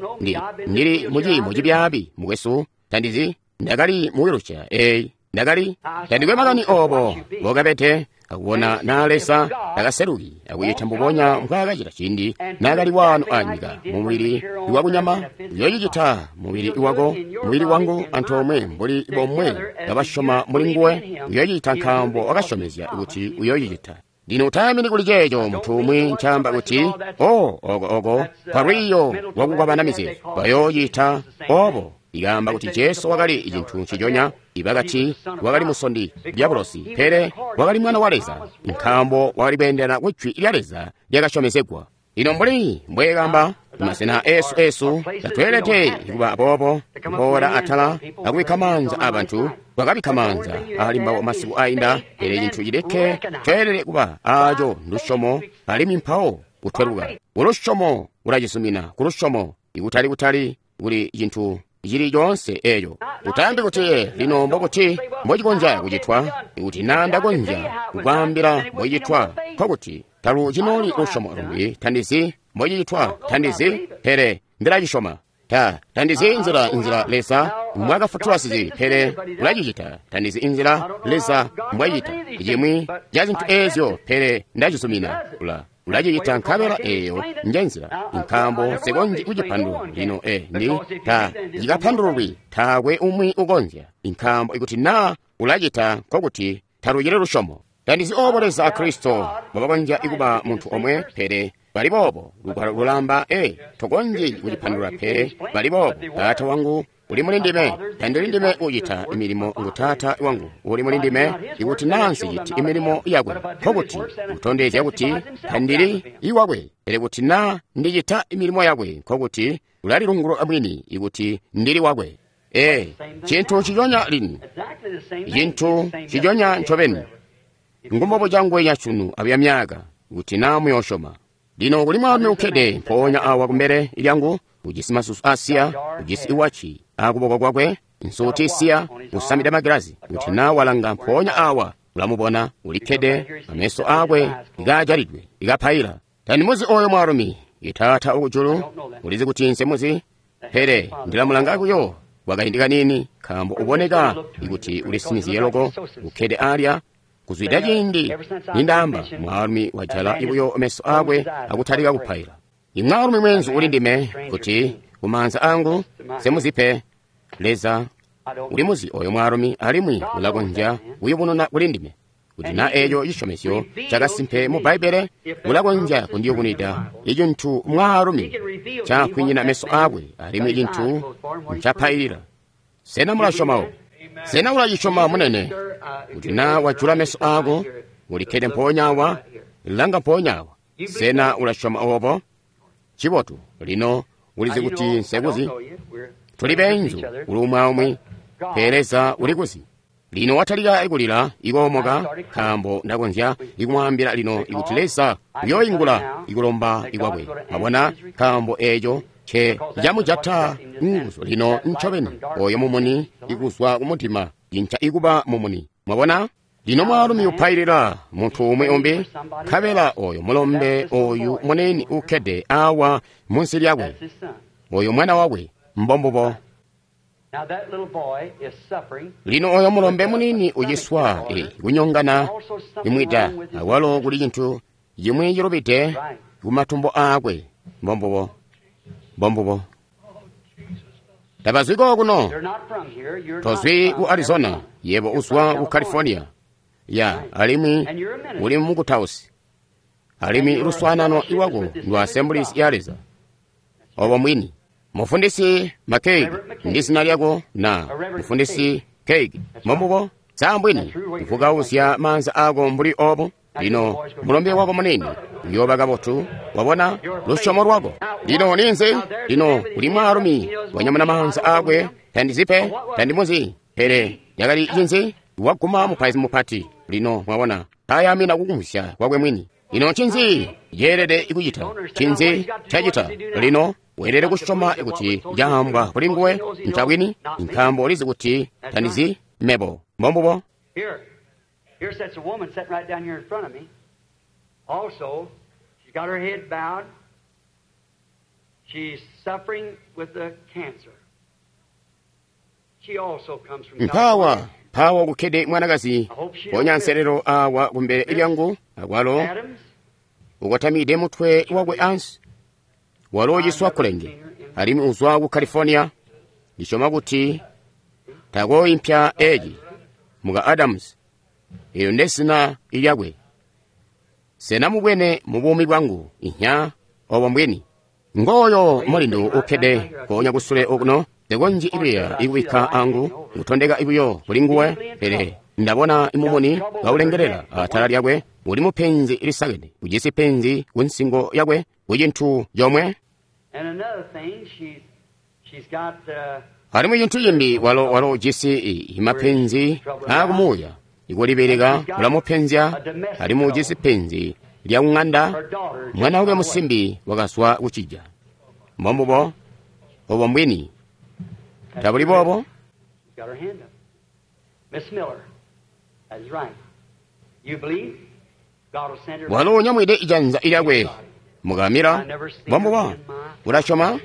ndili muciimo cibyaabi mukwesu, tandizi, ndakali mu wheelchair eyi, ndakali tandikwe makani obo mbokabede. Akubona naa Leza takaseluki akucita mbubonya mbwaakacita ciindi naakali waano anyika mumubili wakunyama, uyoocicita mubili wako, mubili wangu antoomwe mbuli bomwe kabasyoma muli nguwe. Uyoocicita nkaambo wakasyomezya kuti uyoocicita. Lino utayamini kuli ceeco muntu umwi ncaamba kuti, o oko oko kwalwiiyo lwakukwabana mizeezo, bayoocita obo. Ikaamba kuti Jesu wakali cintu nciconya. Ibakati wakali musondi dyabulosi, pele wakali mwana wa Leza, nkaambo wakali kweendelana ku jwi lya Leza lyakasyomezegwa. Lino mbuli mbweekamba masena esu tatweelede kuba boobo, kuboola atala akubikka maanza abantu. Twakabikka maanza ali mbabo masiku ainda, pele cintu cilikke tweelede kuba aaco ndusyomo, alimwi mpawo kutweluka kulusyomo ulacizumina kulusyomo, ikutali kutali kuli cintu cili coonse eeco. Utaambi kuti, lino mbokuti mbocikonzya kucitwa. Ikuti naa ndakonzya kukwaambila mbocicitwa, nkokuti talu cinooli lusyomo lumbi. Tandizi mbocicitwa, tandizi, pele ndilacisyoma. Tandizi inzila Leza mbwaakafutula sizibi, pele ulacicita. Tandizi inzila Leza mbwacita cimwi ca zintu eezyo, pele ndacizumina. Ulacicita nkabela eeyo njenzila, nkaambo nsikonzyi kucipandulula lino. Ndi ta cikapandululwi, taakwe umwi ukonzya, nkaambo ikuti naa ulacita nkokuti talucili lusyomo. Tandizi obo Leza a Kristo mbobakonzya kuba muntu omwe, pele bali boobo. Lugwalo lulaamba, tokonzyi kucipandulula, pele bali boobo. Taata wangu uli muli ndime, tandili ndime ucita milimo, ngu Taata wangu uli muli ndime. Ikuti naa nsiciti imilimo yakwe, nkokuti kutondezya kuti tandili iwakwe. Pele kuti naa ndicita milimo yakwe, nkokuti ulalilungulula mwini ikuti ndili wakwe. Cintu ciconya lino, cintu ciconya ncobeni, ngumbobuca nguwenya sunu abuya myaka, kuti naa muyoosyoma. Lino kuli mwaalumi ukkede mpoonya awa kumbele lyangu, ujisi masusu asiya, ujisi iwaci akuboko kwakwe, nsuuti isiya, usamide magilazi. Kuti naa walanga mpoonya awa ulamubona, ulikkede, ameso aakwe ikaajalidwe, ikapaila. Tandimuzi oyo mwaalumi. Itaata ukujulu ulizi kuti nsemuzi, pele ndilamulanga kuyo kwakaindi kaniini, nkaambo uboneka kuti ulisinizye loko, ukkede alya. Kuzwida ciindi nindaamba, mwaalumi wajala ibuyo meso aakwe akutalika kupaila. Imwaalumi mweenzu uli ndime kuti kumaanza angu semuzipe. Leza ulimuzi oyo mwaalumi alimwi ulakonzya kuyubununa kuli ndime kuti na eeco cisyomezyo cakasimpe mu Bbaibbele, ulakonzya kundiyubunwida icintu mwaalumi cakwinyina meso aakwe alimwi cintu ncapailila. Sena mulasyoma? Sena ulacisyoma munene? Kuti na wajula meso aako, ulikkede mpoonya awa, langa mpoonya awa. Sena ulasyoma obo? Cibotu, lino ulizi kuti nsekuzi. Tuli beenzu kuli umwi aumwi, pele Leza ulikuzi. Lino watalika ikulila ikoomoka, nkaambo ndakonzya ikumwaambila lino ikuti Leza uyooingula ikulomba ikwakwe. Mwabona, nkaambo eeco nce camujata nguzu lino ncobeni oyo mumuni ikuzwa kumudima inca ikuba mumuni. Mwabona? Lino mwaalumi upailila muntu umwi umbi, nkabela oyo mulombe oyu munene ukkede awa munsi lyakwe, oyo mwana wakwe, mbombubo. Lino oyo mulombe munini uciswa kunyongana imwida, awalo kuli cintu cimwi cilubide kumatumbo aakwe, mbombubo, mbombubo. Tabazwi kokuno, tozwi ku Arizona, yebo uzwa ku California. Ya, alimwi uli mukutausi, alimwi luswaanano iwako ndwa Assemblies ya Leza. Obo mwini. Mufundisi McCaig ndi zina lyako na Mufundisi Keig, mbombubo? Sambwini kuvukauzya maanza ako mbuli obo. Lino mulombe wako munene uyooba kabotu, wabona lusyomo lwako. Lino ninzi? Lino kuli mwaalumi wanyamuna maanza akwe, tandizipe, tandimuzi, pele yakali cinzi? Waguma mupaizi mupati. Lino mwabona tayamina kukumvwisya kwakwe mwini. Lino ncinzi yeelede kucita? Ncinzi cacita? Lino weelede kusyoma kuti caambwa kuli nguwe ncabwini, nkaambo ulizi kuti tandizi mebo. Mbombubo. Here sits a woman sitting right down here in front of me. Also, she's got her head bowed. She's suffering with the cancer. She also comes from Mpawa mpawa kukkede mwanakazi ponya nselelo awa kumbele lyangu, akwalo ukotamide mutwe wakwe ansi. Walo uciswa kulenge alimwi uzwa ku California. Ndisyoma kuti takooimpya eci muka Adams. Eyo ndesina ilyakwe. Sena mubwene mu buumi bwangu inya obo mbwini. Ngoyo mulindu ukkede konya kusule okuno, ndekonji ibiya ikubikka angu kutondeka ibuyo kuli nguwe, pele ndabona imumuni kaulengelela atala lyakwe. Uli mupenzi lisakene, ujisi penzi ku nsingo yakwe ku cintu comwe. Alimwi cintu cimbi walo ujisi imapenzi aakumuuya. Ikulibeleka kulamupenzya, alimwi ujisi penzi lya kung'anda. Mwana wakwe musimbi wakazwa kucija. Mbombubo, obo mbwini. Tabuli boobo? Walo unyamwide ijanza lyakwe mukamila. Mbombubo, ulasyoma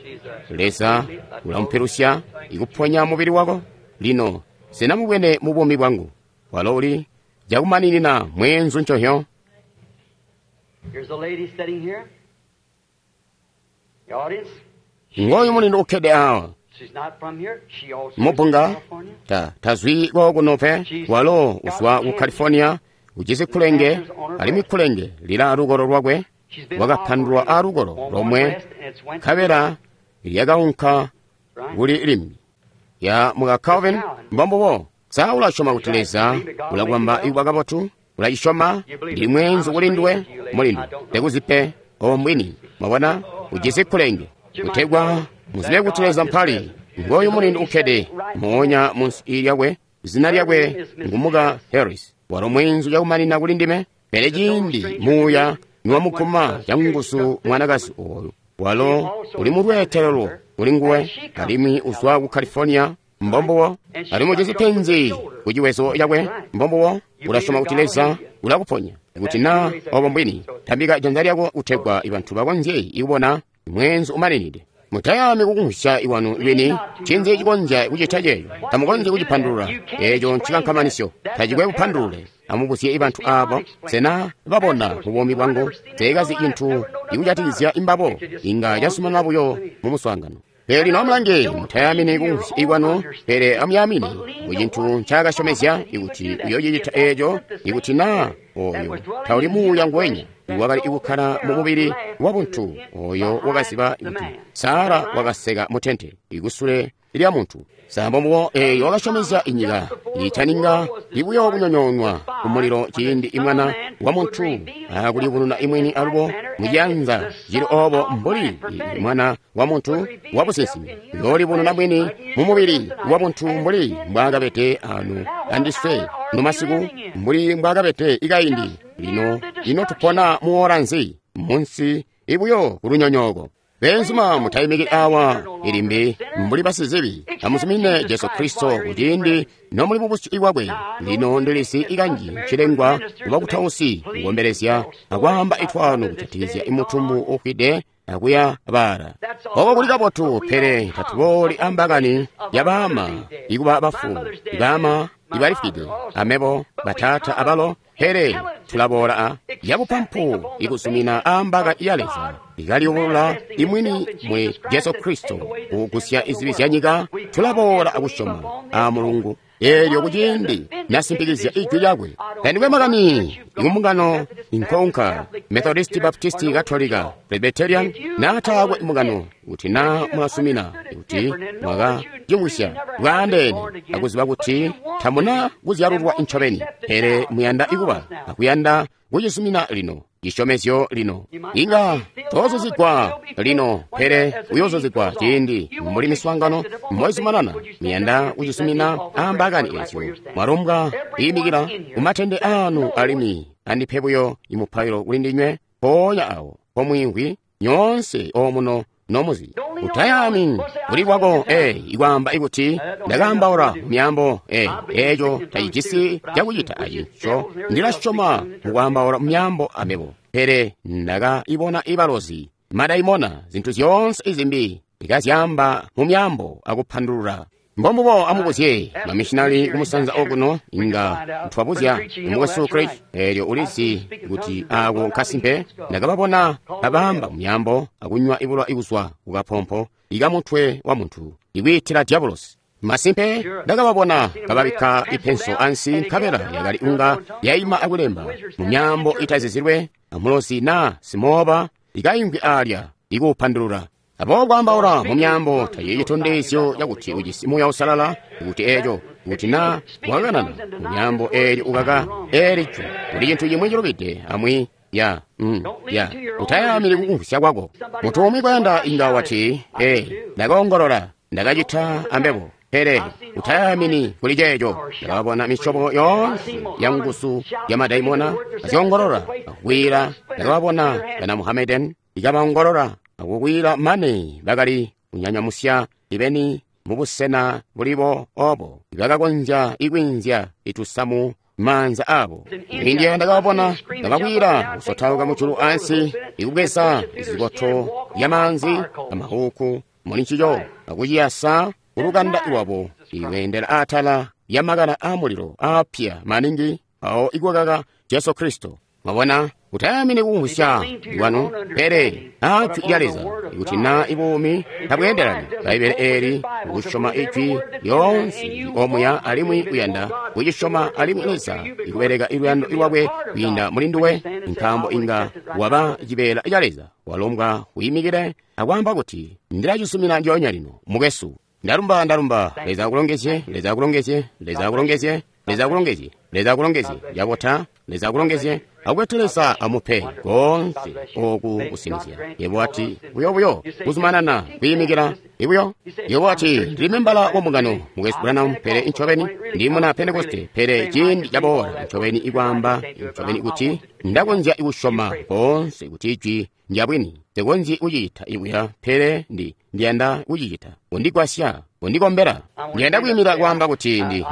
Leza ulamupilusya ikuponya mubili wako. Lino sena mubwene mu buumi bwangu walo uli cakumaninina mweenzu nconhyo. Ngoyu mulindu ukkede awa mubunga tazwi kokuno pe. Walo uzwa ku California, ujisi kulenge, alimwi kulenge lila lukolo lwakwe. Wakapandulwa alukolo lomwe, nkabela lyakaunka kuli limbi. Ya muka Calvin, mbombubo. Sa ulasyoma kuti Leza ulakwamba ikwa kabotu? Ulacisyoma? Ndi mweenzu kuli nduwe mulindu, tekuzipe obo mbwini. Mwabona, ujisi kulenge kutegwa muzibe kuti Leza mpali. Ngoyu mulindu ukkede moonya munsi lyakwe, zina lyakwe ngumuka Harris. Walo mweenzu cakumanina kuli ndime, pele ciindi muuya niwamuguma canguzu mwanakazi oyu, walo uli mulweetelelo kuli nguwe, alimwi uzwa ku California. Mbombubo, alimwi ujisi penzi ku ciwezo cakwe. Mbombubo, ulasyoma kuti Leza ulakuponya. Kuti na obo mbwini, tambika janza lyako kutegwa ibantu bakonzye ikubona mweenzu umaninide. Mutayami kukumvwisya iwanu lwini ncinzi cikonzya kucita ceeco. Tamukonzyi kucipandulula. Eeco ncikankamanisyo, tacikwe kupandulule. Amubuzye bantu abo, sena babona mu buumi bwangu teekazi cintu ikujatikizya imbabo, inga casumanana buyo mu muswaangano. Pele lino amulange, mutayamini kumvwisya kwanu, pele amuyamini ku cintu ncaakasyomezya ikuti uyoocicita eeco, ikuti naa oyo tauli muuya nguwenya wakali kukkala mu mubili wabuntu oyo wakaziba kuti Sara wakaseka mu tente ikusule lya muntu. Sambo eeyo wakasyomezya inyika itaninga ibuyo kunyonyoonwa kumulilo ciindi imwana wa muntu akuliyubununa imwini alubo muciyanza cili obo mbuli mwana wa muntu wa businsimi uyoolibununa mwini mu mubili wa buntu mbuli mbwaakabede anu andiswe numasiku mbuli mbwaakabede ikaindi. Lino ino tupona muola nzi munsi ibuyo kulunyonyooko. Benzuma mutayimiki awa ilimbi mbuli basizibi, amuzumine Jesu Kristo kuciindi nomuli mubusyu bwakwe. Lino ndilisi ikanji cilengwa kubakutausi kukombelezya akwaamba itwano kujatikizya imutumbu ufwide akuya baala. Oko kuli kabotu, pele tatubooli ambakani yabaama ikuba bafu, ibaama ibalifwide, amebo bataata abalo, pele tulaboola a yabupampu ikuzumina ambaka ya Leza ikaliyubulula imwini mwe Jesu Kristo kugusya izibi zya nyika. Tulaboola akusyoma a Mulungu eelyo kuciindi nasimpikizya ijwi lyakwe. Tandikwe makani ikumbungano inkonka Methodist, Baptist, Katolika, Presbyterian, naataakwe mbungano, kuti naa mulasumina kuti mwakacimwisya bwaandeene akuziba kuti tamuna kuzyalulwa ncobeni, pele muyanda ikuba akuyanda kucisumina lino cisyomezyo lino. Inga toozuzigwa lino, pele uyoozuzigwa ciindi mbuli miswaangano moizumanana. Muyanda kucisumina ambakani ezyo mwalumbwa kuyimikila kumatende anu alimwi andipe buyo imupailo kuli ndinywe mpoonya awo pomwiimvwi nyoonse omuno nomuzi. Utayami kuli kwako ikwaamba ikuti ndakaambaula mu myaambo eeco tacijisi cakucita acico. Ndilasyoma mukwaambaula mu myaambo amebo, pele ndakaibona ibalozi, madaimona, zintu zyoonse izimbi ikazyaamba mu myaambo akupandulula. Mbombubo amubuzye mamishinali kumusanza okuno, inga twabuzya mukwesu Craig, eelyo ulizi kuti ako nkasimpe. Ndakababona babaamba mu myaambo akunywa ibulwa ikuzwa kukapompo ikamutwe wa muntu ikwiitila diabulosi. Masimpe ndakababona kababikka ipenso ansi, nkabela yakali unga yaima akulemba mu myaambo itazizilwe amulozi naa simooba ikaimvwi alya ikuupandulula. Aboobo kwaambaula mu myaambo tacili citondezyo cakuti ujisi Muuya Uusalala, kuti eeco kuti naa wakanana mu myaambo eelyo ukaka eeli jwi, kuli cintu cimwi cilubide amwi ya utayamili kukumvwisya kwako. Muntu umwi kwayanda inga wati, ndakaongolola, ndakacita ambebo, pele utayamini kuli ceeco. Ndakabona misyobo yoonse ya nguzu ya madaimona azyongolola akwiila. Ndakababona bana Muhammedan ikabaongolola akukwila mane bakali kunyanyamusya ibeni mubusena bulibo obo bakakonzya ikwinzya itusamu maanza abo. India ndakababona kabakwila kusotauka mujulu ansi ikubweza izikoto ya maanzi amahuku muli ncico akuciyasa kulukanda lwabo ikwendela atala ya makala amulilo apya maningi awo ikwakaka Jesu Kristo. Mwabona, utayamini kukumvwisya kwanu, pele ajwi lya Leza ikuti naa ibuumi tabweendelani Bbaibbele eeli ukusyoma ijwi lyoonse omuya alimwi uyanda kucisyoma alimwi Leza ikubeleka iluyando lwakwe kwiinda muli nduwe, nkaambo inga waba cibeela ca Leza. Walombwa uyimikile akwaamba kuti ndilacisumina ndyoonya lino mukwesu. Ndalumba, ndalumba. Leza akulongezye, Leza akulongezye, Leza akulongezye, Leza akulongezye, Leza akulongezye. Yabota, Leza akulongezye. Akuti Leza amupe konse oku kusinizya. Yebo ati buyo kuzumanana kuyimikila ibuyo. Yebo ati ndili membala wa mbungano mukwesu Branham, pele ncobeni ndi muna Pentekoste, pele ciindi caboola ncobeni ikwaamba ncobeni kuti ndakonzya kusyoma konse kuti ijwi ndyabwini. Nsikonzyi kucita ibuya, pele ndiyanda kucicita. Undigwasya, undikombela. Ndiyanda kwiimira kwaamba kuti ndi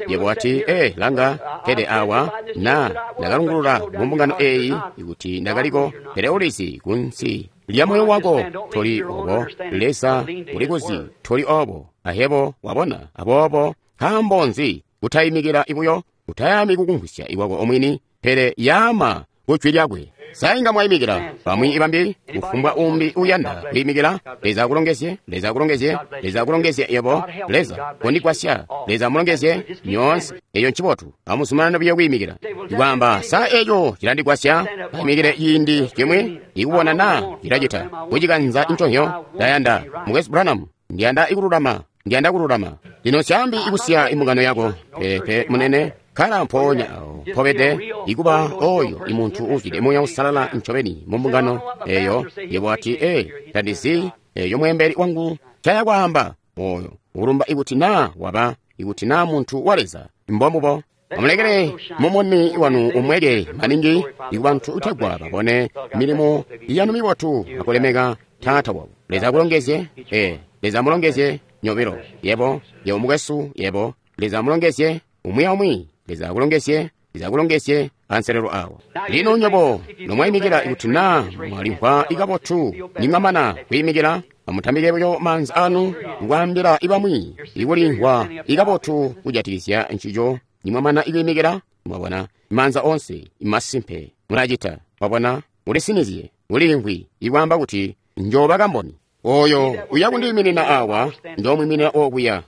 yebo wati, langa, pele awa na ndakalungulula mu mbungano eyi ikuti ndakaliko, pele ulizi kunsi lya moyo wako toli obo. Leza ulikuzi toli obo. Ahebo wabona, aboobo nkaambo nzi kutayimikila ibuyo? Utayami kukumvwisya iwako omwini, pele yaama ku jwi lyakwe. Sa inga mwaimikila bamwi ibambi, kufumbwa umbi uyanda kwiimikila? Leza akulongezye, Leza akulongezye, Leza akulongezye yebo. Leza kondigwasya. Leza amulongezye nyoonse. Eyo ncibotu. Amuzumanane buyo kwiimikila. Ikwaamba, sa eco cilandigwasya? Aimikile ciindi cimwi, ikubona naa cilacita. Kucikanza nconzyo, ndayanda. Mukwesu Branham, ndiyanda ikululama. Ndiyanda kululama. Lino nsyaambi ikusiya imbungano yako. Peepe, munene. Kkala mpoonya awo mpobede, ikuba oyo imuntu uzwide Muuya Uusalala ncobeni mu mbungano eyo. Yebo wati, ee, tandizi eyo mweembeli wangu ncaya kwaamba. Oyo ulumba ikuti naa waba, ikuti naa muntu wa Leza. Mbombubo. Amulekele mumuni wanu umweke maningi ikubantu utegwa babone milimo yanu mibotu akulemeka Taata wabo. Leza akulongezye. Ee, Leza amulongezye nyobilo. Yebo, yebo mukwesu, yebo. Leza amulongezye umwi aumwi. Leza akulongezye, Leza akulongezye anselelo awo. Lino nyobo nomwaimikila, ikuti naa mwalimvwa ikabotu nimwamana kwiimikila, amutambike buyo maanza anu kukwaambila ibamwi ikulimvwa ikabotu kujatikizya ncico. Nimwamana ikwiimikila, mwabona maanza onse imasimpe mulacita. Mwabona, mulisinizye ulimvwi ikwaamba kuti njoba kamboni. Oyo uya kundiiminina awa, njoomwiminina okuya.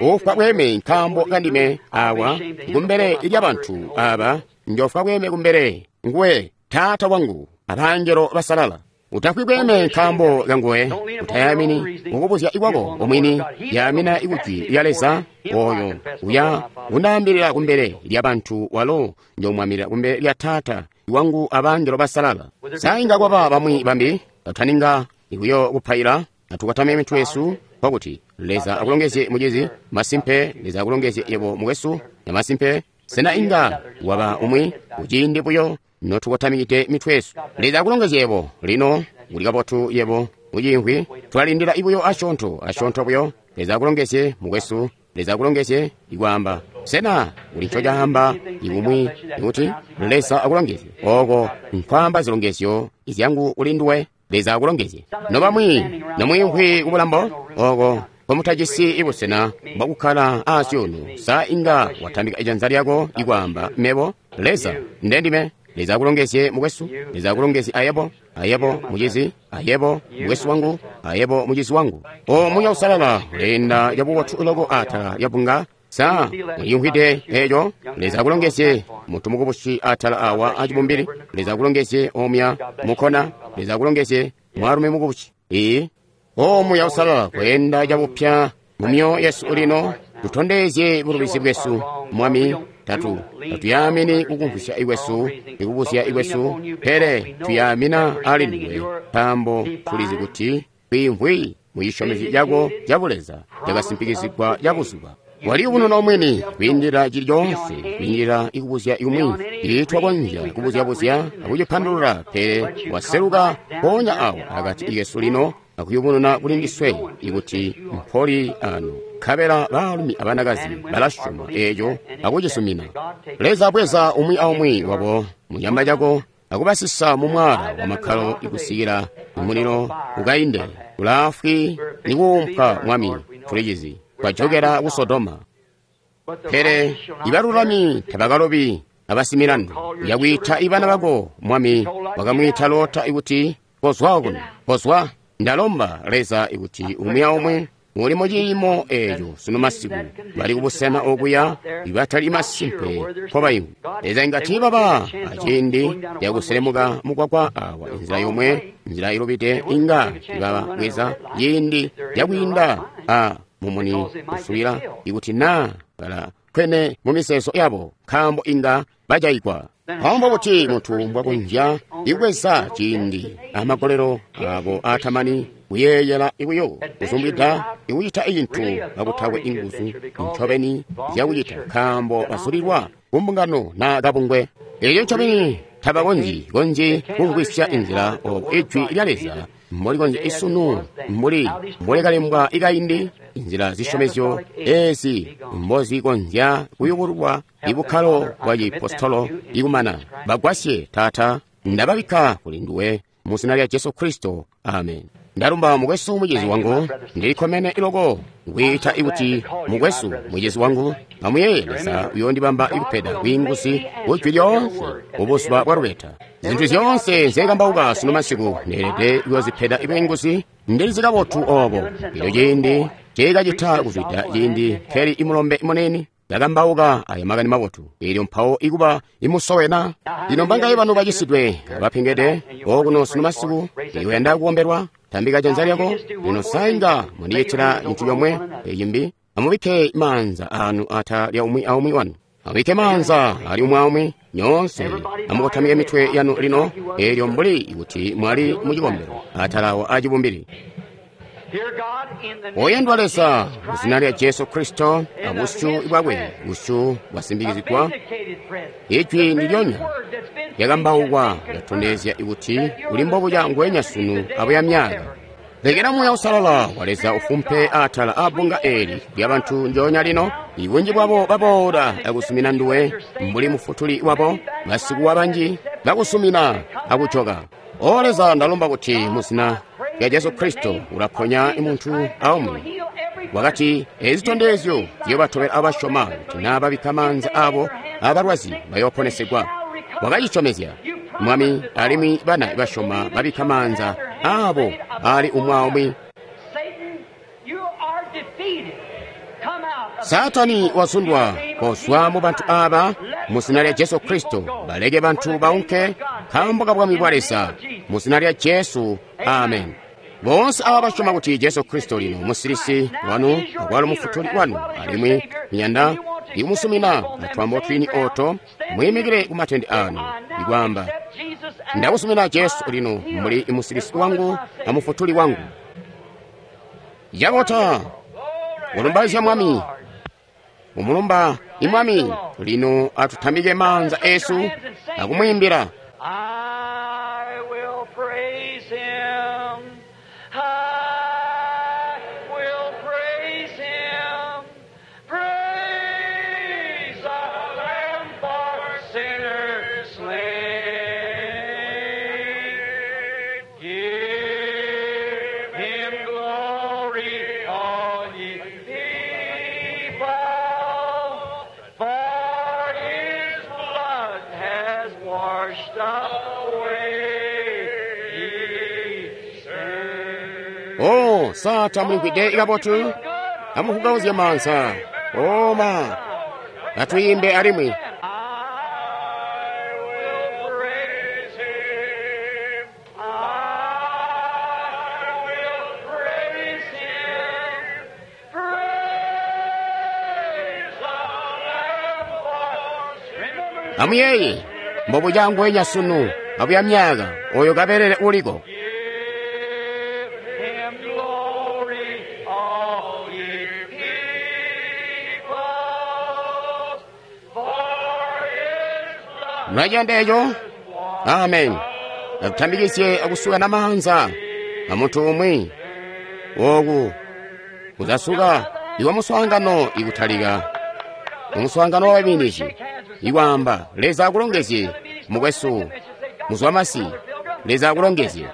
Ufwa bweme nkaambo kandime awa kumbele lyabantu aba, njofwa bweme kumbele nguwe Taata wangu abangelo basalala. Utafwi bweme nkaambo kanguwe, utayamini mukubuzya ikwako omwini, yamina ikujwi lya Leza. Oyo uya kundaambilila kumbele lyabantu, walo njoomwambilila kumbele lya Taata wangu abangelo basalala. Sa inga kwaba bamwi bambi bataninga ikuyo kupaila? Atukwatame mitwe yesu kwakuti Leza akulongezye mucizi. Masimpe, Leza akulongezye yebo mukwesu. Na masimpe, sena inga waba umwi kuciindi buyo notukwatamikide mitwe yesu? Leza akulongezye yebo. Lino uli kabotu yebo muciimvwi. Tulalindila ibuyo asyoonto asyoonto buyo. Leza akulongezye mukwesu. Leza akulongezye ikwaamba. Sena uli ncocaamba ikumwi ikuti Leza akulongezye? Oko nkwaamba zilongezyo izyangu kuli nduwe. Leza akulongezye. Nobamwi nomwiimvwi kubulambo oko komutajisi ibusena bwakukkala asyuunu, sa inga watambika ijanza lyako ikwaamba, mebo Leza ndendime? Leza akulongezye mukwesu. Leza akulongezye ayebo, ayebo mucizi, ayebo mukwesu wangu, ayebo mucizi wangu. O Muuya Uusalala uleenda cabubotu loko atala lyabunga. Sa muliyumvwide eco? Leza akulongezye muntu mukubusi atala awa acibumbili. Leza akulongezye omya mukona. Leza akulongezye mwaalumi mukubusi. Ee, O Muuya Uusalala kweenda cabupya mu myoyo yesu lino, tutondezye bulubizi bwesu Mwami. Tatuyamini kukumvwisya ikwesu, ikubuzya ikwesu, pele tuyamina ali nduwe, nkaambo tulizi kuti twiimvwi mu cisyomezyo cako ca Buleza cakasimpikizigwa cabuzuba. Waliyubununa omwini kwiindila cili coonse, kwiindila ikubuzya ikumwi. Tiitwakonzya kubuzyabuzya akucipandulula, pele waseluka mpoonya awo akati ikesu lino akuyubununa kuli ndiswe ikuti mpoli ano. Nkabela baalumi abanakazi balasyoma eeco akucisumina. Leza bweza umwi aumwi wabo munyama cako akubasisa mu mwaala wa makkalo ikusikila mulilo ukainde. Ulaafwi nikuumpwa Mwami, tulicizi. Twajokera ku Sodoma. Pele ibalulami tabakalobi abasimilandu. Uyakwiita ibana bako Mwami. Wakamwiita Lota ikuti kozwa kuno, kozwa. Ndalomba Leza ikuti umwi aumwi uli mu ciimo eeco sunu masiku bali kubusena okuya ibatali masimpe mpobayimvwi. Leza inga tiibaba aciindi cakuselemuka mukwakwa awa inzila yomwe, nzila ilubide, inga ibabweza ciindi cakwiinda a mumuni usubila ikuti naa bala kwene mu miseezo yabo, nkaambo inga bajayigwa. Nkaambo buti muntu mbwakonzya ikubweza ciindi amagolelo abo atamani kuyeeyela buyo kuzumbwida ikucita cintu kakutakwe inguzu ncobeni zyakucita, nkaambo basulilwa kumbungano naa kabungwe. Eeco ncobeni tabakonzyi konzyi kumvwisya inzila obo ijwi lya Leza mbolikonzya isunu mbuli mbolyakalembwa ikaindi, inzila zisyomezyo ezi mbozikonzya kuyubululwa ibukkalo bwa cipostolo ikumana. Bagwasye Taata, ndababikka kuli nduwe mu zina lya Jesu Kristo. Amen. Ndalumba mukwesu mucizi wangu. Ndilikkomene loko kwiita kuti mukwesu mucizi wangu. Amuyeeye, Leza uyoondibamba ikupeda bwiinguzi kujwi lyoonse mubuzuba bwa lubeta. Zintu zyoonse nzekambauka sunu masiku neelede kuyoozipeda bwiinguzi. Ndilizi kabotu obo. Elyo ciindi ceekacita kuzwida ciindi nkeli imulombe munene ndakambauka aya makani mabotu, elyo mpawo ikuba imusowena. Lino mbangaye banu bacisidwe abapengede okuno sunu masiku, iwenda kukombelwa, tambika janza lyako. Lino sainga mundicitila cintu comwe ecimbi. Amubikke maanza anu ata lya umwi aumwi wanu. Amubikke maanza ali umwi aumwi nyoonse. Amukotamike mitwe yanu lino, elyo mbuli kuti mwali mucikombelo atalawo acibumbili. Oyandwa Leza, muzina lya Jesu Kristo, abusyu bwakwe, busyu bwasimbikizigwa, ijwi ndilyonya lyakambaukwa lyatondezya kuti uli mbobuca ngwenya sunu abuya myaka. Lekela Muuya Uusalala wa Leza ufumpe atala abbunga eli lyabantu njoonya lino. Ibunji bwabo baboola akusumina nduwe mbuli mufutuli wabo, basikuwa banji bakusumina akujoka. O Leza, ndalomba kuti muzina lya Jesu Kristo ulaponya muntu aumwi. Wakati ezi zitondezyo ziyobatobela abasyoma, kuti naa babikka maanza abo abalwazi bayooponesegwa. Wakacisyomezya, Mwami, alimwi bana basyoma babikka maanza abo ali umwi aumwi. Saatani wazundwa, kozwa mu bantu aba muzina lya Jesu Kristo. Baleke bantu baunke nkaambo ka bwami bwa Leza muzina lya Jesu. Amen. Boonse aba basyoma kuti Jesu Kristo lino musilisi wanu akwalo mufutuli wanu, alimwi muyanda ikumusumina atwambo twini oto, muyimikile kumatende anu ikwaamba, ndakusumina Jesu lino mbuli musilisi wangu amufutuli wangu. Yabota ulumbaizya Mwami, umulumba imwami. Lino atutambike maanza esu akumwiimbila. I will praise him. I will praise him. Praise the Lamb for sinners slain. Give him glory, all ye people, for his blood has washed away ye sin. O sata mulimvwide ikabotu, amufugauzye maanza oma atwiimbe alimwi. I will praise him. I will praise him. Praise the Lamb for sinners. Amuyeye mbobuca ngwenya sunu abuya myaka oyo kabelele uliko. Give him glory, all ye people, for his blood Mlachiyanda echo. Amen. Akutambikisye akusuka na maanza amunthu umwi oku kuzasuka iwa muswaangano ikutalika umuswaangano wa babinici ikwamba, Leza akulongezye mukwesu muzwamasi, Leza akulongezye.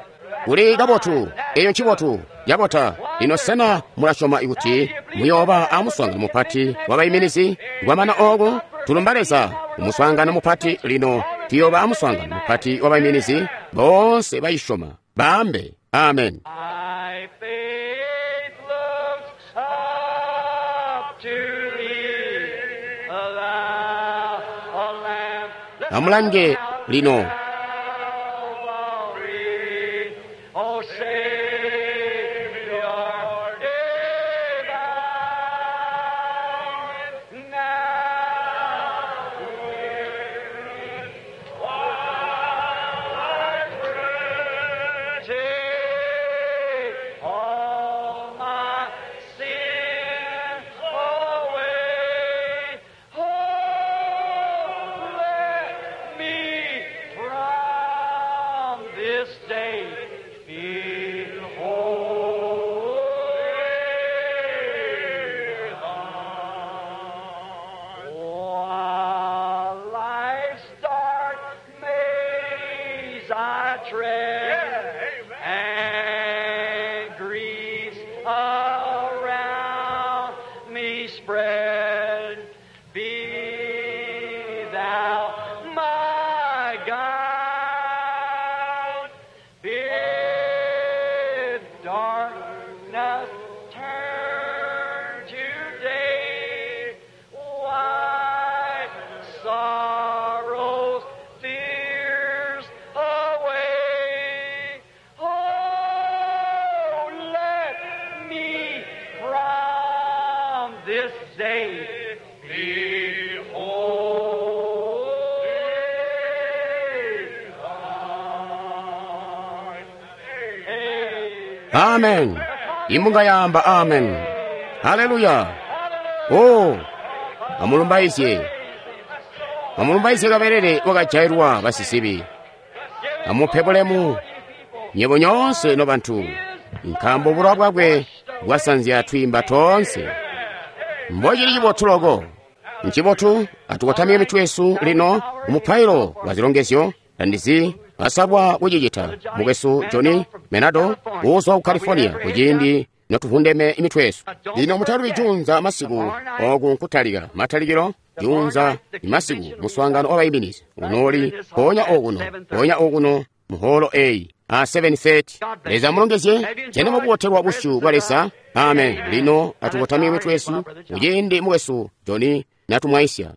Kuli kabotu, eyo ncibotu yabota. Lino sena mulasyoma ikuti muyooba amuswaangano mupati wabayiminizi? Kwamana oku tulumba Leza umuswaangano mupati. Lino tuyooba amuswaangano mupati wabayiminizi boonse bayisyoma baambe amen. My faith looks up to thee, thou Lamb. Amulange lino. Calvary, O Savior divine, now while I pray, take all my sins away. Oh, let me from this day be holy. While life's dark maze I tread, Amen. Imbunga yaamba amen. Haleluya. Oh, amulumbaizye. Amulumbaizye kabelele wakajailwa basisibi. Amupe bulemu nyebo nyoonse nobantu, nkaambo bulowa bwakwe bwasanzya twiimba toonse. Mbocili cibotu loko. Ncibotu atukotamike mitwe yesu lino umupailo wa zilongezyo. Tandizi basalwa kucicita. Mukwesu Johnny Menado uuzwa ku California, kuciindi notuvundeme imitwe yesu. Lino mutalubi juunza masiku oku nkutalika matalikilo juunza masiku muswaangano wabayiminizi unooli mpoonya okuno, mpoonya okuno muholo eyi a 7:30. Leza mulongezye jene mukubotelwa busyu bwa Leza. Amen. Lino atukotamike mitwe yesu kuciindi mukwesu Johnny natumwaisya.